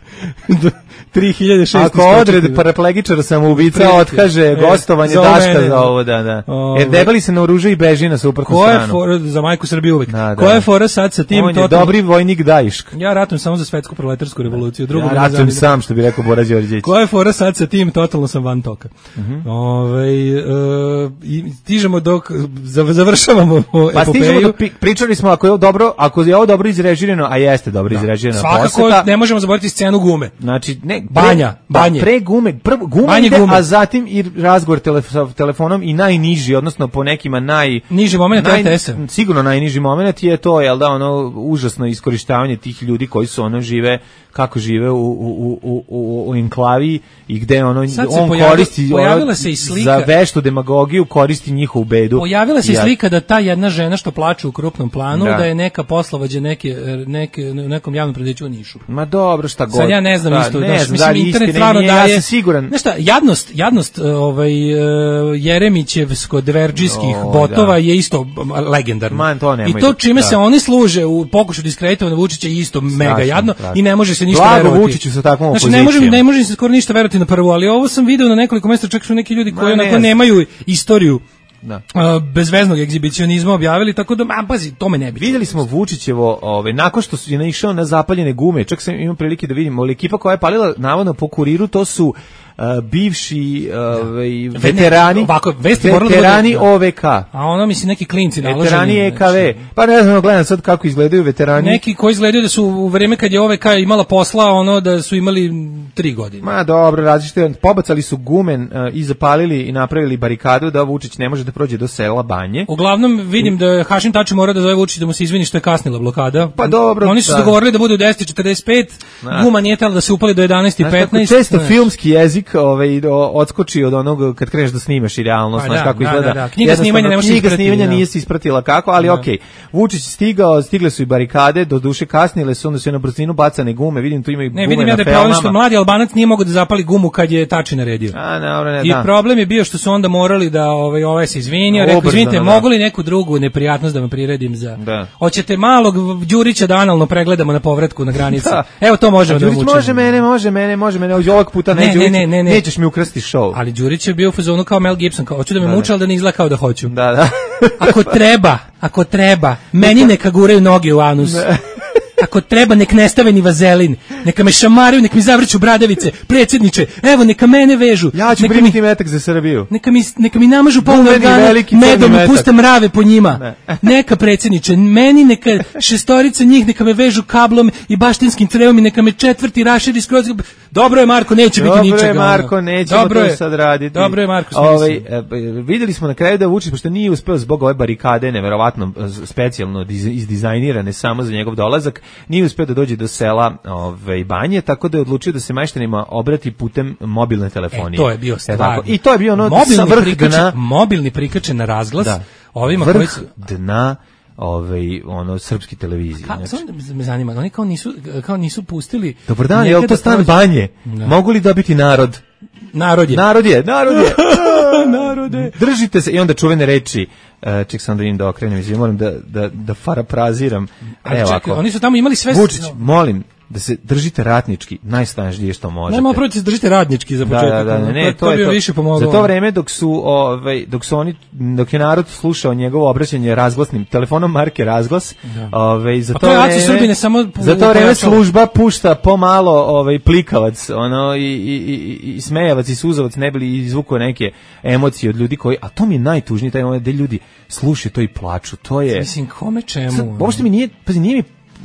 tri hiljade šesto Ako odred paraplegičara samoubica otkaže e, gostovanje Daška za ovo, da, da. O, Jer debeli se naoruža i beži na suprotnu stranu. Ko je for, za majku Srbije uvek. Da, da. Koja je fora sad sa tim? On je total... dobri vojnik Dajišk. Ja ratujem samo za svetsku proletarsku revoluciju. Drugo ja ratujem sam, što bi rekao Bora Đorđević. Koja je fora sad sa tim? Totalno sam van toka. Uh -huh. Ove, uh, i stižemo dok završavamo epopeju. Pa stižemo dok pričali smo ako je dobro, ako je ovo dobro izrežirano, a jeste dobro da. izrežirano. Svakako poseta, ne možemo zaboraviti scenu gume. Znači, ne, banja, banje. Pre gume, prvo gume banje ide, gume. A zatim i razgovor telef telefonom i najniži, odnosno po nekima naj niži momenat naj, R T S-a. Sigurno najniži momenat je to, jel da, ono užasno iskorištavanje tih ljudi koji su ono žive kako žive u u u u u enklavi i gde ono on pojavila, koristi pojavila se i slika za veštu demagogiju, koristi njihovu bedu. Pojavila se i slika da ta jedna žena što plače u krupnom planu da, da je neka poslovođa neke neke nekom javnom preduzeću u Nišu. Ma dobro, šta god. Sad ja ne znam da, isto, ne da, znam, mislim da internet istine, stvarno nije, daje. Ja sam siguran. Znaš šta, jadnost, jadnost ovaj Jeremićevsko dverdžijskih oh, botova da. je isto legendarno. Man, to I to čime da. se oni služe u pokušaju diskreditovanja Vučića je isto strašno, mega jadno strašno. I ne može se ništa Blago verovati. Vučiću sa takvom znači, opozicijom. ne može, ne može se skoro ništa verovati na prvu, ali ovo sam video na nekoliko mesta, čak su neki ljudi koji Ma, onako ne nemaju istoriju Da. Uh, bezveznog egzibicionizma objavili, tako da, a, pazi, to me ne bi. Vidjeli smo Vučićevo, ovaj, nakon što su je naišao na zapaljene gume, čak sam imao prilike da vidimo, ali ekipa koja je palila navodno po Kuriru, to su Uh, bivši uh, veterani, ovako, veterani O V K. A ono, mislim, neki klinci naloženi. Veterani E K V. Pa ne znam, gledam sad kako izgledaju veterani. Neki koji izgledaju da su u vreme kad je O V K imala posla, ono, da su imali tri godine. Ma dobro, različite, pobacali su gumen uh, i zapalili i napravili barikadu da Vučić ne može da prođe do sela Banje. Uglavnom, vidim da Hašim Tači mora da zove Vučić da mu se izvini što je kasnila blokada. Pa dobro. Oni su se da. dogovorili da bude u deset četrdeset pet, da. Guma nije tela da se upali do jedanaest petnaest. Često znaš. Filmski jezik ovaj, odskoči od onog kad kreneš da snimaš i realnost, pa znaš da, kako da, izgleda. Da, da. Knjiga snimanja ne može knjiga isprati, snimanja da. nije se ispratila kako, ali okej. Okay. Vučić stigao, stigle su i barikade, do duše kasnile su, onda su na brzinu bacane gume, vidim tu ima i gume na felnama. Ne, vidim ja da je problem što mladi Albanac nije mogao da zapali gumu kad je Tači naredio. A, dobro, ne, I da. problem je bio što su onda morali da ovaj ovaj se izvinio, rekao izvinite, da. Mogu li neku drugu neprijatnost da vam priredim za. Da. Hoćete malog Đurića da analno pregledamo na povratku na granici. Da. Evo to možemo da vam učinimo. Može mene, može mene, može mene. Ovog puta ne, ne, ne, ne, ne. Nećeš mi ukrasti show. Ali Đurić je bio u fazonu kao Mel Gibson, kao hoću da me da, muče, al da ne izgleda kao da hoću. Da, da. Ako treba, ako treba, meni neka guraju noge u anus. Ne. Ako treba, nek ne stave ni vazelin, neka me šamaraju, nek mi zavrću bradavice, predsjedniče, evo, neka mene vežu. Ja ću primiti mi, metak za Srbiju. Neka mi, neka mi namažu polno organa, medom i puste mrave po njima. Ne. Neka, predsjedniče, meni neka šestorica njih, neka me vežu kablom i baštinskim trevom i neka me četvrti raširi skroz. Dobro je, Marko, neće Dobro biti ničega. Dobro je, Marko, nećemo dobro to je, sad raditi. Dobro je, Marko, ovaj, videli smo na kraju da Vučić, pošto nije uspeo zbog ove barikade, neverovatno specijalno izdizajnirane samo za njegov dolazak, nije uspeo da dođe do sela ove, Banje, tako da je odlučio da se majštanima obrati putem mobilne telefonije. E, to je bio stvar. I to je bio ono mobilni sa vrh prikačen, dna. Mobilni prikačen na razglas. Da. Ovima vrh koji su... dna ovaj ono srpski televiziji. Ka, znači. Me zanima, oni kao nisu kao nisu pustili. Dobar dan, je li to stan Banje? Da. Mogu li dobiti narod? Narod je. Narod je, narod je. Narode. Držite se i onda čuvene reči. Uh, ček sam da im da okrenem, izvim, moram da da da farapraziram. Evo čekaj, oni su tamo imali sve. Vučić, molim da se držite ratnički, najsnažnije što možete. Nema pravo da se držite radnički za početak. Da, da, da, ne, to, to, to je to. Više pomoglo. Za to vreme dok su ovaj dok su oni dok je narod slušao njegovo obraćanje razglasnim telefonom marke Razglas, ovaj za pa to, to vreme Srbine samo za to vreme služba pušta pomalo ovaj plikavac, ono i i i, i smejavac i suzavac ne bili izvukao neke emocije od ljudi koji, a to mi je najtužnije taj moment da ljudi slušaju to i plaču. To je mislim kome čemu. Uopšte mi nije, pa nije mi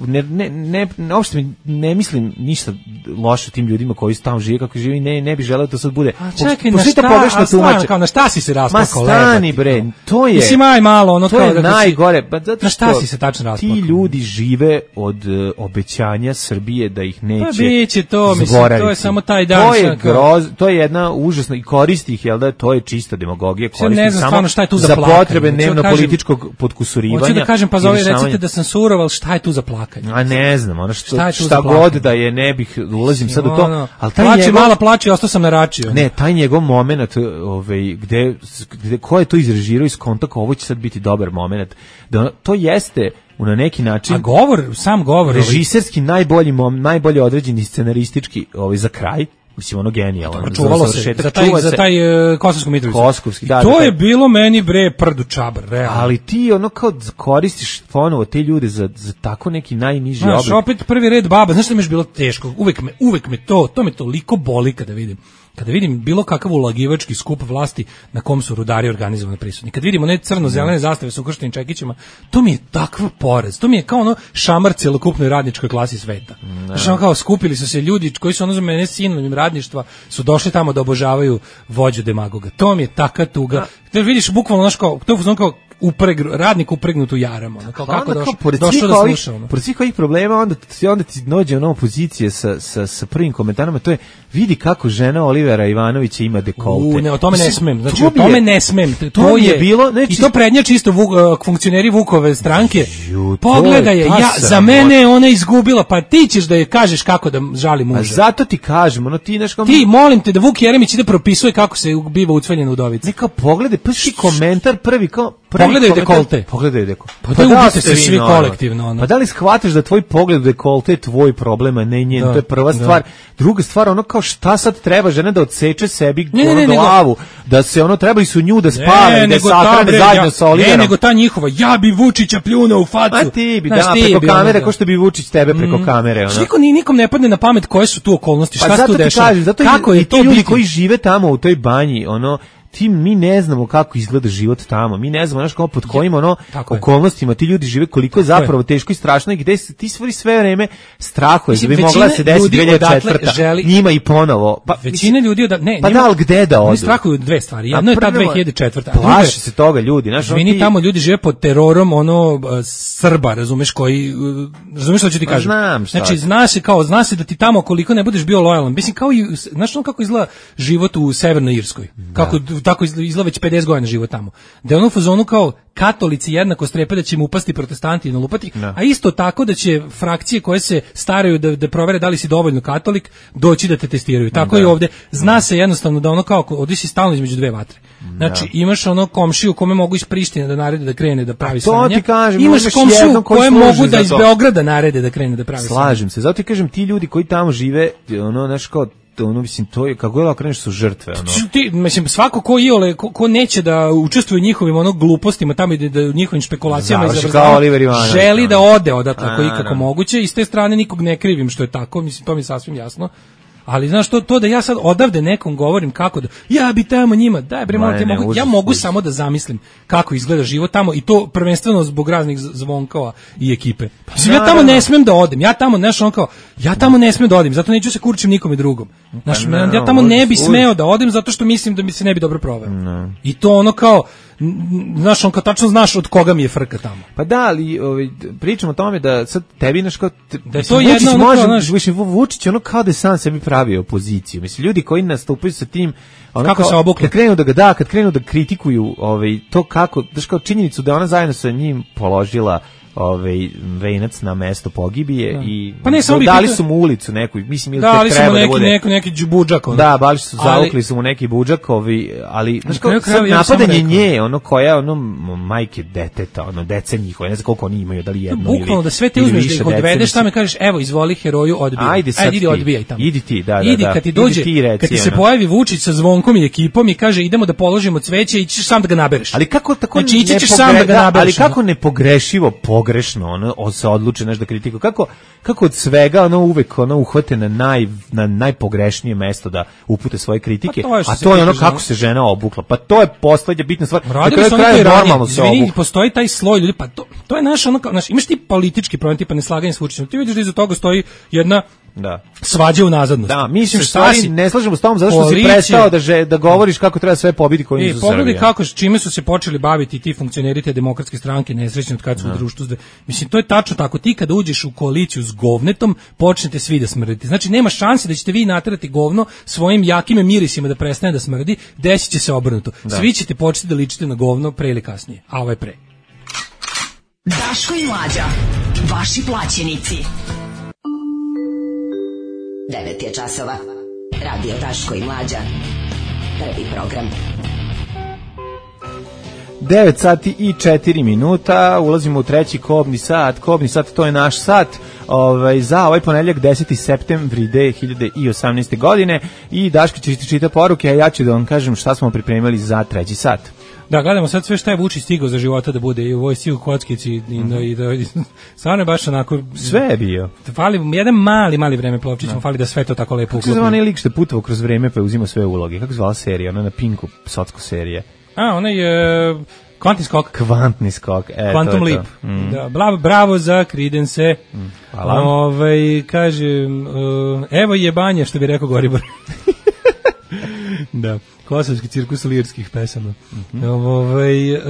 ne ne ne uopšte mi ne mislim ništa loše tim ljudima koji tamo žive kako žive, ne ne bi želeo da to sad bude. A čekaj, na šta, a stvarno, kao na šta si se rasplakao? Ma stani bre, to je. Mislim aj malo, ono to kao je da najgore, pa zato na šta si se tačno rasplakao? Ti ljudi žive od uh, obećanja Srbije da ih neće. Pa biće to, mislim, to je samo taj dan. To je groz, to je jedna užasna i koristi ih, jel da, to je čista demagogija, koristi samo šta je tu za, za potrebe dnevno političkog potkusurivanja. Hoću da kažem, pa zove recite da sam surov, al šta je tu za plakanje? A ne znam, ono što šta, šta god da je, ne bih ulazim sad u to, al taj plače, njegov, mala plače, ostao sam naračio. Ne, taj njegov momenat, ovaj gde gde ko je to izrežirao iz kontakta, ovo će sad biti dobar momenat. Da to jeste na neki način. A govor, sam govor, režiserski ovaj, najbolji mom, najbolje određeni scenaristički, ovaj za kraj. Mislim, ono genijalno. Čuvalo se za taj, za taj uh, Kosovsku Mitrovicu. Kosovski, da. To da, je bilo meni, bre, prdu čabar, realno. Ali ti ono kao koristiš ponovo te ljude za, za tako neki najniži oblik. Znaš, opet prvi red baba, znaš što mi je bilo teško? Uvek me, uvek me to, to me toliko boli kada vidim. Kada vidim bilo kakav ulagivački skup vlasti na kom su rudari organizovano prisutni. Kad vidimo ne crno-zelene zastave sa ukrštenim čekićima, to mi je takav poraz. To mi je kao ono šamar celokupnoj radničkoj klasi sveta. Znaš, ono kao skupili su se ljudi koji su ono za mene sinonim radništva, su došli tamo da obožavaju vođu demagoga. To mi je taka tuga. Da vidiš bukvalno naš kao, to je kao upreg, radnik upregnut u jaram, ono, kao kako došao, došao da sluša, ono. Pored svih ovih problema, onda ti, onda ti dođe ono pozicije sa, sa, sa prvim komentarima, to je, vidi kako žena Olivera Ivanovića ima dekolte. U, ne, o tome ne smem, znači to o tome je, ne smem, to, to je, je bilo, znači, i to prednja čisto vuk, uh, funkcioneri Vukove stranke, ju, pogledaj je, ja, za mene je ona izgubila, pa ti ćeš da je kažeš kako da žali muža. A zato ti kažem, ono ti neš kao... Ti, molim te da Vuk Jeremić ide propisuje kako se biva ucveljena udovica. Neka pogledaj, prvi komentar prvi, kao, Pogledaj dekolte. Pogledaj dekolte. Pa da ubite se svi kolektivno. Ono. Pa da li shvataš da tvoj pogled u dekolte je tvoj problem, a ne njen? Da, to je prva da. stvar. Druga stvar, ono kao šta sad treba žena da odseče sebi Ne, ne, ono ne, nego- glavu, da se ono trebali su nju da spale, Ne, da nego sahrane ta, bre, zajedno ja- sa Oliverom. Ne, nego ta njihova, ja bi Vučića pljunuo u facu. Ma ti bi, Znaš, da, ti preko bi, ono, kamere, da. ko što bi Vučić tebe preko kamere. Što Ono. niko, ni- nikom ne padne na pamet koje su tu okolnosti, šta Pa se tu zato ti dešava. kažem, zato Kako i, je i ti to ljudi biti? koji žive tamo u toj banji, ono, ti mi ne znamo kako izgleda život tamo. Mi ne znamo znaš kako pod kojim ono Tako je. okolnostima ti ljudi žive, koliko je Tako zapravo je. teško i strašno i gde se- ti sve sve vreme strahuješ da Mislim, bi mogla da se većina desi ljudi dve hiljade četvrte. odatle želi- Njima i ponovo. Pa Većina ljudi da ne, Pa njima- da, ali gde da Oni odu? strahuju dve stvari. A Jedno je ta prvo- dve hiljade četvrta. a drugo je- Plaši se toga ljudi, znaš, ono Izvini, ti- tamo ljudi žive pod terorom ono uh, Srba, razumeš, koji uh, razumeš što ću ti Pa kažem. znam šta Znači je. zna se kao zna se da ti tamo koliko ne budeš bio lojalan. Mislim kao i znaš ono kako izgleda život u Severnoj Irskoj. Kako tako izgleda, izgleda već pedeset godina život tamo. Da je ono u fazonu kao katolici jednako strepe da će im upasti protestanti i nalupati, Da. a isto tako da će frakcije koje se staraju da, da provere da li si dovoljno katolik doći da te testiraju. Tako Da. i ovde. Zna se jednostavno da ono kao ovdje si stalno između dve vatre. Znači imaš ono komšiju kome mogu iz Prištine da narede da krene da pravi to sranje. ti kažem, Imaš imaš komšiju jednog koji koje služi mogu da za iz to. Beograda narede da krene da pravi sranje. Slažem se. Zato ti kažem, ti ljudi koji tamo žive, ono, znaš kao, ono, mislim, to je, kako je okreneš su žrtve, ono. Ti, mislim, svako ko iole, ko, ko neće da učestvuje u njihovim ono glupostima, tamo i da u njihovim špekulacijama i Završi zavrzavama, kao Oliver Ivanović, želi ono. da ode odatle ako je A, ikako da. moguće i s te strane nikog ne krivim što je tako, mislim, to mi je sasvim jasno. Ali znaš to, to da ja sad odavde nekom govorim kako da ja bi tamo njima, daj bre, Ma, molim te, ne, mogu, užas, ja mogu užas. samo da zamislim kako izgleda život tamo i to prvenstveno zbog raznih z- zvonkova i ekipe. Mislim, ja tamo naravno. ne smem da odem. Ja tamo, znaš, on kao, ja tamo ne smem da odem, zato neću se kurčim nikome drugom. Znaš, Pa, ja no, tamo ne užas, bi užas. smeo da odem zato što mislim da mi se ne bi dobro proveo. I to ono kao, n- n- znaš, on kao tačno znaš od koga mi je frka tamo. Pa da, ali ovaj, pričamo o tome da sad tebi naš kao... te- Da je mislim, to jedno Vučić ono kao, može, znaš- mislim, Vu- Vučić ono kao da je sam sebi pravio opoziciju. Mislim, ljudi koji nastupaju sa tim... Ono Kako kao, se obukli? Kad krenu da ga da, kad krenu da kritikuju ovaj, to kako, daš kao činjenicu da je ona zajedno sa njim položila ovaj venac na mesto pogibije i Pa ne, samo bi dali pitao- su mu ulicu neku, mislim ili Da, tek ali treba smo da neki, bude. neki, neki džubudžak. ono. Da, baš su Ali- zavukli su mu neki budžakovi, ali znaš Na kraju kao krajeva, sad ja bih samo napadanje rekao. nje, ono koja ono m- majke deteta, ono dece njihove, ne znam koliko oni imaju, da li jedno ili Bukvalno da sve te ili uzmeš da više ih dece, odvedeš mislim. tamo i kažeš evo izvoli heroju odbijaj. Ajde sad idi ti. odbijaj tamo. Idi ti, da, da, Idi da. kad ti Idi dođe, ti reci, kad ti se ono. pojavi Vučić sa Zvonkom i ekipom i kaže idemo da položimo cveće i ćeš sam da ga nabereš. Ali kako tako Znači, ići ne ćeš sam da ga pogre- nabereš, ali kako ono. nepogrešivo pogrešno ono on se odluči nešto da kritikuje. Kako kako od svega ono uvek ono uhvate na naj na najpogrešnije mesto da upute svoje kritike, Pa to je što a se to je ono tiče kako žena. se žena obukla. Pa to je poslednja bitna stvar. Na Radili kraju su oni krajeva to i ranije. normalno se Izvini, obukla. postoji taj sloj ljudi, pa to, to je naš ono, kao, znaš, imaš ti politički problem, tipa neslaganje s Vučićem. Ti vidiš da iza toga stoji jedna Da. svađa u nazadnost. Da, mislim šta stvari si- ne slažemo s tobom zato što si Koalicija- prestao da že, da govoriš kako treba sve pobiti koji E, nisu pogledaj Srbija. kako, čime su se počeli baviti ti funkcioneri te demokratske stranke, nesrećni od kad su u društvu. zde- Mislim, to je tačno tako. Ti kada uđeš u koaliciju s govnetom, počnete svi da smrditi. Znači, nema šanse da ćete vi naterati govno svojim jakim mirisima da prestane da smrdi, desit će se obrnuto. Svi ćete početi da ličite na govno pre ili kasnije, a ovaj pre. Daško i Mlađa, vaši plaćenici. devet je časova. Radio Daško i Mlađa. Prvi program. devet sati i četiri minuta, ulazimo u treći kobni sat. Kobni sat, to je naš sat ovaj, za ovaj ponedjeljak deseti septembri dve hiljade osamnaeste. godine i Daško će ti čita poruke, a ja ću da vam kažem šta smo pripremili za treći sat. Da, gledamo sad sve šta je Vučić stigao za života da bude i u vojsci, u kockici i da, i da, i stvarno je baš onako... Sve je bio. Fali, jedan mali, mali vreme plovčićemo, fali da sve to tako lepo Kako se zove uklopi. onaj lik što je putovao kroz vreme pa je uzimao sve uloge? Kako se zvala serija? Ona na Pinku, socko serija. A, onaj je... Kvantni skok. Kvantni skok. E, Quantum to je Leap. to. Mm. Da, bravo, bravo za Creedence. Mm, hvala. Ovaj, kaže, uh, evo jebanje, što bi rekao Goribor. Da, kosovski cirkus lirskih pesama. Mm-hmm. Ovaj, uh,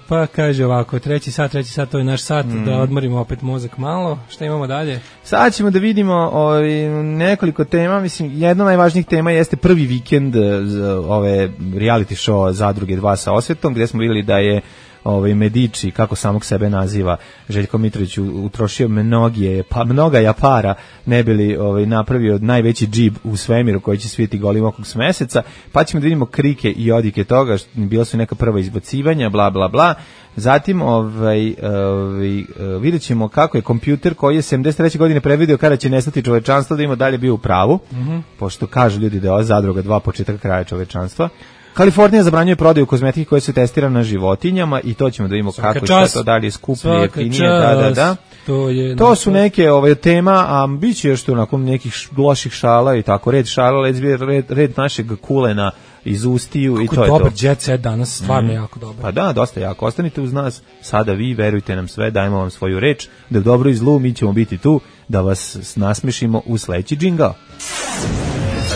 pa kaže ovako, treći sat, treći sat, to je naš sat, mm. da odmorimo opet mozak malo. Šta imamo dalje? Sad ćemo da vidimo ovaj, nekoliko tema. Mislim, jedna od najvažnijih tema jeste prvi vikend eh, za ove reality show Zadruge dva sa osvetom, gde smo vidjeli da je ovaj Medici, kako samog sebe naziva, Željko Mitrović utrošio mnoge, pa mnoga japara ne bili ovaj napravio najveći džib u svemiru koji će sviti golim okog s meseca, pa ćemo da vidimo krike i odike toga, što bila su neka prva izbacivanja, bla bla bla. Zatim ovaj, ovaj videćemo kako je kompjuter koji je sedamdeset treće godine predvideo kada će nestati čovečanstvo da ima dalje bio u pravu, mm-hmm. pošto kažu ljudi da je ova zadruga dva početak kraja čovečanstva. Kalifornija zabranjuje prodaju kozmetike koje se testira na životinjama i to ćemo da vidimo svaka kako čas, to dalje skuplje, jeftinije, da, da, da. To, je to su neke ove tema, a bit će još tu nakon nekih loših šala i tako, red šala, red, red našeg kulena iz ustiju. Kako i to je dobar to. Jet set danas, stvarno mm. jako dobar. Pa da, dosta jako. Ostanite uz nas, sada vi, verujte nam sve, dajmo vam svoju reč, da u dobro i zlu mi ćemo biti tu, da vas nasmešimo u sledeći džingao.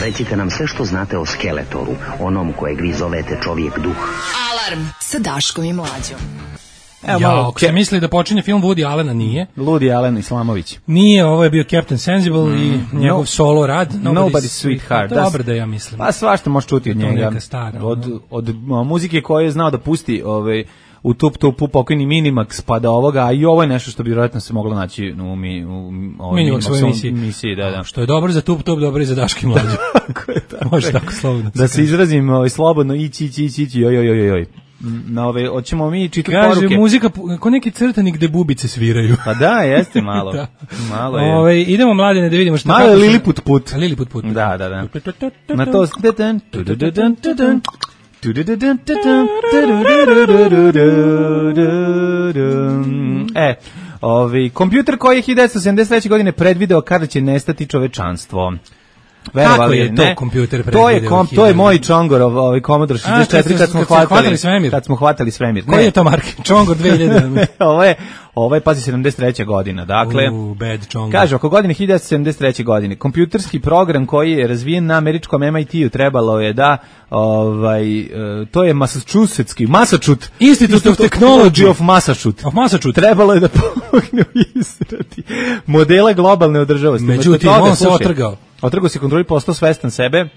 Recite nam sve što znate o Skeletoru, onom kojeg vi zovete čovjek duh. Alarm sa Daškom i Mlađom. Evo ja, malo, ako se misli da počinje film Woody Allena, nije. Woody Allen Islamović. Nije, ovo je bio Captain Sensible mm. i njegov no, solo rad. Nobody's, Nobody's Sweetheart. Dobro da ja mislim. Pa svašta možeš čuti od njega. Stara, od, od, od muzike koje je znao da pusti ovaj, u tup tupu pokojni Minimax pa do ovoga, a i ovo je nešto što bi vjerojatno se moglo naći u, mi, u, u Minimax emisiji. emisiji da, da. Što je dobro za tup tup, dobro i za Daški i Mlađu. Tako je, tako može tako slobodno. Da se izrazim ovaj, slobodno, ići, ići, ići, ići, joj, joj, joj, joj. Na ove, hoćemo mi čitati poruke. Kaže, muzika, ko neki crtani gde bubice sviraju. Pa da, jeste malo. da. Malo je. Ove, idemo mladine da vidimo šta. Malo je Liliput put. Liliput put. Da, da, da. Na to... E, ovi, kompjuter koji je hiljadu devetsto sedamdeset treće godine predvideo kada će nestati čovečanstvo. Kako je to kompjuter predvideo? To je kom, to je moj Čongorov, ovaj Commodore šezdeset četiri kad smo hvatali svemir. Kad smo hvatali svemir. Koji je to marke? Čongor dve hiljade. Ovo je Ovo je, pazi, sedamdeset treća godina. Dakle, uh, bad kaže, oko godine hiljadu devetsto sedamdeset treće godine, kompjuterski program koji je razvijen na američkom M I T-u trebalo je da, ovaj, uh, to je Massachusettski, Massachusetts, Institute of Technology of Massachusetts, of Massachusetts, trebalo je da pomogne u izradi modela globalne održivosti. Međutim, on se otrgao. Otrgao se kontroli, postao svestan sebe,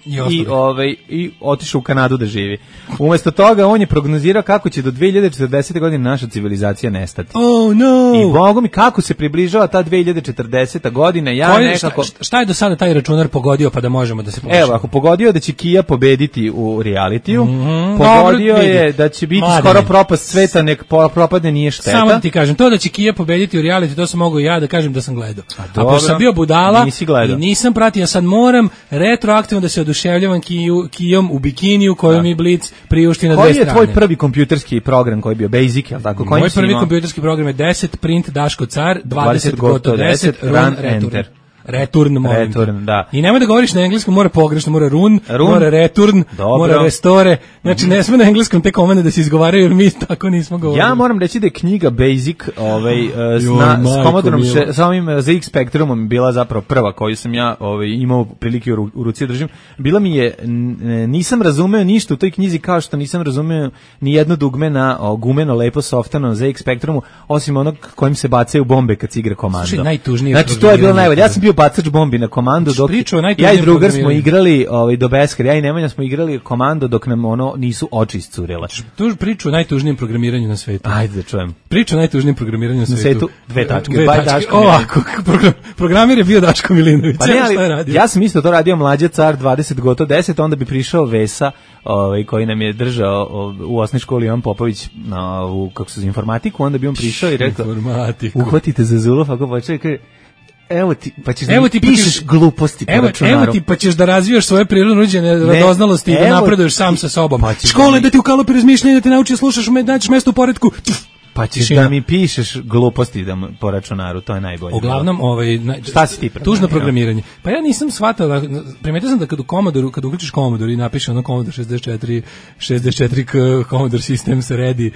I, I, ovaj, i otišao u Kanadu da živi. Umjesto toga on je prognozirao kako će do dve hiljade četrdesete godine naša civilizacija nestati. Oh no! I Bogu mi kako se približava ta dve hiljade četrdeseta godina, ja Koji, nekako... Šta, šta je do sada taj računar pogodio pa da možemo da se počnemo? Evo, ako pogodio da će Kija pobediti u realitiju, mm-hmm. pogodio Dobro, je da će biti Mladine. Skoro propast sveta, nek propadne nije šteta. Samo da ti kažem, to da će Kija pobediti u realitiju, to sam mogao ja da kažem da sam gledao. A Ako sam bio budala i nisam pratio, ja sad moram retroaktivno da se oduševljavam Kiju, Kijom u bikiniju koju da. mi Blic priušti na koji dve strane. Koji je tvoj prvi kompjuterski program koji je bio Basic, jel tako? Moj prvi imao? kompjuterski program je deset print Daško car, dvadeset goto deset, run, run enter. Return, molim. Return, da. I nemoj da govoriš na engleskom, mora pogrešno, mora run, run. mora return, Dobro. mora restore. Znači, ne sme na engleskom te komande da se izgovaraju, jer mi tako nismo govorili. Ja moram reći da je knjiga Basic, ovaj, s, Joj, na, s Commodorom, sa ovim Z X Spectrumom bila zapravo prva koju sam ja ovaj, imao prilike u, u ruci držim. Bila mi je, nisam razumeo ništa u toj knjizi, kao što nisam razumeo ni jedno dugme na o, gumeno, lepo, softano Z X Spectrumu, osim onog kojim se bacaju bombe kad se igra komando. Slušaj, najtužnije. Znači, to je bilo najbolje. Ja sam bio bacač bombi na komandu, dok ja i drugar smo igrali ovaj, do beskraja, ja i Nemanja smo igrali komando dok nam ono nisu oči iscurele. Tu priču o najtužnijem programiranju na svetu. Ajde da čujem. Priču o najtužnijem programiranju na svetu. Na svetu dve tačke. Dve tačke. Daško Ovako, program, programir je bio Daško Milinović. Pa ne, ali, ja sam isto to radio Mlađa car, dvadeset gotovo deset, onda bi prišao Vesa, ovaj, koji nam je držao u osnovnoj školi Ivan Popović na, u, kako se zove, informatiku, onda bi on prišao i rekao, uhvatite za zulov, ako počeo i kaže, Evo ti, pa ćeš evo da ti pišeš pa gluposti po evo, računaru. Evo ti, pa ćeš da razvijaš svoje prirodno nuđene radoznalosti i da napreduješ sam sa sobom. Pa škole da ti ukalopi razmišljanje, da ti nauči da slušaš, nađeš mesto u poretku. Pa ćeš Tišina. Da mi pišeš gluposti da po računaru, to je najbolje. Uglavnom, ovaj, na, šta si ti tužno programiranje. Pa ja nisam shvatao, primetio sam da kad u Commodoru, kad uključiš Commodore i napiše ono Commodore šezdeset četiri, šezdeset četiri K, Commodore Systems Ready,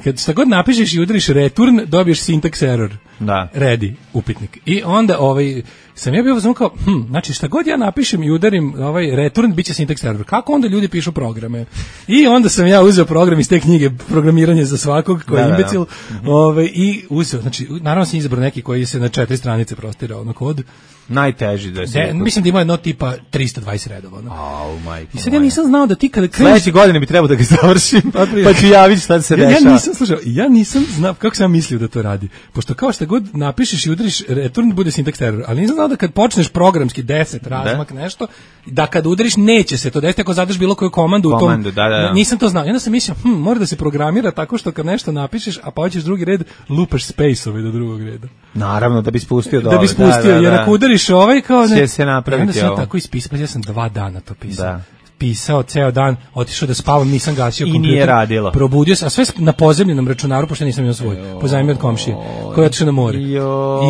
kad šta god napišeš i udariš return, dobiješ syntax error. Da. Ready, upitnik. I onda ovaj sam ja bio uzmano kao, hm, znači šta god ja napišem i udarim ovaj return, biće syntax error. Kako onda ljudi pišu programe? I onda sam ja uzeo program iz te knjige Programiranje za svakog, koji je imbecil, da, da. ovaj, i uzeo, znači, naravno sam izabrao neki koji se na četiri stranice prostirao na kod. Najteži da se. De, mislim da ima jedno tipa trista dvadeset redova. No? Au, majko. I sad ja nisam znao da ti kada kreneš... Sledeće godine bi trebao da ga završim, pa, pa ću javiti šta se ja, dešava. Ja nisam, slušao, ja nisam znao, kako sam mislio da to radi. Pošto kao što god napišeš i udariš return, bude syntax error. Ali nisam znao da kad počneš programski deset razmak da? nešto, da kad udariš neće se to desiti ako zadaš bilo koju komandu u tom. Komandu, da, da. Nisam to znao. I onda sam mislio, hm, mora da se programira tako što kad nešto napišeš, a pa hoćeš drugi red, lupaš space-ove do drugog reda. Naravno, da bi spustio dole. Da bi spustio, da, da, jer ako udariš ovaj kao ne... Će se napraviti onda sam ovo. tako ispisao, ja sam dva dana to pisao. Da. Pisao ceo dan, otišao da spavam, nisam gasio kompjuter. I nije radilo. Probudio se, a sve na pozemljenom računaru, pošto nisam imao svoj. Pozajmio od komšije, koji je otišao na more. I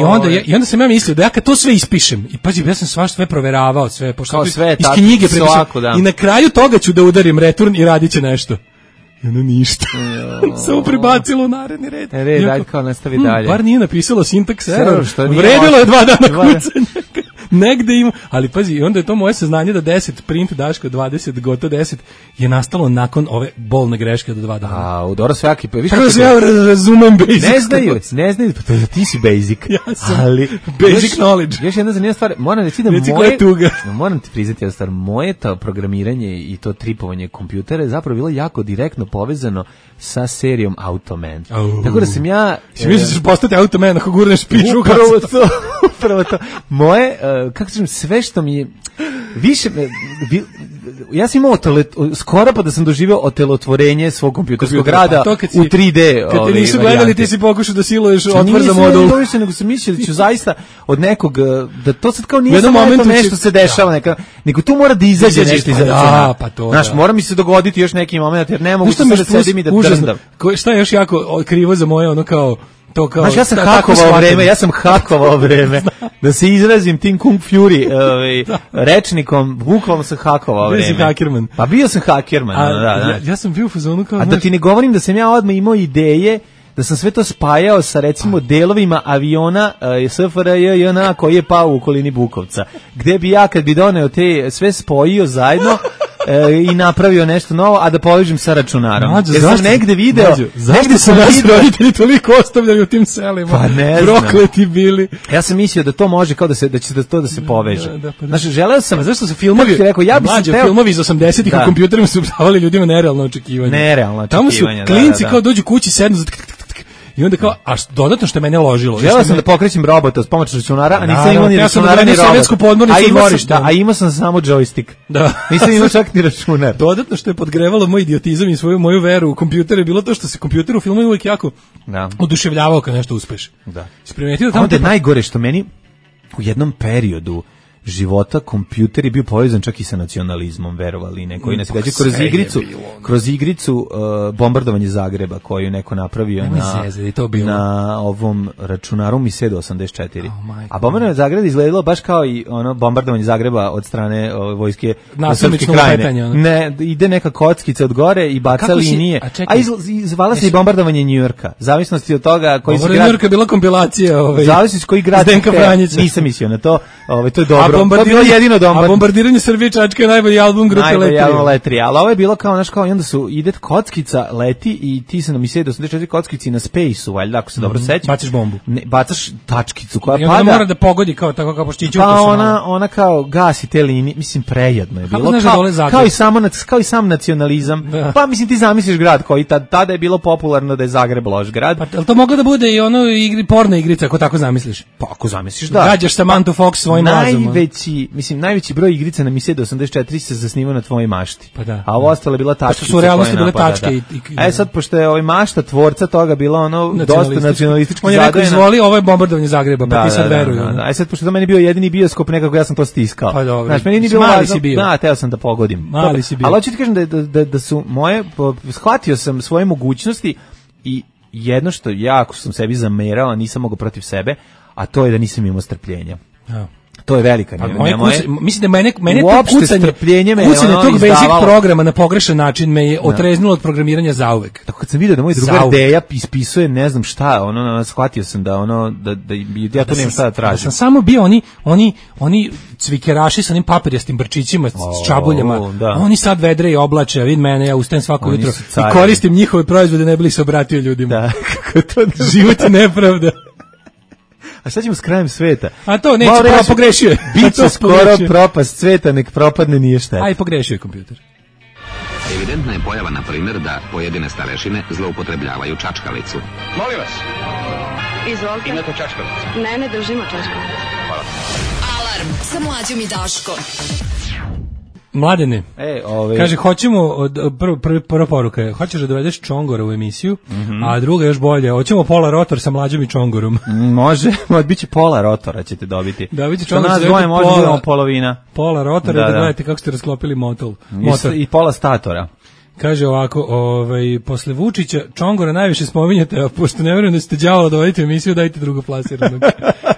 onda, ja, I onda sam ja mislio da ja kad to sve ispišem, i pazi, ja sam svašta sve proveravao, sve, pošto kao sve, iz tako, knjige prepišem, i na kraju toga ću da udarim return i radit će nešto. I ono ništa. Samo prebacilo u naredni red. E, red, ajde kao nastavi hm, dalje. Bar nije napisalo syntax error. Vredilo je dva dana kucanja. Negde ima, ali pazi, onda je to moje saznanje da deset print daško dvadeset gotovo deset je nastalo nakon ove bolne greške do dva dana. A, dobro svaki, pa tako se ja razumem basic. Ne znaju, ne znaju, pa ti si basic. Ja sam ali basic još, knowledge. Još jedna zanimljiva stvar, moram reći da moje, moram ti priznati jednu stvar, moje to programiranje i to tripovanje kompjutera je zapravo bilo jako direktno povezano sa serijom Automan. Oh. Tako da sam ja... Si misliš da ćeš postati Automan ako gurneš piču? Upravo to, upravo to. Moje, uh, kako kažem, sve što mi je... Više, vi, ja sam imao tele, skoro pa da sam doživio otelotvorenje svog kompjuterskog rada pa si, u tri D. Kad te nisu gledali, varijante. Ti si pokušao da siluješ otvor za modul. Ne, nisam, nego sam mislio da ću zaista od nekog, da to sad kao nije samo nešto, nešto se dešava, da. neka, nego tu mora da izađe nešto iza računa. Pa to, znaš, da. mora mi se dogoditi još neki moment, jer ne mogu sad da sedim i da drndam. Šta je još jako krivo za moje, ono kao, to kao, znaš, ja sam hakovao vreme, ja sam hakovao vreme, da se izrazim tim Kung Fury ovaj, rečnikom, bukvalno sam hakovao vreme. Bio si hakerman. Pa bio sam hakerman, a, da, da. Ja, ja sam bio u fazonu kao, a da ti ne govorim da sam ja odmah imao ideje, da sam sve to spajao sa recimo delovima aviona uh, S F R J J N A koji je pao u okolini Bukovca, gde bi ja kad bi doneo te sve spojio zajedno e, i napravio nešto novo, a da povežem sa računarom. Mađo, jer sam negde video... Mađo, zašto su nas roditelji toliko ostavljali u tim selima? Pa ne znam. Prokleti bili. Ja sam mislio da to može, kao da se da će da to da se poveže. Da, da, pa da. Znači, želeo sam... Pa zašto su filmovi... Rekao, ja Mađo, teo... filmovi iz osamdesetih u kompjuterima su davali ljudima nerealno očekivanje. Nerealno očekivanje, očekivanje, tamo su klinci da, da. kao dođu kući, sednu za... I onda kao, a dodatno što je mene ložilo. Želeo sam da pokrećem robota s pomoću računara, a nisam imao ni računara ni robota. A imao sam, da, a imao sam samo joystick. Da. Nisam imao čak ni računar. Dodatno što je podgrevalo moj idiotizam i svoju moju veru u kompjuter je bilo to što se kompjuter u filmu uvijek jako da. oduševljavao kad nešto uspeš. Da. Isprimetio da tamo onda je najgore što meni u jednom periodu života kompjuter je bio povezan čak i sa nacionalizmom, verovali ne, koji nas gađa kroz igricu, kroz igricu uh, bombardovanje Zagreba koju neko napravio na, zezde, to bilo. na ovom računaru Misedo osamdeset četiri. Oh, a bombardovanje Zagreba izgledalo baš kao i ono bombardovanje Zagreba od strane o, vojske Srpske krajine. Ne, ide neka kockica od gore i baca linije. Si, a, a iz, izvala se i bombardovanje Njujorka. Zavisnosti od toga koji se grad... Njujorka je bila kompilacija. Ovaj, zavisnosti koji grad... Nisam mislio na to. Ovaj, to je dobro. Bombardiranje, jedino a bombardiranje Srbije Čačka je najbolji album grupe Letri. Najbolji album Letri, ali ovo je bilo kao, znaš, kao i onda su, ide kockica, leti i ti se na Misedo osamdeset četiri kockici na Space-u, valjda, ako se mm -hmm. dobro sećam. Baciš bombu. Ne, bacaš tačkicu koja I pada. I mora da pogodi kao tako kao poštiću. Pa ona, ona kao gasi te linije, mislim, prejedno je bilo. Kao, kao, kao, i samo, kao i sam nacionalizam. Da. Pa mislim, ti zamisliš grad koji tad, tada je bilo popularno da je Zagreb loš grad. Pa ali to moglo da bude i ono igri, porna igrica, ako tako zamisliš? Pa ako zamisliš, da. Gađaš Samantha Fox svojim razumom. Najveći, mislim, najveći broj igrica na Misedo osamdeset četiri se zasnivao na tvojoj mašti. Pa da. A ovo ostalo je bila tačkica. Pošto su u realnosti bile tačke. Da. I, i, a je sad, pošto je ovaj mašta tvorca toga bila ono dosta nacionalistički zadajena. On je rekao, izvoli, ovo je bombardovanje Zagreba, pa da, ti sad da, veruju. Da, da, da. A sad, pošto to meni bio jedini bioskop, nekako ja sam to stiskao. Pa dobro. Znaš, meni nije bilo važno. Da, teo sam da pogodim. Mali si bio. Ali hoću ti kažem da, da, da, da su moje, shvatio sam svoje mogućnosti i jedno što jako sam sebi zamerao, a nisam mogao protiv sebe, a to je da nisam imao strpljenja. Ja. To je velika njema. Moje kuce, mislim da mene, mene to kucanje, me kucanje ono tog basic programa na pogrešan način me je otreznilo od programiranja zauvek. Tako kad sam vidio da moj drugar Deja ispisuje ne znam šta, ono, shvatio sam da ono, da, da ja to nemam šta da tražim. Da sam samo bio oni, oni, oni cvikeraši sa onim papirjastim brčićima, s čabuljama, da. Oni sad vedre i oblače, a vid mene, ja ustajem svako oni jutro i koristim njihove proizvode, ne bili se obratio ljudima. Da, kako to život je nepravda. A šta ćemo s krajem sveta? A to neće, pa pogrešio je. Biće skoro propast sveta, nek propadne, nije šteta. Aj, pogrešio je kompjuter. Evidentna je pojava, na primjer, da pojedine starešine zloupotrebljavaju čačkalicu. Molim vas. Izvolite. Imate čačkalicu? Ne, ne držimo čačkalicu. Hvala. Alarm sa Mlađom i Daškom. Mladene, e, ove... kaže, hoćemo, od, prv, prv, prva poruka je, hoćeš da dovedeš Čongora u emisiju, mm-hmm. a druga još bolje, hoćemo pola rotor sa Mlađom i Čongorom. Može, bit će pola rotora ćete dobiti. Da, vidite Čongor, nas dvoje može budemo polovina. Pola rotora, da, da, da gledate kako ste rasklopili motor. motor. I, I pola statora. Kaže ovako, ovaj, posle Vučića Čongora najviše spominjate, a pošto ne vjerujem da ste đavo dovoditi u emisiju, dajte drugoplasiranog.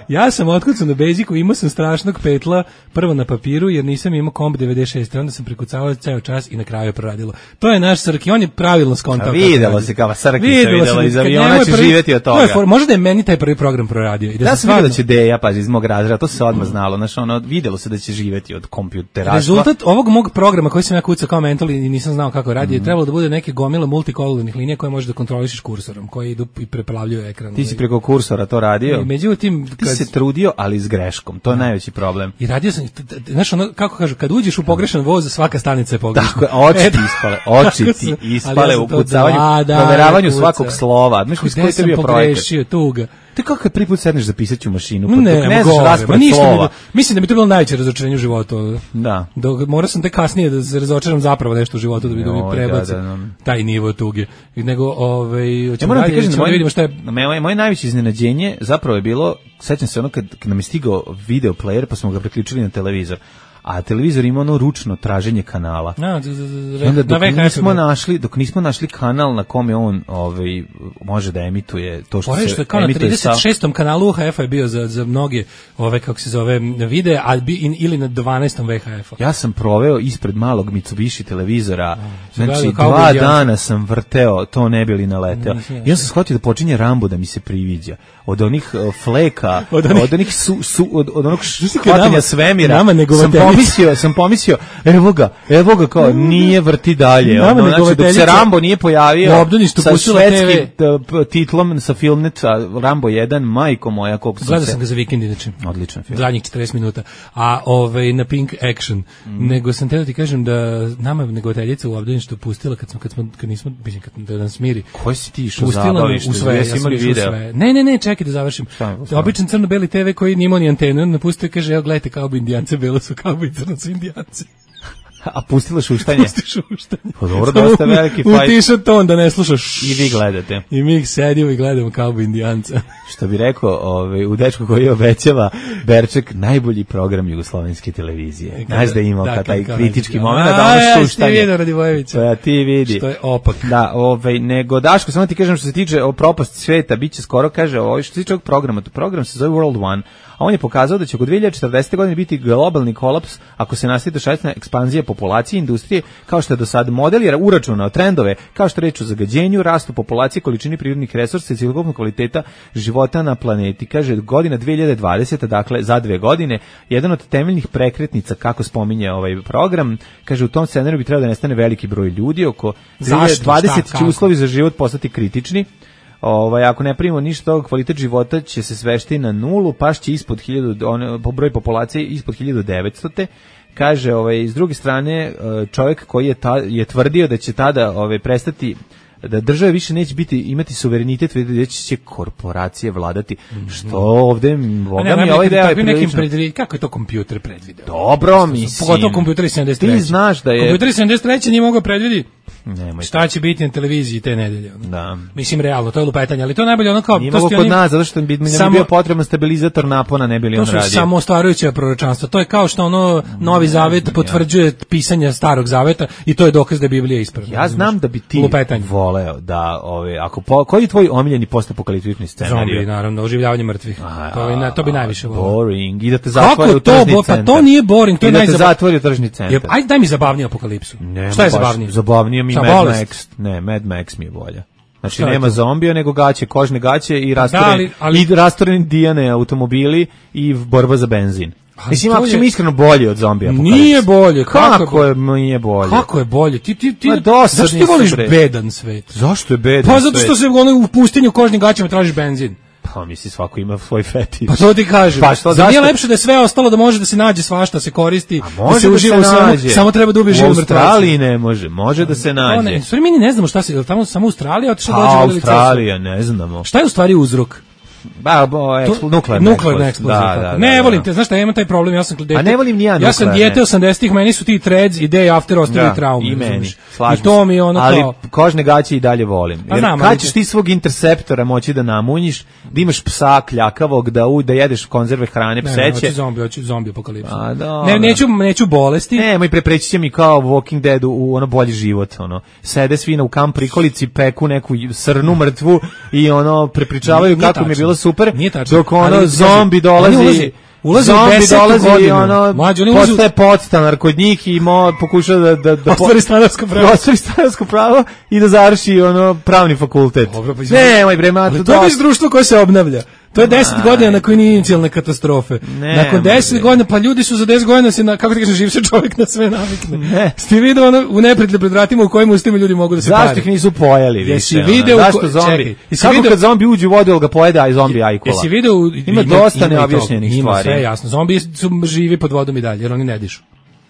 Ja sam otkucan na Basicu, imao sam strašnog petla, prvo na papiru, jer nisam imao komp devedeset šest, onda sam prikucavao ceo čas i na kraju je proradilo. To je naš Srki, on je pravilno skontao. Videlo se kao Srki se videlo iz aviona, će prvi, živjeti od toga. To je, možda je meni taj prvi program proradio. I da ja sam vidio da će Deja, pazi, iz mog razreda, to se odmah znalo, znaš, ono, videlo se da će živjeti od kompjuteraštva. Rezultat ovog mog programa koji sam ja kucao kao mental i nisam znao kako radi, mm. je trebalo da bude neke gomile multikolornih linija koje možeš da kontrolišeš kursorom, koje idu i preplavljuju ekran. Ti si preko kursora to radio? I međutim, kad... Ti se trudio, ali s greškom. To je najveći problem. I radio sam, znaš, ono, kako kažu, kad uđeš u pogrešan voz, svaka stanica je pogrešna. Tako je, oči ti ispale, oči ti ispale u kucavanju, proveravanju svakog slova. Znaš, koji je bio projekat? Tuga. Te kako kad prvi put sedneš za pisaću mašinu, pa ne, ne znaš raspored slova. Mislim da mi to bilo najveće razočarenje u životu. Da. Dok morao sam te kasnije da se razočaram zapravo nešto u životu da bi mi prebaci da, da, da. taj nivo tuge. Nego, ovaj, hoćemo ja dalje, da vidimo šta je... Moje, moje najveće iznenađenje zapravo je bilo, sećam se ono kad, kad nam je stigao video player, pa smo ga priključili na televizor. A televizor ima ono ručno traženje kanala. A, z, z, z, onda dok nismo našli, dok nismo našli kanal na kome on ovaj može da emituje to što Pore, se što kao na trideset šestom kanalu U H F-a je bio za za mnoge ove kako se zove videe, a bi, in, ili na dvanaestom V H F-a. Ja sam proveo ispred malog Mitsubishi televizora. A, znači dva dana sam vrteo, to ne bi li naleteo. I ja sam shvatio da počinje Rambo da mi se priviđa. Od onih uh, fleka, od onih, od onih su, su, od, od onog hvatanja svemira. Sam pomislio, sam pomislio, evo ga, evo ga kao, nije vrti dalje. Ono, znači, dok se Rambo nije pojavio sa švedskim titlom, sa Filmneta, Rambo jedan, majko moja, koliko sam Gledao se... sam ga za vikend, inače. Odličan film. Zadnjih četrdeset minuta. A ovaj, na Pink Action. Mm. Nego sam te da ti kažem da nama negovateljica u obdaništu pustila, kad, smo, kad, smo, kad nismo, mislim, kad da nas smiri. Koji si ti išao zabavište? U sve, ja sam išao u sve. Ne, ne, ne, čekaj da završim. Običan crno-beli te ve koji nije imao ni antenu, napustio i kaže, evo gledajte, kao bi indijance, belo su kao bi crno su indijanci. A pustila šuštanje? Pusti šuštanje. Pa dobro, dosta veliki fajt. Utiša ton da ne slušaš. I vi gledate. I mi ih sedimo i gledamo kao bi indijanca. Što bi rekao ovaj, u dečku koji obećava Berček, najbolji program jugoslovenske televizije. Znaš da je imao da, taj kritički moment, da ono šuštanje. A, ja, ti vidi, Radivojevića. Ja, ti vidi. Što je opak. Da, ovaj, nego, Daško, samo ti kažem što se tiče o propasti sveta, bit će skoro, kaže, ovaj, što se tiče ovog programa, to program se zove World One, a on je pokazao da će oko dve hiljade četrdesete godine biti globalni kolaps ako se nastavi dešavati ekspanzija populacije industrije, kao što je do sad model je uračunao trendove, kao što reč o zagađenju, rastu populacije, količini prirodnih resursa i cjelokupnog kvaliteta života na planeti. Kaže, godina dve hiljade dvadeseta, dakle za dve godine, jedan od temeljnih prekretnica, kako spominje ovaj program, kaže, u tom scenariju bi trebao da nestane veliki broj ljudi, oko dve hiljade dvadesete će uslovi za život postati kritični. Ovaj, ako ne primimo ništa toga, kvalitet života će se svesti na nulu, pašće ispod hiljadu, on, po broj populacije ispod hiljadu devetsto. Kaže, ovaj, s druge strane, čovjek koji je, ta, je tvrdio da će tada ovaj, prestati, da države više neće biti imati suverenitet, već će korporacije vladati, što ovde boga mi ovaj deo je prilično. Predvi... Kako je to kompjuter predvideo? Dobro, mislim. Pogotovo kompjuter sedamdeset treće. Ti znaš da je... Kompjuter sedamdeset treće nije mogao predvidi Nemoj šta će biti na televiziji te nedelje. Da. Mislim, realno, to je lupetanje, ali to je najbolje ono kao... Nije mogo kod nas, zato što bi mi samo... bio potreban stabilizator napona, ne bi li on radio. To su samo ostvarujuće proročanstva. To je kao što ono Novi Zavet potvrđuje pisanje Starog Zaveta i to je dokaz da je Biblija ispravna. Ja znam da bi ti lupetanje voleo da, ove, ako po, koji je tvoj omiljeni postapokaliptični scenarij? Zombi, naravno, oživljavanje mrtvih. A, to, je, to bi najviše voleo. Boring, i da te zatvori u tržni to, centar. Pa to nije boring, to je najzabavnije. I da te zatvori u tržni centar. Ajde, daj mi zabavniju apokalipsu. Ne, šta je zabavnije? Zabavnije mi Mad Max. Ne, Mad Max mi je bolja. Znači šta nema zombija, nego gaće, kožne gaće i rastoreni, da, ali... i rastoreni dijane automobili i borba za benzin. Ali mislim, ako ćemo je... iskreno bolje od zombija apokalipsa. Nije bolje. Kako, kako je nije bolje? Kako je bolje? Ti, ti, ti, zašto ti voliš bedan svet? Zašto je bedan Pa zato što se ono, u pustinju kožnim gaćama tražiš benzin. Pa misli, svako ima svoj fetiš. Pa to ti kažem. Pa što, da nije zašto? lepše da je sve ostalo, da može da se nađe svašta, se koristi, može da se da uživa se u svemu, nađe. samo treba da ubije živu U mrtvaca. Australiji ne može, može da se nađe. Ne, stvari mi ni ne znamo šta se, je li tamo samo Australija, otišla Pa dođe Australija, ne znamo. Šta je u stvari uzrok? Ba, bo, ekspl, nuklearna nuklearna eksplozija. Da, da, da, ne da, volim da. te, znaš šta, ja imam taj problem, ja sam dete. A ne volim ni ja Ja sam nuklearne. dijete osamdesetih, meni su ti threads i day after ostavili Da, traume. i meni, razumeš? slažem I to se. mi je ono ali kao... kožne gaće i dalje volim. Pa Jer znam, kad ali ćeš te- ti svog interceptora moći da namunjiš, da imaš psa kljakavog, da, u, da jedeš konzerve hrane, Ne, ne, pseće. hoću zombi, hoću zombi apokalipsu. A, dobro. Ne, neću, neću bolesti. Nemoj, prepreći će mi kao Walking Dead u, u ono bolji život, ono. Sede svi u kamp prikolici, peku neku srnu mrtvu i ono prepričavaju Nije kako mi je tačno. bilo super. Nije tačno. Dok ono Ali, zombi oni dolazi, ulaze- ulaze u zombi desetu dolazi i godinu. ono Mlađe, oni ulaze u- postaje podstanar kod njih i mo, pokuša da da da Ostvari stanarsko pravo. ostvari stanarsko pravo i da završi ono pravni fakultet. Dobro, pa izvoli. Nemoj bre, ma, Ali to je već društvo koje se obnavlja. To je deset Aj. godina nakon inicijalne katastrofe. Ne, nakon deset može. godina, pa ljudi su za deset godina se, na, kako ti kažem, živ se čovjek na sve navikne. Ne. Ste vidio ono u neprijatelju pred vratima u kojim ustima ljudi mogu da se Zašto pare? ih nisu pojeli više? Jesi ono? video u Zašto ko- zombi? čekaj, jesi Kako video- kad zombi uđe u vodu, ili ga pojede, a i zombi ajkola? Jesi video... u- Ima dosta i toga. neobjašnjenih Ima stvari. sve jasno. Zombi su živi pod vodom i dalje, jer oni ne dišu.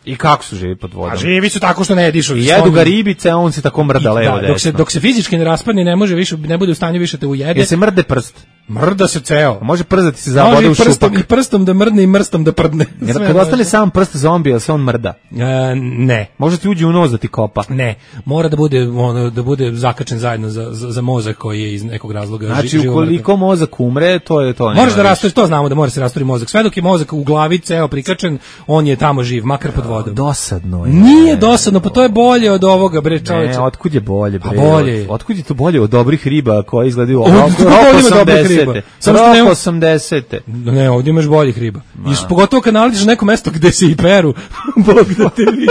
I kako su živi pod vodom? A živi su tako što ne dišu. I jedu ga ribice, a on se tako mrda I- levo da, dok se desno. dok se fizički ne raspadne, ne može više, ne bude u stanju više te ujede. Jel se mrde prst? Mrda se ceo. A može przati se Može zabode i u prstom, šupak. i prstom da mrdne i mrstom da prdne. Jer Sve kad može. ostane sam prst zombi, jel se on mrda? E, ne. Može ti uđe u nos da ti kopa. Ne, mora da bude ono da bude zakačen zajedno za, za, za mozak koji je iz nekog razloga ži- Znači, živo ukoliko mozak umre, to je to. mrtav. Možeš da nema rasturiš, to znamo da mora se rasturiti mozak. Sve dok je mozak u glavi ceo prikačen, on je tamo živ, makar pod vodom. više. Dosadno je. Nije dosadno, pa to je bolje od ovoga, bre, čoveče. Ne, otkud je bolje, bre? A bolje je. Otkud je to bolje od dobrih riba koje izgledaju Ovdje rok tu bolje ima dobrih osamdesete? riba. Samo što nema- Rok osamdesete. Ne, ovdje imaš boljih riba. I š- pogotovo kad naletiš na neko mesto gde se i peru, Bog da te vidi.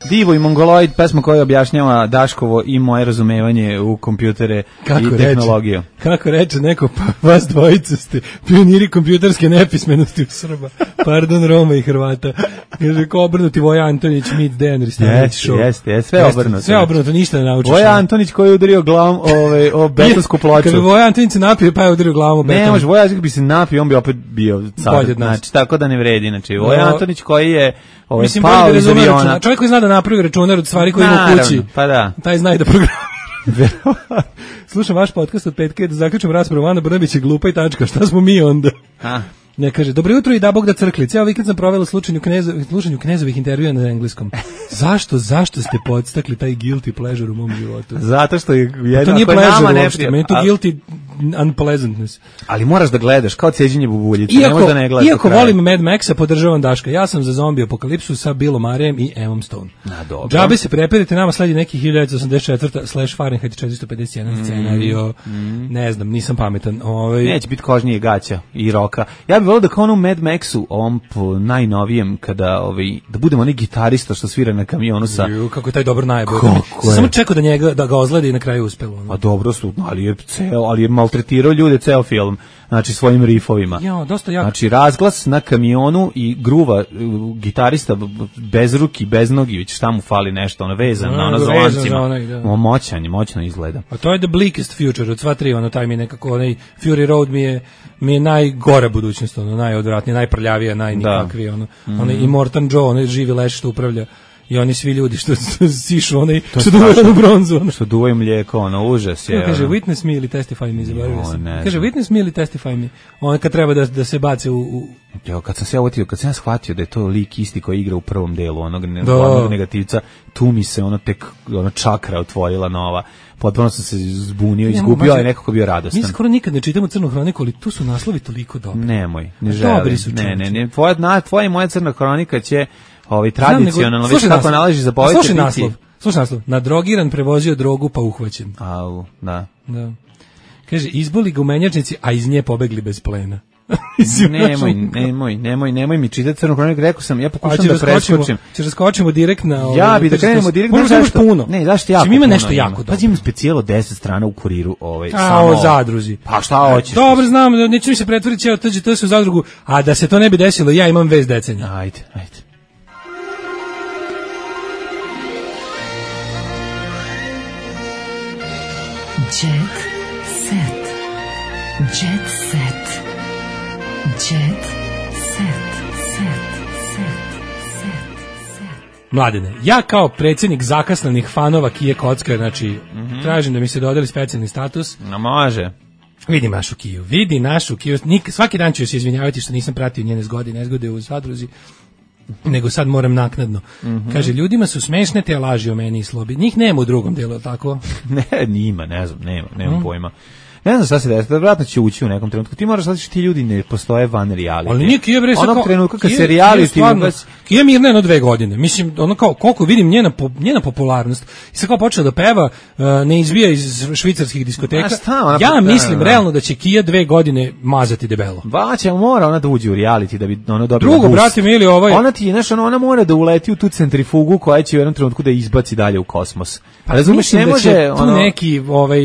Divo i Mongoloid, pesma koja objašnjava Daškovo i moje razumevanje u kompjutere Kako i reče? tehnologiju. Kako reče neko, pa vas dvojica ste pioniri kompjuterske nepismenosti u Srba. Pardon, Roma i Hrvata. Kaže, ko obrnuti Voja Antonić, Mit Dejan Ristanović Jeste, show. jeste, jeste, sve Jeste, obrnuto. Sve obrnuto, ništa ne naučiš. Voja Antonić koji je udario glavom ove, o betonsku ploču. Kaže, Voja Antonić se napio, pa je udario glavom u beton. Ne, može, Voja Antonić bi se napio, on bi opet bio car. Bolji od nas. Znači, tako da ne vredi. Znači, Voja No. Antonić koji je ovaj, Mislim, bolje pao da iz razume aviona. računar. Čovjek koji zna da napravi računar od stvari koje ima u Naravno, kući. pa da. Taj zna i da programira. Slušam vaš podcast od petka i da zaključim raspravu, Ana Brnabić je glupa i tačka. Šta smo mi onda? A. Ne, kaže, dobro jutro i da Bog da crkli. Cijel vikend sam provela u slušanju, kneza, slušanju knezovih intervjua na engleskom. Zašto, zašto ste podstakli taj guilty pleasure u mom životu? Zato što je Pa jedno to nije ako je nama pleasure uopšte, neprijatno. meni je to A- guilty unpleasantness. Ali moraš da gledaš, kao cijeđenje bubuljice. Ne Iako, možeš da ne gledaš do iako kraja. volim Mad Maxa, podržavam Daška. Ja sam za zombi apokalipsu sa Billom Marejem i Emmom Stone. Na, dobro. Džabe se prepirite, nama sledi neki hiljadu devetsto osamdeset četiri slash Fahrenheit četiristo pedeset jedan Mm, scenario. Ne znam, nisam pametan. Ovaj Neće biti kožnije gaća i roka. Ja bih volio da kao ono u Mad Maxu, ovom po najnovijem, kada ovaj, da budemo onaj gitarista što svira na kamionu sa... Ju, kako je taj dobro najbolj. Kako je? Samo čekao da njega da ga ozledi i na kraju uspelo. ono. Pa dobro su, ali je, ceo, ali je maltretirao ljude ceo film, znači svojim rifovima. Ja, dosta jako. Znači razglas na kamionu i gruva uh, gitarista b- b- bez ruki, bez nogi, već šta mu fali nešto, ono vezan, na ono Vezan za za lancima. onaj, da. O, moćan je, moćno izgleda. A to je the bleakest future od sva tri, ono taj mi je nekako, onaj Fury Road mi je, mi je najgora budućnost, ono, najodvratnije, najprljavija, najnikakvije, ono, Mm. onaj Immortan Joe, onaj živi leš što upravlja i oni svi ljudi što, što sišu, onaj, To je što duvaju strašno. u bronzu, ono. Što duvaju mlijeko, ono, užas je. Ja, kaže, ono. witness me ili testify me, zaboravio Jo, sam. ne Kaže, znam. witness me ili testify me. On kad treba da, da se baci u... u Jo, kad sam se ja uvatio, kad sam ja shvatio da je to lik isti koji igra u prvom delu onog ne, Da. glavnog negativca, tu mi se ono tek ono čakra otvorila nova. Potpuno sam se zbunio, Ne, izgubio, mađo, a nekako bio radostan. Mi skoro nikad ne čitamo Crnu hroniku, ali tu su naslovi toliko dobri. Nemoj, ne A želim. dobri su, ne, ne, čoveče. ne, tvoja, na, tvoja i moja crna hronika će ovaj, Znam, nego- tradicionalno, već slušaj kako naslov. nalaži za A povete Slušaj biti. naslov. Slušaj naslov. Nadrogiran prevozio drogu pa uhvaćen. Au, da. Da. Kaže, izboli ga u menjačnici, a iz nje pobegli bez plena. Nemoj, nemoj, nemoj, nemoj mi čitati crnu hroniku, rekao sam, ja A pokušam će da raskočimo, preskočim. će raskočimo direkt na... Ja ovaj, bi da tržište. krenemo direkt. Možda znaš imaš zašto? puno. Ne, zašto jako Čim ima puno nešto jako dobro. Pazi, imam specijalo deset strana u kuriru. Ovaj, A, samo o zadruzi. Pa šta hoćeš? Dobro, znam, neću mi se pretvoriti cijelo T Ž T se u zadrugu, a da se to ne bi desilo, ja imam vez decenja. Ajde, ajde. Jet set. Jet set. Jet set. Set. Set. Set. Mladene, ja kao predsjednik zakasnanih fanova Kije Kocka, znači, mm-hmm. tražim da mi se dodeli specijalni status. No, može. Vidi našu Kiju, vidi našu Kiju. Nik, svaki dan ću se izvinjavati što nisam pratio njene zgode, nezgode u Zadruzi, nego sad moram naknadno. Mm-hmm. Kaže, ljudima su smešne te laži o meni i Slobi. Njih nema u drugom delu, tako? Ne, nima, ne znam, nema, nema mm. pojma. Ne znam šta se desi, vjerojatno će ući u nekom trenutku. Ti moraš shvatiti, ti ljudi ne postoje van reality. Ali nije Kija bre, onog kao, trenutka kad Kija, se reality ugas... Kija mirna jedno dve godine. Mislim, ono kao, koliko vidim njena, njena popularnost, i sad kao počela da peva, uh, ne izvija iz švicarskih diskoteka. Šta, ja pa, mislim da, da. realno da će Kija dve godine mazati debelo. Baće, mora ona da uđe u reality da bi ona dobila drugo, brate mi ili ovaj... Ona ti, znaš, ona, ona mora da uleti u tu centrifugu koja će u jednom trenutku da izbaci dalje u kosmos. Pa razumiješ, ne može da tu ono... neki ovaj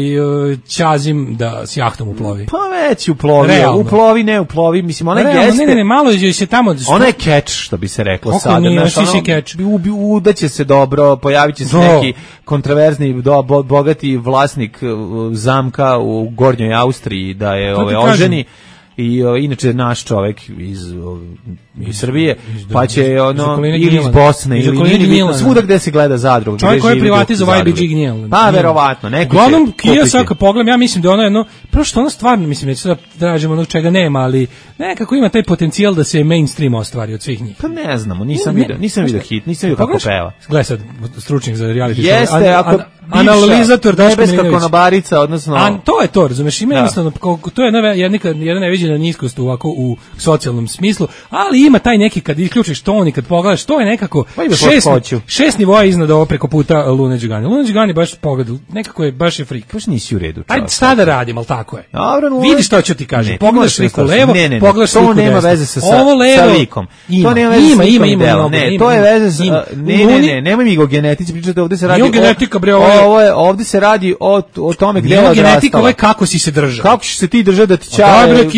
ćazim da s jahtom uplovi. Pa već uplovi, realno. uplovi ne uplovi, mislim ona realno, jeste. Ne, ne, ne, malo je se tamo. Što... Ona je catch, što bi se reklo Oko sada, nije, znaš, ono, catch. Udaće se dobro, pojaviće se do. neki kontroverzni do, bo, bogati vlasnik zamka u Gornjoj Austriji da je ove oženi. I o, inače naš čovjek iz, o, iz Srbije, iz, pa će ono ili iz Bosne iz ili ili svuda gde se gleda Zadruga. Čovjek koji je privatizovao I B G Gnjel. Pa verovatno, neko. Uglavnom Kija svaka pogledam, ja mislim da ona jedno, prvo što ona stvarno mislim neće da tražimo onog čega nema, ali nekako ima taj potencijal da se mainstream ostvari od svih njih. Pa ne znamo, nisam video, nisam video hit, nisam video kako peva. Gledaj sad, stručnjak za reality. Jeste, ako analizator Nebeska konobarica, odnosno... A to je to, razumeš, ima jednostavno, to je jedna, jedna, jedna neviđena niskost ovako u socijalnom smislu, ali ima taj neki, kad isključiš ton i kad pogledaš, to je nekako šest, šest nivoa iznad ovo preko puta Lune Đugani. Lune Đugani baš pogledao, nekako je, baš je frik. Baš nisi u redu. Ajde, šta da radim, ali tako je. Dobro, no, vidi što ću ti kažem, pogledaš sliku levo, ne, ne, ne, pogledaš sliku desno. To nema veze sa, ovo levo, sa likom. Ima, to nema veze ima, sa ima, ima, ima, ne, ima, to je veze sa, ima. ne, ne, ne, nemoj mi go genetici pričati, ovde se radi o, genetika, bre, ovo je, ovde se radi o, o tome gde je odrastala. Genetika, ovo je kako si se držao. Kako ćeš se ti držati da ti čaje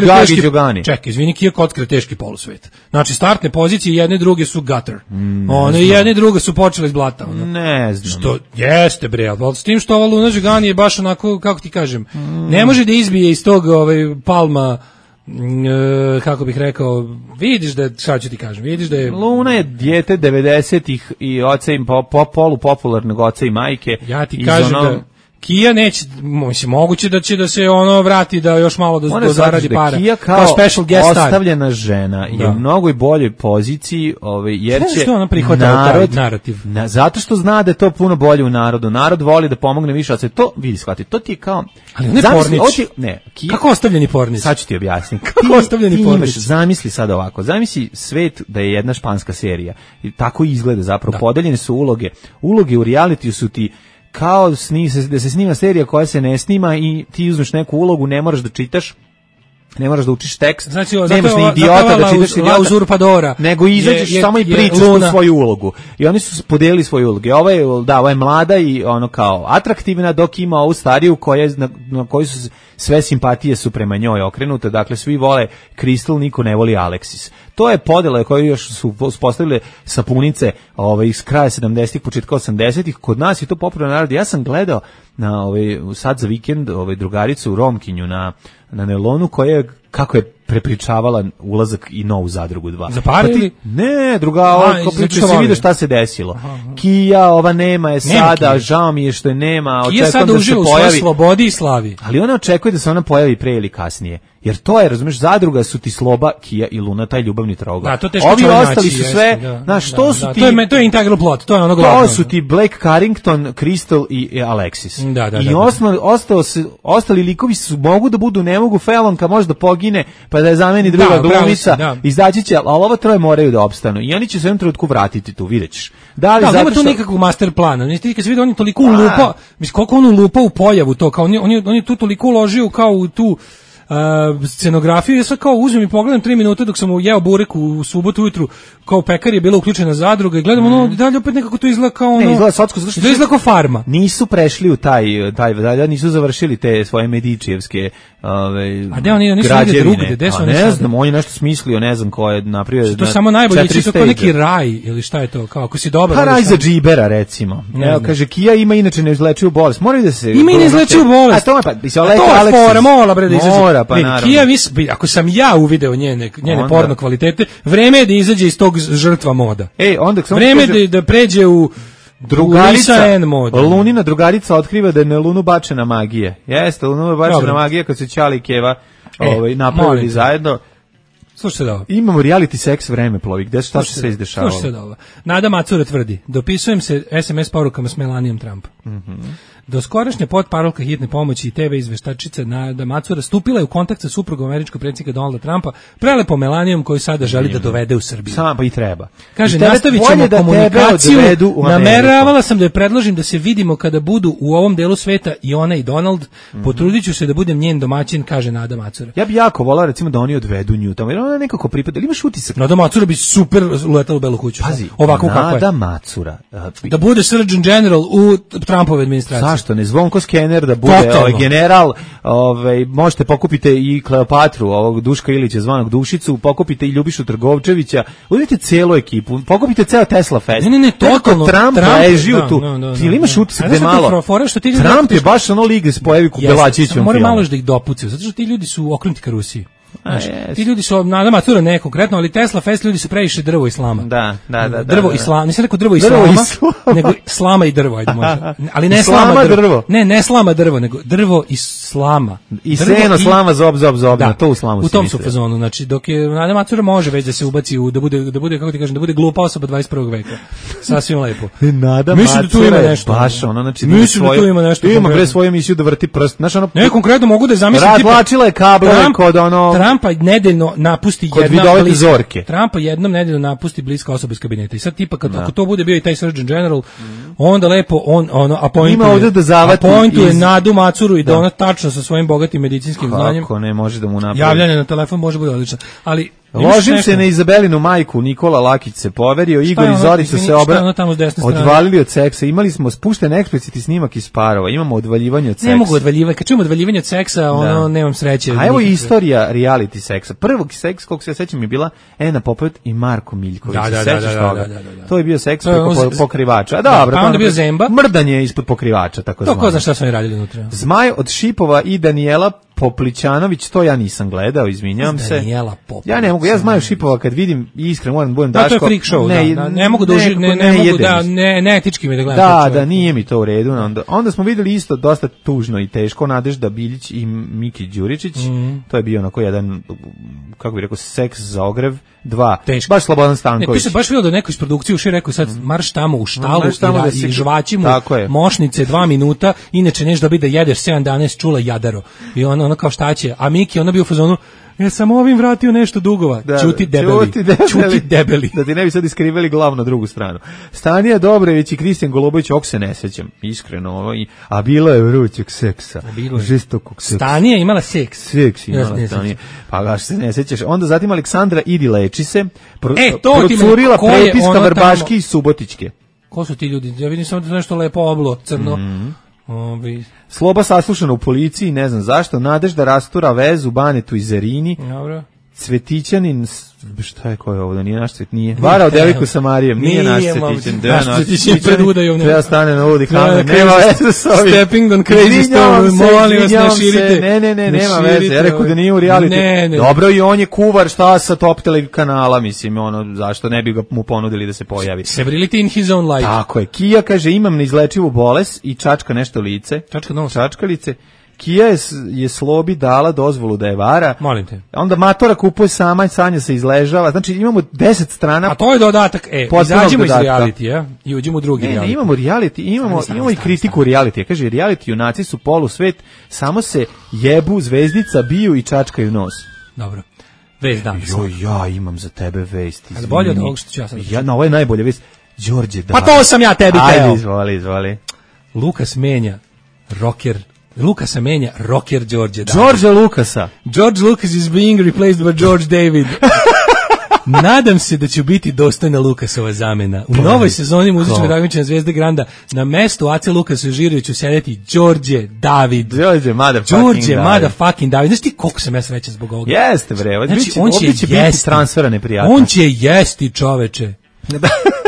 Gagi Đogani. Čekaj, izvini, Kija Kocka je teški polusvet. Znači, startne pozicije jedne druge su gutter. Mm, one i jedne druge su počele iz blata. Ono. Ne znam. Što, jeste, bre, ali s tim što ova Luna Đugani je baš onako, kako ti kažem, mm. ne može da izbije iz tog ovaj, palma, e, kako bih rekao, vidiš da, šta ću ti kažem, vidiš da je... Luna je dijete devedesetih i oca im po, po, polu popularnog oca i majke. Ja ti kažem ono... da... Kija neće, mislim, moguće da će da se ono vrati da još malo da, da zaradi da para. Kija kao, kao special guest ostavljena žena da. je u mnogoj boljoj poziciji, ovaj, jer će što ona prihvatila narod, taj narativ. Na, zato što zna da je to puno bolje u narodu. Narod voli da pomogne više, ali se to, vidi, shvati, to ti je kao... Ali ne Pornić. Ti, ne, Kija, kako ostavljeni Pornić? Sad ću ti objasniti. Kako ti, ostavljeni ti Pornić? Imaš, zamisli sad ovako, zamisli svet da je jedna španska serija. I tako izgleda zapravo, da. Podeljene su uloge. Uloge u realitiju su ti kao sni, da se snima serija koja se ne snima i ti uzmeš neku ulogu, ne moraš da čitaš, ne moraš da učiš tekst, znači, nemaš ni idiota da čitaš idiota, uzurpadora. Nego izađeš je, je, samo i pričaš tu svoju ulogu. I oni su podelili svoju ulogu. Ova je, da, ova je mlada i ono kao atraktivna, dok ima ovu stariju koja, na, na koju su sve simpatije su prema njoj okrenute. Dakle, svi vole Crystal, niko ne voli Alexis. To je podela koju još su uspostavile sapunice ovaj, iz kraja sedamdesetih, početka osamdesetih. Kod nas je to popularno narod. Ja sam gledao na ovaj, sad za vikend ovaj, drugaricu u Romkinju na, na Nelonu koja je, kako je prepričavala ulazak i novu Zadrugu dva. Zaparili? Pa ne, druga, ova, priča se vide šta se desilo. Aha, aha. Kija, ova nema je sada, nema žao mi je što je nema. Kija sada da uživa u svojoj slobodi i slavi. Ali ona očekuje da se ona pojavi pre ili kasnije. Jer to je, razumeš, Zadruga su ti Sloba, Kija i Luna, taj ljubavni trougao. Da, to teško ovi ostali naći, su sve, jeste, znaš, da, to da, su da, ti... To je, to je integral plot, to je ono glavno. To su ti Blake Carrington, Crystal i, i Alexis. Da, da, I da, ostali, ostao se, ostali likovi su, mogu da budu, ne mogu, Felonka može da pogine, pa da je zameni druga da, glumica, da. Izdaći će, ali ovo troje moraju da opstanu. I oni će se u jednom trenutku vratiti tu, vidjet ćeš. Da, li da, zato nema tu što... nikakvog master plana. Znači, ti kad se vidi, on je toliko ulupa, mislim, koliko on ulupa u pojavu to, kao on je, on je, on je tu toliko uložio kao u tu uh, scenografiju, ja sad kao uzmem i pogledam tri minuta dok sam jeo burek u subotu ujutru, kao pekar je bila uključena zadruga i gledam mm. ono, dalje opet nekako to izgleda kao ono, ne, izgleda socko, zato što to izgleda kao farma. Nisu prešli u taj, taj dalje, nisu završili te svoje medičijevske ove, a gde oni, nisu negde drugde, gde su oni ne znam, on je nešto smislio, ne znam ko je napravio. To samo najbolje, će to kao neki raj, ili šta je to, kao ako si dobar. Pa raj za džibera, recimo. Evo, kaže, Kia ima inače neizlečivu bolest. Moraju da se... Ima i neizlečivu bolest. A to je pa, bi se Alexa Alexis. Mora, mora, bre, da izađe. Mora, pa naravno. Kia, ako sam ja uvideo njene, njene porno kvalitete, vreme je da izađe iz tog žrtva moda. Ej, onda vreme je da pređe u drugarica, Lunina drugarica otkriva da je na Lunu bačena magija. Jeste, Lunu bačena Dobre. magija kad se Ćali i Keva e, ovaj, napravili zajedno. Slušajte da ovo. Imamo reality seks vreme plovi, gde šta se sve izdešavalo. Slušajte da ovo. Nada Macura tvrdi, dopisujem se es em es porukama s Melanijom Trump. Mhm. Do skorašnja potparolka hitne pomoći i te ve izveštačica Nada Macura stupila je u kontakt sa suprugom američkog predsjednika Donalda Trumpa, prelepo Melanijom koju sada želi da dovede u Srbiju. Sama pa i treba. Kaže, nastavit ćemo da komunikaciju, nameravala sam da je predložim da se vidimo kada budu u ovom delu sveta i ona i Donald, mm-hmm. potrudit ću se da budem njen domaćin, kaže Nada Macura. Ja bi jako volao recimo da oni odvedu nju tamo, jer ona nekako pripada, ili imaš utisak? Nada Macura bi super uletala u Belu kuću. Pazi, ovako kako je. Nada Macura. Uh, da bude Surgeon General u Trumpove administraciji. Zašto ne? Zvonko Skener da bude ovaj general, ovaj možete pokupite i Kleopatru, ovog Duška Ilića zvanog Dušicu, pokupite i Ljubišu Trgovčevića, uzmite celu ekipu, pokupite ceo Tesla Fest. Ne, ne, ne, totalno. Trump leži tu. Ti li imaš utisak da malo? Trump je baš ono lig se pojavi ku Belačićem. Mora malo da ih dopucaju, zato što ti ljudi su okrenuti ka Rusiji. Znaš, ti ljudi su, Nada Macura ne konkretno, ali Tesla Fest ljudi su previše drvo islama. Da, da, da. Drvo da, islama, nisam rekao drvo islama, drvo islama. nego slama i drvo, ajde možda. Ali ne slama drvo. drvo. Ne, ne slama drvo, nego drvo islama. I seno, slama, zob, zob, zob, da, na to u slamu u tom su fazonu, znači dok je Nada Macura može već da se ubaci u, da bude, da bude, kako ti kažem, da bude glupa osoba dvadeset prvog veka. Sasvim lepo. Nada Macura da tu ima nešto. Baš ono, znači da svoje, tu ima nešto. Ima bre svoju emisiju da vrti prst. Znaš ono. Ne, konkretno mogu da zamislim tipa. Razvlačila je kablove kod ono. Trumpa nedeljno napusti kod jedna bliska, zorke. Trumpa jednom nedeljno napusti bliska osoba iz kabineta. I sad tipa kad ako to bude bio i taj Surgeon General, mm. onda lepo on ono appointuje. Ima ovde da zavati appointuje iz... Nadu Macuru i da, da ona tačno sa svojim bogatim medicinskim Kako znanjem. Kako ne može da mu napravi. Javljanje na telefon može biti odlično. Ali ložim se na Izabelinu majku, Nikola Lakić se poverio, Igor i Zorica se obra... odvalili od seksa. Imali smo spušten eksplicitni snimak iz parova, imamo odvaljivanje od seksa. Ne mogu odvaljivati, kad čujemo odvaljivanje od seksa, ono, da. nemam sreće. A evo istorija reality seksa. Prvog seks, koliko se ja sećam, je bila Ena Popović i Marko Miljković. Da, da, da, da, da, da, da. To je bio seks preko po, pokrivača. A dobro, pa onda bio Zemba. Mrdanje ispod pokrivača, tako zvano. To ko zna šta su oni radili unutra. Zmaj od Šipova i Danijela Poplićanović, to ja nisam gledao, izvinjavam se. Danijela Poplić. Ja ne mogu, ja Zmaju Šipova kad vidim, iskreno moram da budem Daško. Da, to je freak show, ne, da, ne mogu da uži, ne, ne, ne mogu da, ne, ne etički mi da gledam. Da, da, nije mi to u redu. Onda, onda smo videli isto dosta tužno i teško Nadežda Biljić i Miki Đuričić. Mm. To je bio onako jedan, kako bih rekao, seks za ogrev. Dva. Teško. Baš Slobodan Stanković. Ne, ti se baš vidio da neko iz produkcije uši rekao sad marš tamo u štalu i, da i žvači mu mošnice dva minuta, inače neš dobiti da jedeš sedam dana s čula jadaro. I ono, ono kao šta će. A Miki, ona bio u fazonu, ja sam ovim vratio nešto dugova. Da, čuti debeli. Čuti debeli. Čuti debeli. Da ti ne bi sad iskriveli glavu na drugu stranu. Stanija Dobrević i Kristijan Golubović, ok se ne sećam. Iskreno. Ovo, i, a bilo je vrućeg seksa. Žestokog seksa. Stanija imala seks. Seks imala ja, Stanija. Pa gaš se ne sećaš. Onda zatim Aleksandra Idi leči se. Pro, e, to procurila prepiska Vrbaški tamo... i Subotičke. Ko su ti ljudi? Ja vidim samo da nešto lepo oblo, crno. Mm-hmm. Ovi. Sloba saslušana u policiji, ne znam zašto. Nadežda rastura vezu Banetu i Zerini. Dobro. Cvetićanin, šta je ko je ovo, da nije naš cvet, nije. Varao devojku sa Marijem, nije, nije naš Cvetićan. Naš Cvetićan pred udajom. Treba stane na udi kamer, nema veze s ovim. Stepping on crazy stone, molim vas, ne širite. Ne, ne, ne, nema veze, ja rekao da nije u reality. Ne, ne. Dobro, i on je kuvar, šta sa Top Tele kanala, mislim, ono, zašto ne bi ga mu ponudili da se pojavi. Severity in his own life. Tako je, Kija kaže, imam neizlečivu bolest i čačka nešto lice. Čačka nos. Čačka lice. Kija je, je Slobi dala dozvolu da je vara. Molim te. Onda Matora kupuje sama i Sanja se izležava. Znači imamo deset strana. A to je dodatak. E, izađemo iz reality, i uđemo u drugi ne, reality. Ne, imamo reality, imamo, stani, imamo stani, i kritiku stani. reality. Kaže, reality junaci su polusvet, samo se jebu, zvezdica, biju i čačkaju nos. Dobro. Vest dam. Jo, ja imam za tebe vest. Ali bolje od ovog što ću ja sad. Ja, na ovo je najbolja vest. Đorđe, da. Pa to sam ja tebi teo. Ajde, izvoli, izvoli. Lukas menja rocker Lukasa menja rocker Đorđe David. Đorđe Lukasa. George Lucas is being replaced by George David. Nadam se da će biti dostojna Lukasova zamena. U novoj sezoni muzičkog takmičenja Zvezde Granda na mestu Ace Lukasa Žiroviću sedeti Đorđe David. Đorđe motherfucking Đorđe motherfucking David. Znaš ti koliko sam ja srećan zbog ovoga? Jeste bre, znači, biće, on će, će biti transfera neprijatno. On će jesti, čoveče.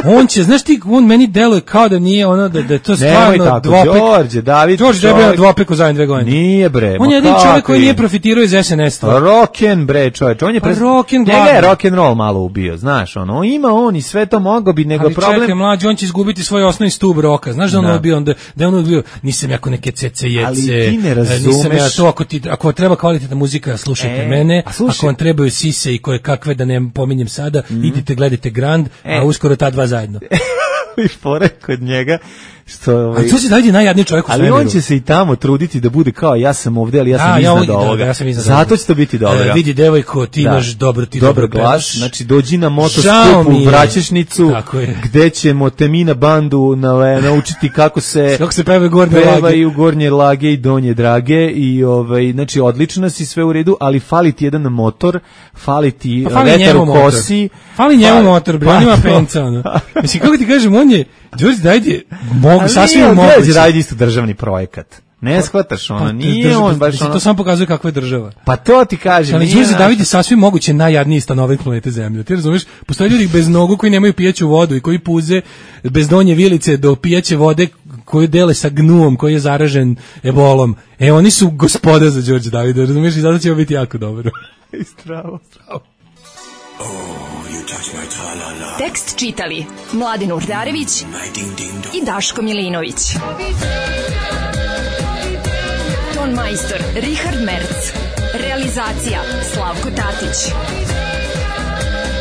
On će, znaš ti, on meni deluje kao da nije ono, da, da je to stvarno dvopek. Đorđe David. Đorđe David je dvopek u zadnje dve godine. Nije bre. On je jedin čovjek koji nije profitirao iz S N S-a. Rocken bre, čovječ. On je pa rocken njega je rock and roll malo ubio, znaš, ono, ima on i sve to mogao bi, nego ali problem. Ali čekaj, mlađi, on će izgubiti svoj osnovni stub roka. Znaš da on no. bio, da, da je on bio, nisam jako neke cecejece. Ali ti ne razumeš. Nisam ja to, ako, ti, ako treba kvalitetna muzika, slušajte e, mene. Ako vam trebaju sise i koje kakve, da ne pominjem sada, mm. idite, gledajte Grand, e. a uskoro ta dva zajedno. I fore kod njega što ovaj a to se daje najjadniji čovjek u ali svemiru. On će se i tamo truditi da bude kao ja sam ovdje, ali ja sam a, iznad ja ovoga. Da, ja sam iznad zato će to biti dobro. E, vidi devojko, ti da. imaš dobro, ti dobro dobro glas. Znači dođi na motoskup u Vraćešnicu gde ćemo te mi na bandu na, naučiti kako se kako se peva gornje lage i u gornje lage i donje drage i ovaj znači odlično si sve u redu, ali fali ti jedan motor, fali ti pa vetar u kosi. Fali njemu motor, bre, on ima penca, ono. Mislim, kako ti kažem, on je, Đorđe David je, mogu, sasvim moguće. Đorđe David isto državni projekat. Ne shvataš, ono, pa, nije država, on baš ono... To samo pokazuje kakva je država. Pa to ti kažem. Ali Đorđe David je sasvim moguće najjadniji stanovnik planete Zemlje. Ti razumiješ? Postoje ljudi bez nogu koji nemaju pijaću vodu i koji puze bez donje vilice do pijaće vode koju dele sa gnuom koji je zaražen ebolom. E, oni su gospoda za Đorđe Davida, razumiješ? I zato će biti jako dobro. Stravo, stravo. Tekst čitali Mladin Urdarević i Daško Milinović. Ton majstor Richard Merc. Realizacija Slavko Tatić.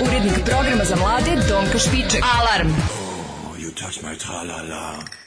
Urednik programa za mlade Donka Špiček. Alarm! Oh, you touch my tra-la-la.